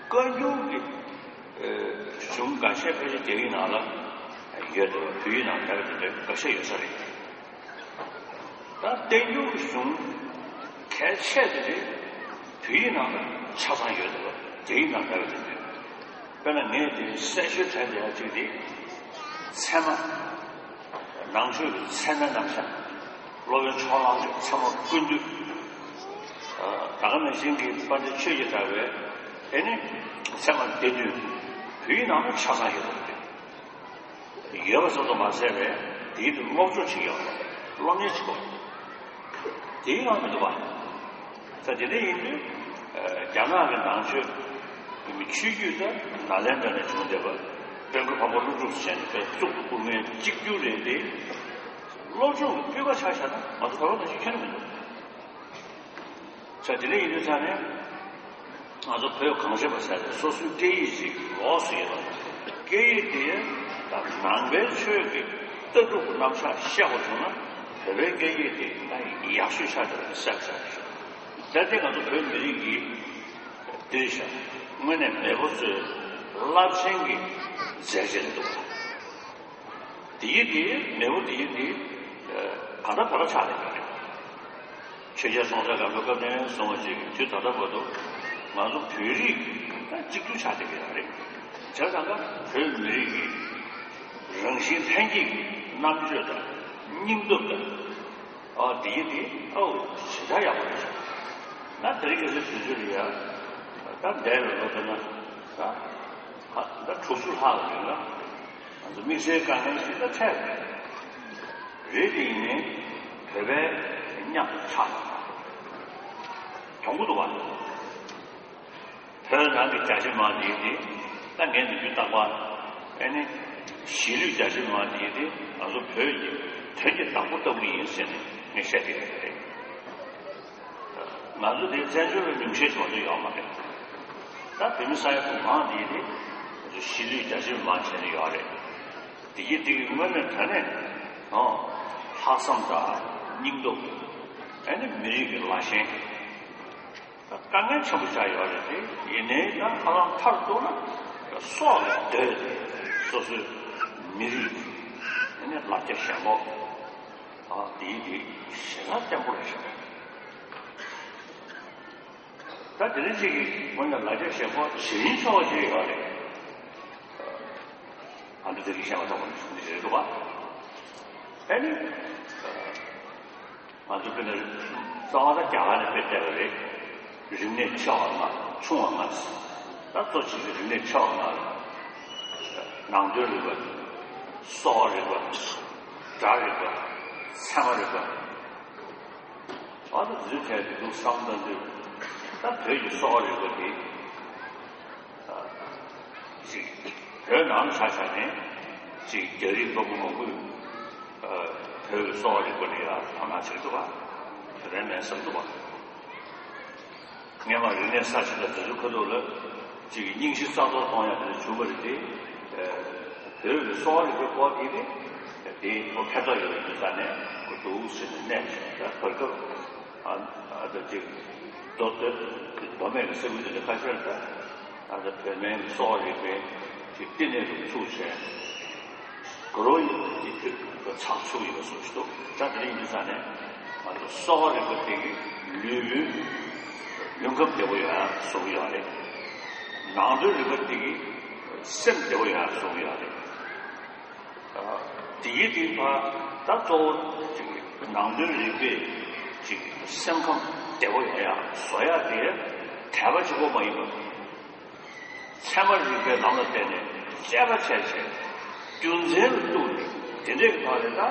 བཀའ་འགྱུར་གྱི་གཞུང་འགའ་ཤས་ཕལ་ཆེར་རྒྱ་ཡིག་ནང་ལ་ཡོད་དེ་བོད་ཡིག་ནང་མེད་པ་དེ་འདྲ་འགའ་ཤས་ཡོད་ས་རེད། ད་བསྟན་འགྱུར་གྱི་གཞུང་གལ་ཆེ་དེ་རེད། བོད་ཡིག་ནང་ལ་ཆ་ཚང་ཡོད་དེ་རྒྱ་ཡིག་ནང་མེད་པ་དེ་འདྲ། དཔེར་ན་ངས་དེ་གསལ་ཤོས་དྲན་བསྡད་ཡ་གཅིག་དེ་ཚད་མ། ནང་ཆོས་ཀྱི་ཚད་མའི་རྣམ་གཞག་སློབ་དཔོན་ཕྱོགས་གླང་གི་ཚད་མ་ཀུན་བཏུས། ད་ག་ནང་བཞིན་གྱི་དཔལ་ལྡན་ཆོས་ཀྱི་གྲགས་པའི་ཨེ་ནི་ཚད་མ་སྡེ་བདུན་བོད་ཡིག་ནང་ལ་ཆ་ཚང་ཡོད་པ་རེད། ཡོད་པ་ཙམ་དུ་མ་ཟད་པའི་དེའི་ཐོག་སློབ་སྦྱོང་བྱེད་ཡོད་པ་རེད། སློབ་གཉེར་བྱེད་དགོས། དེའི་ནང་མི་འདུག་པ། ད་དེ་འདྲ་ཡིན་དུས་རྒྱ་ནག་གི་ནང་ཆོས་ཆོས་བརྒྱུད་དེ་ནཱ་ལེནྡྲ་ནས་བྱུང་བསྡད་པ་དཔལ་མགོན་འཕགས་པ་ཀླུ་སྒྲུབ་ཟེར་ནས་དཔེ་གཙུག་ཏུ་བཀུར་མཁན་གཅིག་གྱུར་རེད་དེ། སློབ་སྦྱོང་གི་སྤུས་ཀ་ཆ་བཞག་ན་ང་ཚོ་བོད་པ་ནང་བཞིན་ཁྱོན་ནས་མི་འདུག་ས་དེ་འདྲ་ཡིན་དུས་ཙང་ནས་ང་ཚོ་བོད་གངས་ཅན་པ་ཟེར་ཏེ་སོ་སོའི་སྐད་ཡིག་ཅིག་ལོགས་སུ་ཡོད་པ། སྐད་ཡིག་དེ་ད་ནང་པའི་ཆོས་ཀྱི་ལྟ་གྲུབ་རྣམ་གཞག་བཤད་པ་བྱུང་ན་བོད་པའི་སྐད་ཡིག་དེ་ད་ཡག་ཤོས་ཆགས་བསྡད་པ་གསལ་པོ་ཆགས་བསྡད། ད་ལྟ་ང་ཚོ་བོད་མི་རིགས་ཀྱི་འདིར་བཞག་དངོས་གནས་མེས་པོ་ཚོའི་རླབས་ཆེན་གྱི་མཛད་རྗེས་འདུག་དེའི་དེའི་མེས་པོ་དེའི་དེ་ག་འདྲ་བོད་ལ་ཆགས་ཡོད་རེད། ཆོས་རྒྱལ་སྲོང་བཙན་སྒམ་པོའི་སྐབས་ནས་བཟུང་བ་ཅིག་དུས་ད་ལྟ་བར་དུ་ང་ཚོ་བོད་རིགས་ད་གཅིག་གྱུར་ཆགས་བསྡད་ཀྱི་ཡོད་རེད། བྱས་ཙང་ཀ་བོད་མི་རིགས་ཀྱི་རང་བཞིན་ལྷན་སྐྱེས་ཀྱི་རྣམ་དཔྱོད་དང་སྙིང་སྟོབས་དང་ཨ་དེའི་དེ་ཨོ་ཞེ་དྲག་ཡག་པོ་རེད། ད་དེ་རིང་ཁ་སང་དུས་ཚོད་ལ་ཡ་ད་འདས་པའི་ལོ་ལྟར་ན་ད་ད་དྲུག་ཅུ་ལྷག་ལ་ཡོད་ན། ང་ཚོ་དམིགས་བསལ་དཀའ་ངལ་ཞིག་ལ་འཕྲད་རེད། དེ་ཡིན་ནའི་བོད་པའི་མཉམ་དུ་ཆགས་ཡོང་གི་འདུག་བ། བོད་ནང་གི་རྒྱ་ཆེ་མང་དེ་དེ་ད་ངས་ནུས་རྒྱུ་བཏང་བ་ཨེ་ནི་གཞིས་ལུས་རྒྱ་ཆེ་མང་དེ་དེ་ང་ཚོ་བོད་ཀྱི་དོན་གྱི་བདག་པོ་ལྟ་བུ་ཡིན་ཟེར་ནས་ངས་བཤད་ཀྱི་ཡོད་རེད། ང་ཚོ་དེ་བཙན་བྱོལ་བའི་ཉུང་ཤས་ཆུང་ཆུང་ཡོད་མ་རེད། ད་བོད་མི་ས་ཡ་དྲུག་མང་དེ་དེ་ང་ཚོ་གཞིས་ལུས་རྒྱ་ཆེ་མང་བྱས་ནས་ཡོད་རེད། དེ་གི་དེ་གི་དངོས་གནས་དྲང་གནས་ཨང་ལྷག་བསམ་དང་སྙིང་སྟོབས། ཨ་ནི་མི་རིགས་ཀྱི་ལ་ཞེན། དཀའ་ངལ་ཆེན་པོ་ཆགས་ཡོད་རེད་དེ། ཡིན་ནའི་ད་ཧ་ལམ་མཐར་གཏུགས་ན་སྲོག་ལ་བསྡོས་ཏེ་སོ་སོའི་མི་རིགས་ནི་ལ་རྒྱ་ཞེན་ཁོག་ཨ་དེའི་དེ་ཞེ་དྲག་བརྟན་པོ་རེད་ཤག་ད་དེ་རིང་གཅིག་གི་ངོས་ནས་ལ་རྒྱ་ཞེན་ཁོག་བྱེད་ཡིན་ཆོག་ཅིག་ཡོད་རེད། ཨ་འདི་དེ་རིང་བཤད་པ་ཐོག་མ་འདི་རེད་འདུག་བ། ཨ་ནི། ང་ཚོ་དཔེར་ན་རྩ་བ་ད་རྒྱ་གར་ནས་དཔེ་བལྟས་པ་རེད། རིག་གནས་ཆེ་བ་ལྔ་ཆུང་བ་ལྔ་ཟེར། ད་གཙོ་ཆེ་ཤོས་རིག་གནས་ཆེ་བ་ལྔ་རེད། ནང་དོན་རིག་པ། སྲོག་རིག་པ། སྒྲ་རིག་པ། ཚད་མ་རིག་པ། ཨ་ད་འཛུལ་ཐལ་དུ་འདུག་བསམ་ད་འདུག་ད་བོད་ཀྱི་སྲོག་རིག་པ་དེ། ཅིག་བོད་ནང་ཆ་བཞག་ནས་ཅིག་རྒྱ་རིགས་ལྟ་བུ་མང་པོས་བོད་ཀྱི་གསོ་བ་རིག་པ་ལ་ཡང་དོ་སྣང་བྱེད་འདུག་པ། དེ་འདྲ་མེད་བསམ་འདུག་པ། སྔས་མ་རིག་གནས་གསར་ཤོས་དང་དེ་ཚོའི་ཁ་ཐུག་ལ་ཅིག་སྙིང་གཞི་རྩ་གཏོར་གཏོང་ཡག་དེ་འདྲ་བྱུང་བ་རེད་དེ། བོད་ཀྱི་གསོ་བ་རིག་པའི་སྐོར་དེ་ནི་དེ་ཁོ་ཕན་ཐོགས་ཡོད་པའི་རྒྱུ་མཚན་ནས་ཁོ་འདུག་ཟེར་ནས་གནས་ཤིང་ད་བར་སྐབས། ཨ་ཨ་ད་ཅིག་མདོ་སྟོད་མདོ་སྨད་ཀྱི་ས་ཁུལ་དེ་འདྲ་ཁ་ཤས་ལ་ད་ཨ་ད་བོད་སྨན་གྱི་གསོ་བ་རིག་པའི་ཅིག་བསྟི་གནས་རུ་ཚུགས་བྱས་དགུ་རོ་ཡི་ཅིག་ཚགས་ཚུགས་ཡིན་པ་སོགས་ཤིག་འདུག་ད་དེ་རིང་འདི་ས་ནས་ང་ཚོ་གསོ་བ་རིག་པ་དེ་གི་ལུས་པོའི་ལུས་ཁམས་བདེ་པོ་ཡོང་ཡ་བཟོ་གི་ཡོད་རེད། ནང་དོན་རིག་པ་དེ་གི་སེམས་བདེ་པོ་ཡོང་ཡ་བཟོ་གི་ཡོད་རེད། དེའི་རིགས་པ་ད་གཙོ་བོ་ཅིག་ནང་དོན་རིག་པས་ཅིག་སེམས་ཁམས་བདེ་པོ་ཡོང་ཡག་བཟོ་ཡག་དེ་དད་པ་གཅིག་པོ་མ་ཡིན་པར་ཚད་མ་རིག་པའི་ལམ་ལ་བརྟེན་ནས་དཔྱད་པ་བྱས་བྱས་རྒྱུ་མཚན་ལ་གཏུགས་ནས་དེ་འདྲའི་ཐོག་ནས་ད་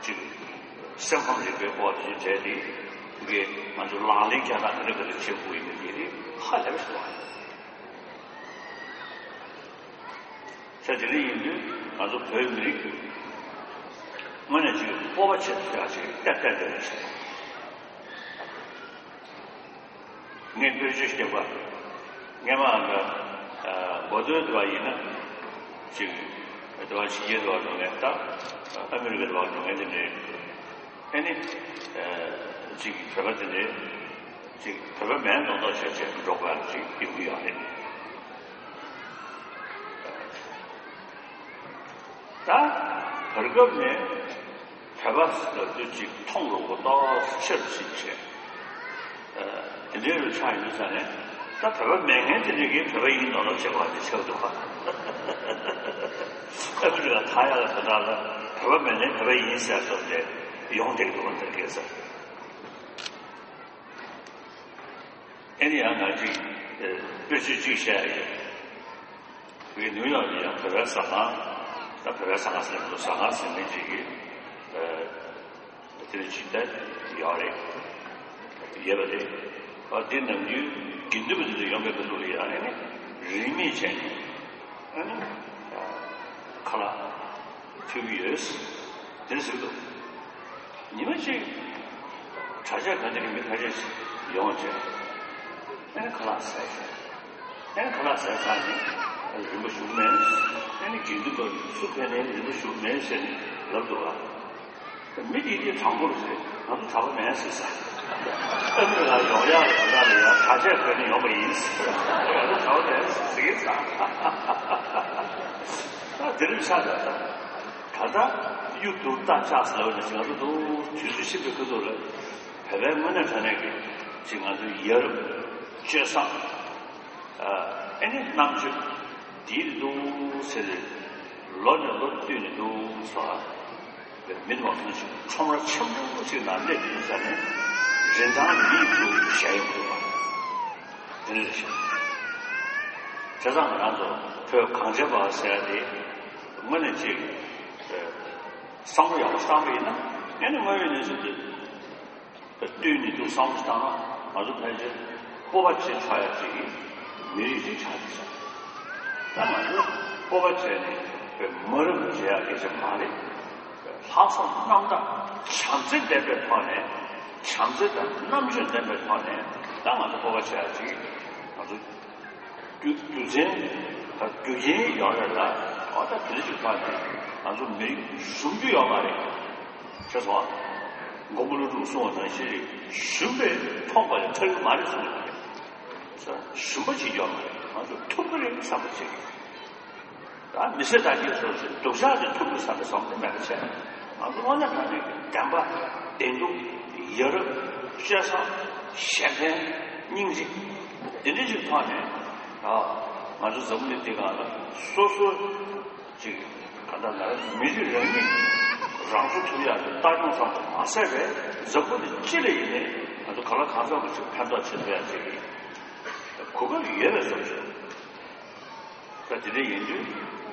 ཅིག་སེམས་ཁམས་རིག་པའི་སྐོར་དེ་བྱས་ཏེ་དེ་གས་ང་ཚོ་ལག་ལེན་བསྐྱལ་སྟངས་དེ་འདྲ་ག་རེ་བྱེད་དགོས་ཡིན་མིན་དེ་རིགས་ཧ་ལས་པ་ཞིག་འདུག་ཨ། ས་དེ་འདྲ་ཡིན་དུས་ང་ཚོ་བོད་མི་རིགས་དངོས་གནས་ཅིག་སྤོབས་པ་བྱེད་ཐུབ་ཡག་ཅིག་ཏན་ཏན་རེད་ཟེར། ངས་དཔེར་བརྗོད་ཞིག་བརྒྱབ་པ། སྔས་མ་ང་མགོ་ཐོན་དུ་བ་ཡིན་ན་ཅིག་དུ་བ་ཕྱི་རྒྱལ་དུ་བ་འགྲོ་མཁན་དང་ཨ་མི་རི་ཀའི་དུ་བ་འགྲོ་མཁན་དེ་འདྲའི་ཨ་ནི་ཅིག་བོད་པ་དེ་འདྲའི། ཅིག་བོད་པ་མིན་མདོག་མདོག་བྱས་བྱས་འགྲོ་དགོས་ཡག་ཅིག་ཡོང་གི་ཡོད་རེད། ད་བར་སྐབས་ནས་བོད་པ་ལབ་དུས་ཅིག་མཐོང་རུང་པོ་ཏོག་ཙམ་ཆེ་རུ་ཕྱིན་བྱས། དེ་འདྲའི་རུ་ཆགས་ཡོད་ཙང་ནས་ད་བོད་པ་མིན་མཁན་དེ་འདྲ་གིས་བོད་པ་ཡིན་མདོག་མདོག་བྱེད་དགོས་པ་དེ་ཆགས་འདུག་ག་ཨ་མི་རི་ཀ་ད་ཡག་ལ་དེ་འདྲ་ལ་བོད་པ་མིན་མཁན་བོད་པ་ཡིན་ཟེར་སོང་སྟེ་ཡོང་བསྡད་འདུག་ག་ད་གས་ཟེར། ཨེ་ནི་ཡང་ང་ཅིག་དཔེ་ཆོས་གཅིག་བཤད་ཡ་ཡོད། བའི་ནིའུ་ཡོག་ནས་ཡང་བོད་པའི་ཟ་ཁང་། ད་བོད་པའི་ཟ་ཁང་ཟེར་ན་ཟ་ཁང་ཟེར་མཁན་ཅིག་གིས་དེ་ལ་ཅིག་ད་ཡོད་རེད། ཡོད་པ་རེད། ཨ་དེ་ནམ་རྒྱུན་དགེ་འདུན་པ་དེ་ཚོ་ཡོང་བའི་སྐབས་ལ་ཡང་ཨེ་ནི་རིན་མེད་བྱས་ནས་ཨེ་ནི་ཁ་ལག་ཕུལ་གྱི་ཡོད། དེ་ཟེར་འདུག་ཉི་མ་གཅིག་གྲྭ་ཆས་གོན་ནས་མི་ཁ་ཤས་ཤིག་ཡོང་བྱས། ཨེ་ནི་ཁ་ལག་ཟས་བྱས། ཨེ་ནི་ཁ་ལག་ཟས་ཚར་ནས་རིན་པོ་ཞུ་མེད། ཨེ་ནི་དགེ་འདུན་པ་སུ་ཕེབས་ནའི་རིན་པོ་ཞུ་མེད་ཟེར་ནས་ལབ་འདུག་ཨ། མི་དེ་དེ་དྲང་པོར་ཟེར། ང་ཚོ་གྲྭ་པ་མེད་ཟེར་ས། ཨ་མི་ལ་ཡོང་ཡག་ལ་ཡོང་ཡག་ལ་ཡང་གྲྭ་ཆས་གོན་ནས་ཡོང་པ་ཡིན་ཟེར། ང་ཚོ་གྲྭ་པ་མེད་ཟེར་ཟེར་གྱི་ས། ད་དེ་རིང་ཆགས་ད་ད། ད་ལྟ་གཡུ་དུར་རྟ་ལྕག་ཟེར་བ་ནི་ང་ཚོ་འདུག་དུས་ཚོད་ཕྱིན་པའི་ཁ་ཐུག་ལ་བོད་པའི་དངོས་གནས་དྲང་གནས་ཀྱི་ཅིག་ང་ཚོའི་ཡ་རབས་སྤྱོད་བཟང་ཨ་ནི་རྣམ་དཔྱོད་འདིར་འདུག་ཟེར་ལོ་ནས་ལོ་བསྟུད་ནས་འདུག་སོ། མི་མང་པོ་ཞིག་ཁྲོམ་ར་ཆེན་པོ་ཞིག་ནང་སླེབས་ཡོང་ས་ནས་རིན་ཐང་མིག་ཏུ་ཞལ་ཡོང་འདུག་པ། དེ་འདྲ་རེད་ཤག་བྱས་ཙང་ང་རང་ཚོ་བོད་གངས་ཅན་པ་ཟེར་ཡ་དེ་དངོས་གནས་ཅིག་བསམ་བློ་ཡག་པོ་བཏང་པ་ཡིན་ན་ཨེ་ནི་དངོས་ཡོད་གནས་ཚུལ་དེ་བསྟུན་ནས་འདུག་བསམ་བློ་བཏང་ན་ང་ཚོ་ཕལ་ཆེར་སྤོབས་པ་བྱེད་ཆོག་ཡ་ཅིག་གི་མི་རིགས་ཤིག་ཆགས་ཀྱི་ཤག་ད་ང་ཚོ་སྤོབས་པ་བྱས་ནས་མ་རབས་བྱེད་ཡ་སྐད་ཆ་མ་རེད། ལྷག་བསམ་རྣམ་དག་བྱམས་བརྩེ་ལྡན་པའི་ཐོག་ནས་བྱམས་བརྩེ་དང་རྣམ་དཔྱོད་ལྡན་པའི་ཐོག་ནས་ད་ང་ཚོ་སྤོབས་པ་བྱེད་ཡ་ཅིག་ང་ཚོ་རྒྱུ་རྒྱུ་མཚན་དང་རྒྱུ་རྐྱེན་ཡོད་རེད་ལ་ཨོ་ད་དེ་འདྲ་ཞིག་ཐོག་ནས་ང་ཚོ་མི་རིགས་ཟུང་འཇུག་ཡོད་མ་རེད། ཤེས་སོང་ཨ། མགོན་པོ་ཀླུ་སྒྲུབ་གསུངས་པ་ནང་བཞིན་རེད། ཞུམ་པས་ཐོགས་པ་ལས་ཐར་གྱི་མ་རེད་གསུངས་པ་རེད། ཞུམ་པ་བྱེད་རྒྱུ་མ་རེད། ང་ཚོ་ཐུབ་ཀྱི་རེད་བསམ་པ་བྱེད་ཀྱི་རེད། ད་མི་ཚེ་ད་གའི་སོ་སོའི་སྡུག་ཅག་དེ་ཐུབ་ཀྱི་བསམ་པའི་བསམ་བློ་མེད་པ་བྱས། ང་ཚོ་དངོས་གནས་དྲང་གནས་ཀྱི་བདེན་པ། བདེན་སྡུག། ཡ་རབས། སྤྱོད་བཟང་། གཞན་ཕན། སྙིང་རྗེ། དེ་འདྲ་ཞིག་ཐོག་ནས། ཨ། ང་ཚོ་འཛམ་བུ་གླིང་འདི་སྒང་ལ་སོ་སོ་ཅིག་ག་ད་ལ་མི་རིགས་རང་ཉིད་རང་སྐྱོང་ཐུབ་ཡག་གི་ལྟ་སྐྱོང་ཙམ་དུ་མ་ཟད་པའི་འཛམ་བུ་གླིང་སྤྱི་ལ་ཡིན་ནའི་ང་ཚོ་གང་ལ་གང་འཚམ་པ་ཞིག་ཕན་ཐོགས་བྱེད་ཐུབ་ཡག་ཅིག་གི་གོ་སྐབས་ཡོད་པའི་བཟོ་ཞིག་ད་དེ་འདྲ་ཡིན་དུས་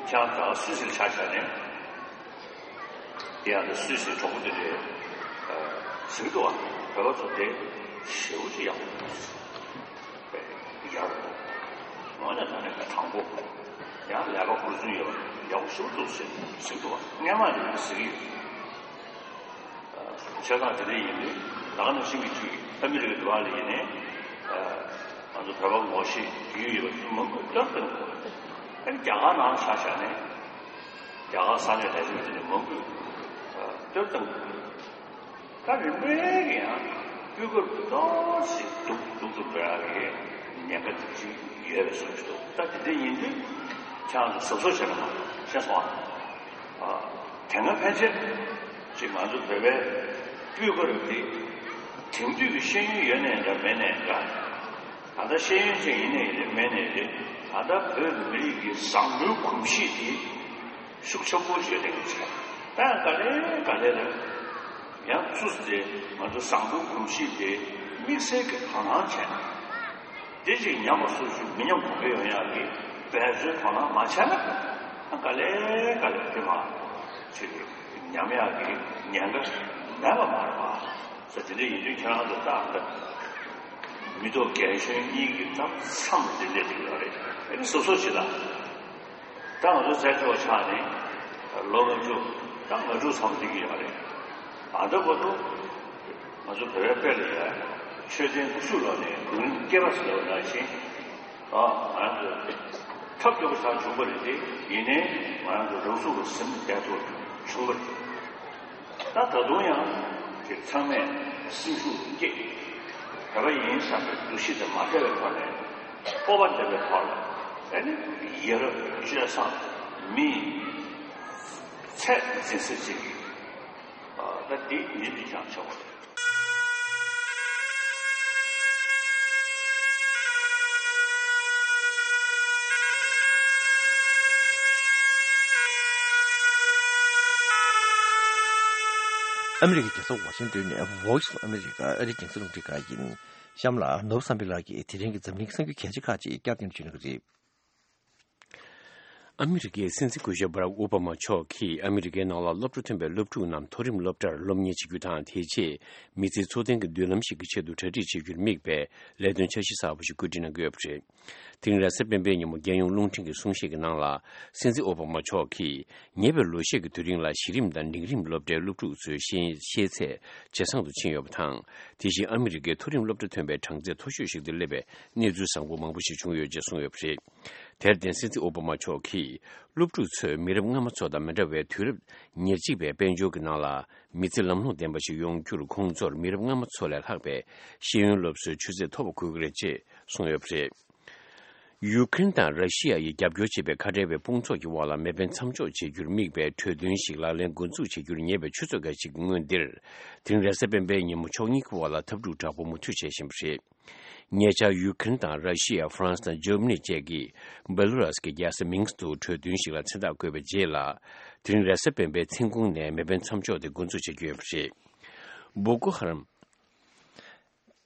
ཁྱེད་རང་ད་སུད་སིར་ཆ་བཞག་ནས། དེ་ཡང་ད་སུད་སིའི་གྲོགས་པོ་དེ་འདྲས་ཟེར་གི་འདུག་བ། བོད་པ་ཚོ་དེ་ཞེ་པོ་ཅིག་ཡག་པོ་འདུག་ཡག་པོ་འདུག་དངོས་གནས་དྲང་གནས་ཀྱི་དྲང་པོ། ཡང་ལས་ཀ་འཁུར་ཚུལ་ཡོད་པ། ཡག་པོ་ཞེ་པོ་འདུག་ཟེར་ཟེར་གི་འདུག་བ། སྔན་མ་ནས་ཟེར་གི་ཡོད། བྱས་ཙང་དེ་འདྲ་ཡིན་དུས་ད་ག་ནང་བཞིན་གྱི་ཅིག་ཨ་མི་རི་ཀའི་འགྲོ་བ་ལ་ཡིན་ནའི། ང་ཚོ་བོད་པ་ངོ་ཤེས་རྒྱུས་ཡོད་པ་མང་པོས་སྟོན་གྱི་འདུག་ཨ་ནི་རྒྱ་གར་ནང་ཆ་བཞག་ནས། རྒྱ་གར་ས་གནས་ལས་བྱེད་པ་དེ་འདྲ་མང་པོས་སྟོན་གྱི་འདུག་ད་རིམ་པས་ཀྱི་ཡང་སྤུས་ཀ་ཏོག་ཙམ་སྡུག་སྡུག་ཏུ་འགྲོ་ཡག་གི་ཉེན་ཁ་དེ་ཅིག་ཡོད་པའི་བཟོ་ཞིག་འདུག་ད་དེ་འདྲ་ཡིན་དུས་ཁྱེད་རང་ཚོ་གཟབ་གཟབ་བྱེད་རོགས་གནང་། ཤེས་སོང་ཨ། དེ་སྔ་ཕན་ཆད་ཅིག་ང་ཚོ་བོད་པའི་སྤུས་ཀ་རུ་དེ་དེང་དུས་ཀྱི་ཤེས་ཡོན་ཡོད་ནའི་འདྲ་མེད་ནའི་འདྲ། ད་ལྟ་ཤེས་ཡོན་ཅན་ཡིན་ནའི་རེད་མེད་ནའི་རེད། ད་ལྟ་བོད་མི་རིགས་ཀྱི་བཟང་པོའི་གོམས་གཤིས་དེ་ཤུགས་ཆེན་པོ་ཞིག་ལེན་གྱི་ཆེ། ད་ག་ལེ་ག་ལེ་རེད། ཡང་ཚུར་དེ་ང་ཚོ་བཟང་པོའི་གོམས་གཤིས་དེ་དམིགས་བསལ་གྱི་དོ་སྣང་བྱས་ནས། དེ་ཅིག་ཉམས་པ་སོར་ཆུད་མི་ཉམས་གོང་འཕེལ་ཡོང་ཡག་གི་འབད་བརྩོན་དོ་སྣང་མ་བྱས་ན། ཨ་ག་ལེ་ག་ལེ་དེ་མ་ཅིག་ཉམས་ཡག་གི་ཉེན་ཁ་མེད་པ་མ་རེད་པ། ས་དེ་འདྲ་ཡིན་དུས་ཁྱེད་རང་ཚོ་ཏག་ཏག་མི་ཐོག་རྒན་གཞོན་གཉིས་ཀྱི་ཐབ་མཚམས་དེ་སླེབས་ཀྱི་ཡོད་རེད། ཨ་ནི་སོ་སོ་ཞིག་ལ། ད་ང་ཚོ་བཙན་བྱོལ་ཆགས་ནས་ལོ་ལྔ་བཅུ་ད་ལྔ་དྲུག་ཙམ་འགྲིག་གི་ཡོད་རེད། ཨ་ད་བར་དུ་ང་ཚོ་བོད་པའི་དཔེ་ལ་ཡ་མཆོད་རྟེན་དགུ་བཅུ་ལོ་ནས་དགུ་རིམ་སྐྱེ་བ་ཟེར་བ་ནང་བཞིན། ཨ་ང་རང་ཚོ་ཐབས་སྐྱོ་པོ་ཆགས་བྱུང་བ་རེད་དེ། ཡིན་ནའི་ང་རང་ཚོ་རང་ཚུགས་ལ་ཟིན་བསྡད་ཐུབ་བྱུང་བ་རེད། ད་ད་དུང་ཡང་ཅིག་ཚང་མས་སེམས་ཤུགས་སྐྱེད། བོད་པ་ཡིན་བསམ་པའི་འདུ་ཤེས་དེ་མ་བྲལ་བའི་ཐོག་ནས་སྤོབས་པ་ལྡན་པའི་ཐོག་ལ་ཨ་ནི་ཡ་རབས་སྤྱོད་བཟང་མི་ཚད་འཛིན་ས་ཅིག་ད་འདི་ཡིན་པའི་ཀྱང་ཆོག་པ་རེད། ཨ་མི་རི་ཀའི་རྒྱལ་ས་ཝ་ཤིང་ཏོན་ནས་Voice of America ཨ་རིའི་རྒྱང་སྲིང་རླུང་འཕྲིན་ཁང་ཡིན། གཤམ་ལ་ནོར་བུ་བསམ་འཕེལ་ལགས་ཀྱིས་དེ་རིང་གི་འཛམ་གླིང་གསར་འགྱུར་གལ་ཆེ་ཁག་ཅིག་བསྐྱར་ཟློས་བྱེད་གནང་གི་རེད། ཨ་མི་རི་ཀའི་སྲིད་འཛིན་སྐུ་ཞབས་བྷ་རག་ཨོ་བྷ་མ་མཆོག་གིས་ཨ་མི་རི་ཀའི་ནང་ལ་སློབ་གྲྭ་ཐོན་པའི་སློབ་ཕྲུག་རྣམས་མཐོ་རིམ་སློབ་གྲྭར་སློབ་གཉེར་བྱེད་རྒྱུ་དང་། དེའི་རྗེས་མི་ཚེའི་འཚོ་རྟེན་གྱི་མདུན་ལམ་ཞིག་གི་ཆེད་དུ་གྲ་སྒྲིག་བྱེད་རྒྱུར་དམིགས་པའི་ལས་དོན་འཆར་གཞི་གསར་པ་ཞིག་བཀོད་སྒྲིག་གནང་གི་ཡོད་པ་རེད། དེ་རིང་རེས་གཟའ་སྤེན་པའི་ཉིན་མོ་རྒྱལ་ཡོངས་རླུང་འཕྲིན་གྱི་གསུང་བཤད་ཀྱི་ནང་ལ། སྲིད་འཛིན་ཨོ་བྷ་མ་མཆོག་གིས་ཉེ་བའི་ལོ་ཤས་ཀྱི་དུས་རིང་ལ་གཞི་རིམ་དང་འབྲིང་རིམ་སློབ་གྲྭའི་སློབ་ཕྲུག་ཚོའི་ཤེས་ཤེས་ཚད་ཇེ་བཟང་དུ་ཕྱིན་ཡོད་པ་དང་། དེ་བཞིན་ཨ་མི་རི་ཀའི་མཐོ་རིམ་སློབ་གྲྭ་ཐོན་པའི་གྲངས་ཚད་མཐོ་ཤོས་ཤིག་ཏུ་སླེབས་པའི་གནས་ཚུལ་བཟང་པོ་མང་པོ་ཞིག་བྱུང་ཡོད་ཅེས་གསུངས་ཡོད་པ་རེད། དེར་བརྟེན་སྲིད་འཛིན་ཨོ་བྷ་མ་མཆོག་གིས་སློབ་ཕྲུག་ཚོས་མི་རབས་སྔ་མ་ཚོ་དང་མི་འདྲ་བའི་དུས་རབས་ཉེར་གཅིག་པའི་དཔལ་འབྱོར་གྱི་ནང་ལ་མི་ཚེ་ལམ་ལྷོང་ལྡན་པ་ཞིག་ཡོང་རྒྱུར་ཁོང་ཚོར་མི་རབས་སྔ་མ་ཚོ་ལས་ལྷག་པའི་ཤེས་ཡོན་སློབ་གསོའི་ཆུ་ཚད་མཐོ་བ་དགོས་ཀྱི་རེད་ཅེས་གསུངས་ཡོད་པ་རེད། ཡུ་ཁུ་རེན་དང་ར་ཤི་ཡ་ཡིས་རྒྱབ་སྐྱོར་བྱེད་པའི་ཁ་བྲལ་བའི་དཔུང་ཚོགས་ཀྱི་འོག་ལ་མེ་འཕེན་མཚམས་འཇོག་བྱེད་རྒྱུར་དམིགས་པའི་གྲོས་མཐུན་ཞིག་ལག་ལེན་འགོ་འཛུགས་བྱེད་རྒྱུར་ཉེ་བའི་ཆུ་ཚོད་འགའ་ཞིག་གི་སྔོན་འདིར། དེ་རིང་རེས་གཟའ་སྤེན་པའི་ཉིན་མོ་ཕྱོགས་གཉིས་ཀྱི་འོག་ལ་འཐབ་འཁྲུག་དྲག་པོ་མུ་མཐུད་བྱེད་བཞིན་པ་རེད། ཉེ་ཆར་ཡུ་ཁུ་རེན་དང་ར་ཤི་ཡ། ཧྥ་རན་སི་དང་འཇར་མ་ནི་བཅས་ཀྱིས་བེ་ལུ་རཱས་ཀྱི་རྒྱལ་ས་མིན་སི་ཐུག་གྲོས་མཐུན་ཞིག་ལ་མཚན་རྟགས་བཀོད་པའི་རྗེས་ལ། དེ་རིང་རེས་གཟའ་སྤེན་པའི་མཚན་གུང་ནས་མེ་འཕེན་མཚམས་འཇོག་དེ་འགོ་འཛུགས་བྱེད་ཀྱི་ཡོད་པ་རེད། བོ་ཀོ་ཧ་རམ།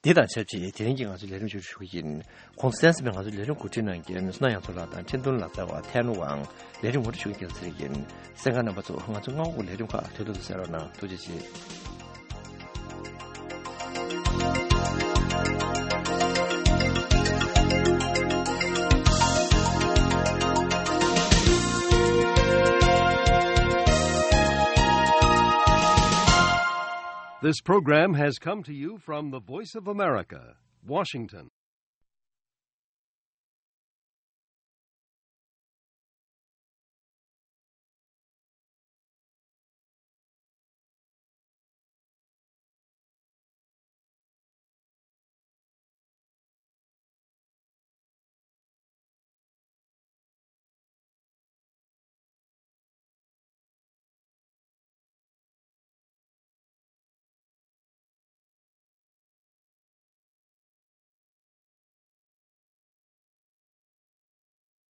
འདི་དང་ཆབས་ཅིག་དེ་རིང་གི་ང་ཚོའི་ལས་རིམ་མཇུག་སྒྲིལ་ཞུ་གི་ཡིན། གོང་གསལ་ཟིན་པའི་ང་ཚོའི་ལས་རིམ་གོ་སྒྲིག་གནང་མཁན་སྣ་ཡང་ཚོ་ལགས་དང་ཁྲིན་ཏུན་ལགས་རྩ་བ་ཐན་ཝང་ལས་རིམ་ངོ་སྤྲོད་ཞུ་མཁན་རྒྱལ་ཚེ་རིང་ཡིན། གསན་མཁན་རྣམ་པ་ཚོ་ང་ཚོ་སྔ་དགོང་གི་ལས་རིམ་ཁག་དུས་ཐོག་ཏུ་གསན་རོགས་གནང་། ཐུགས་རྗེ་ཆེ། This program has come to you from the Voice of America, Washington.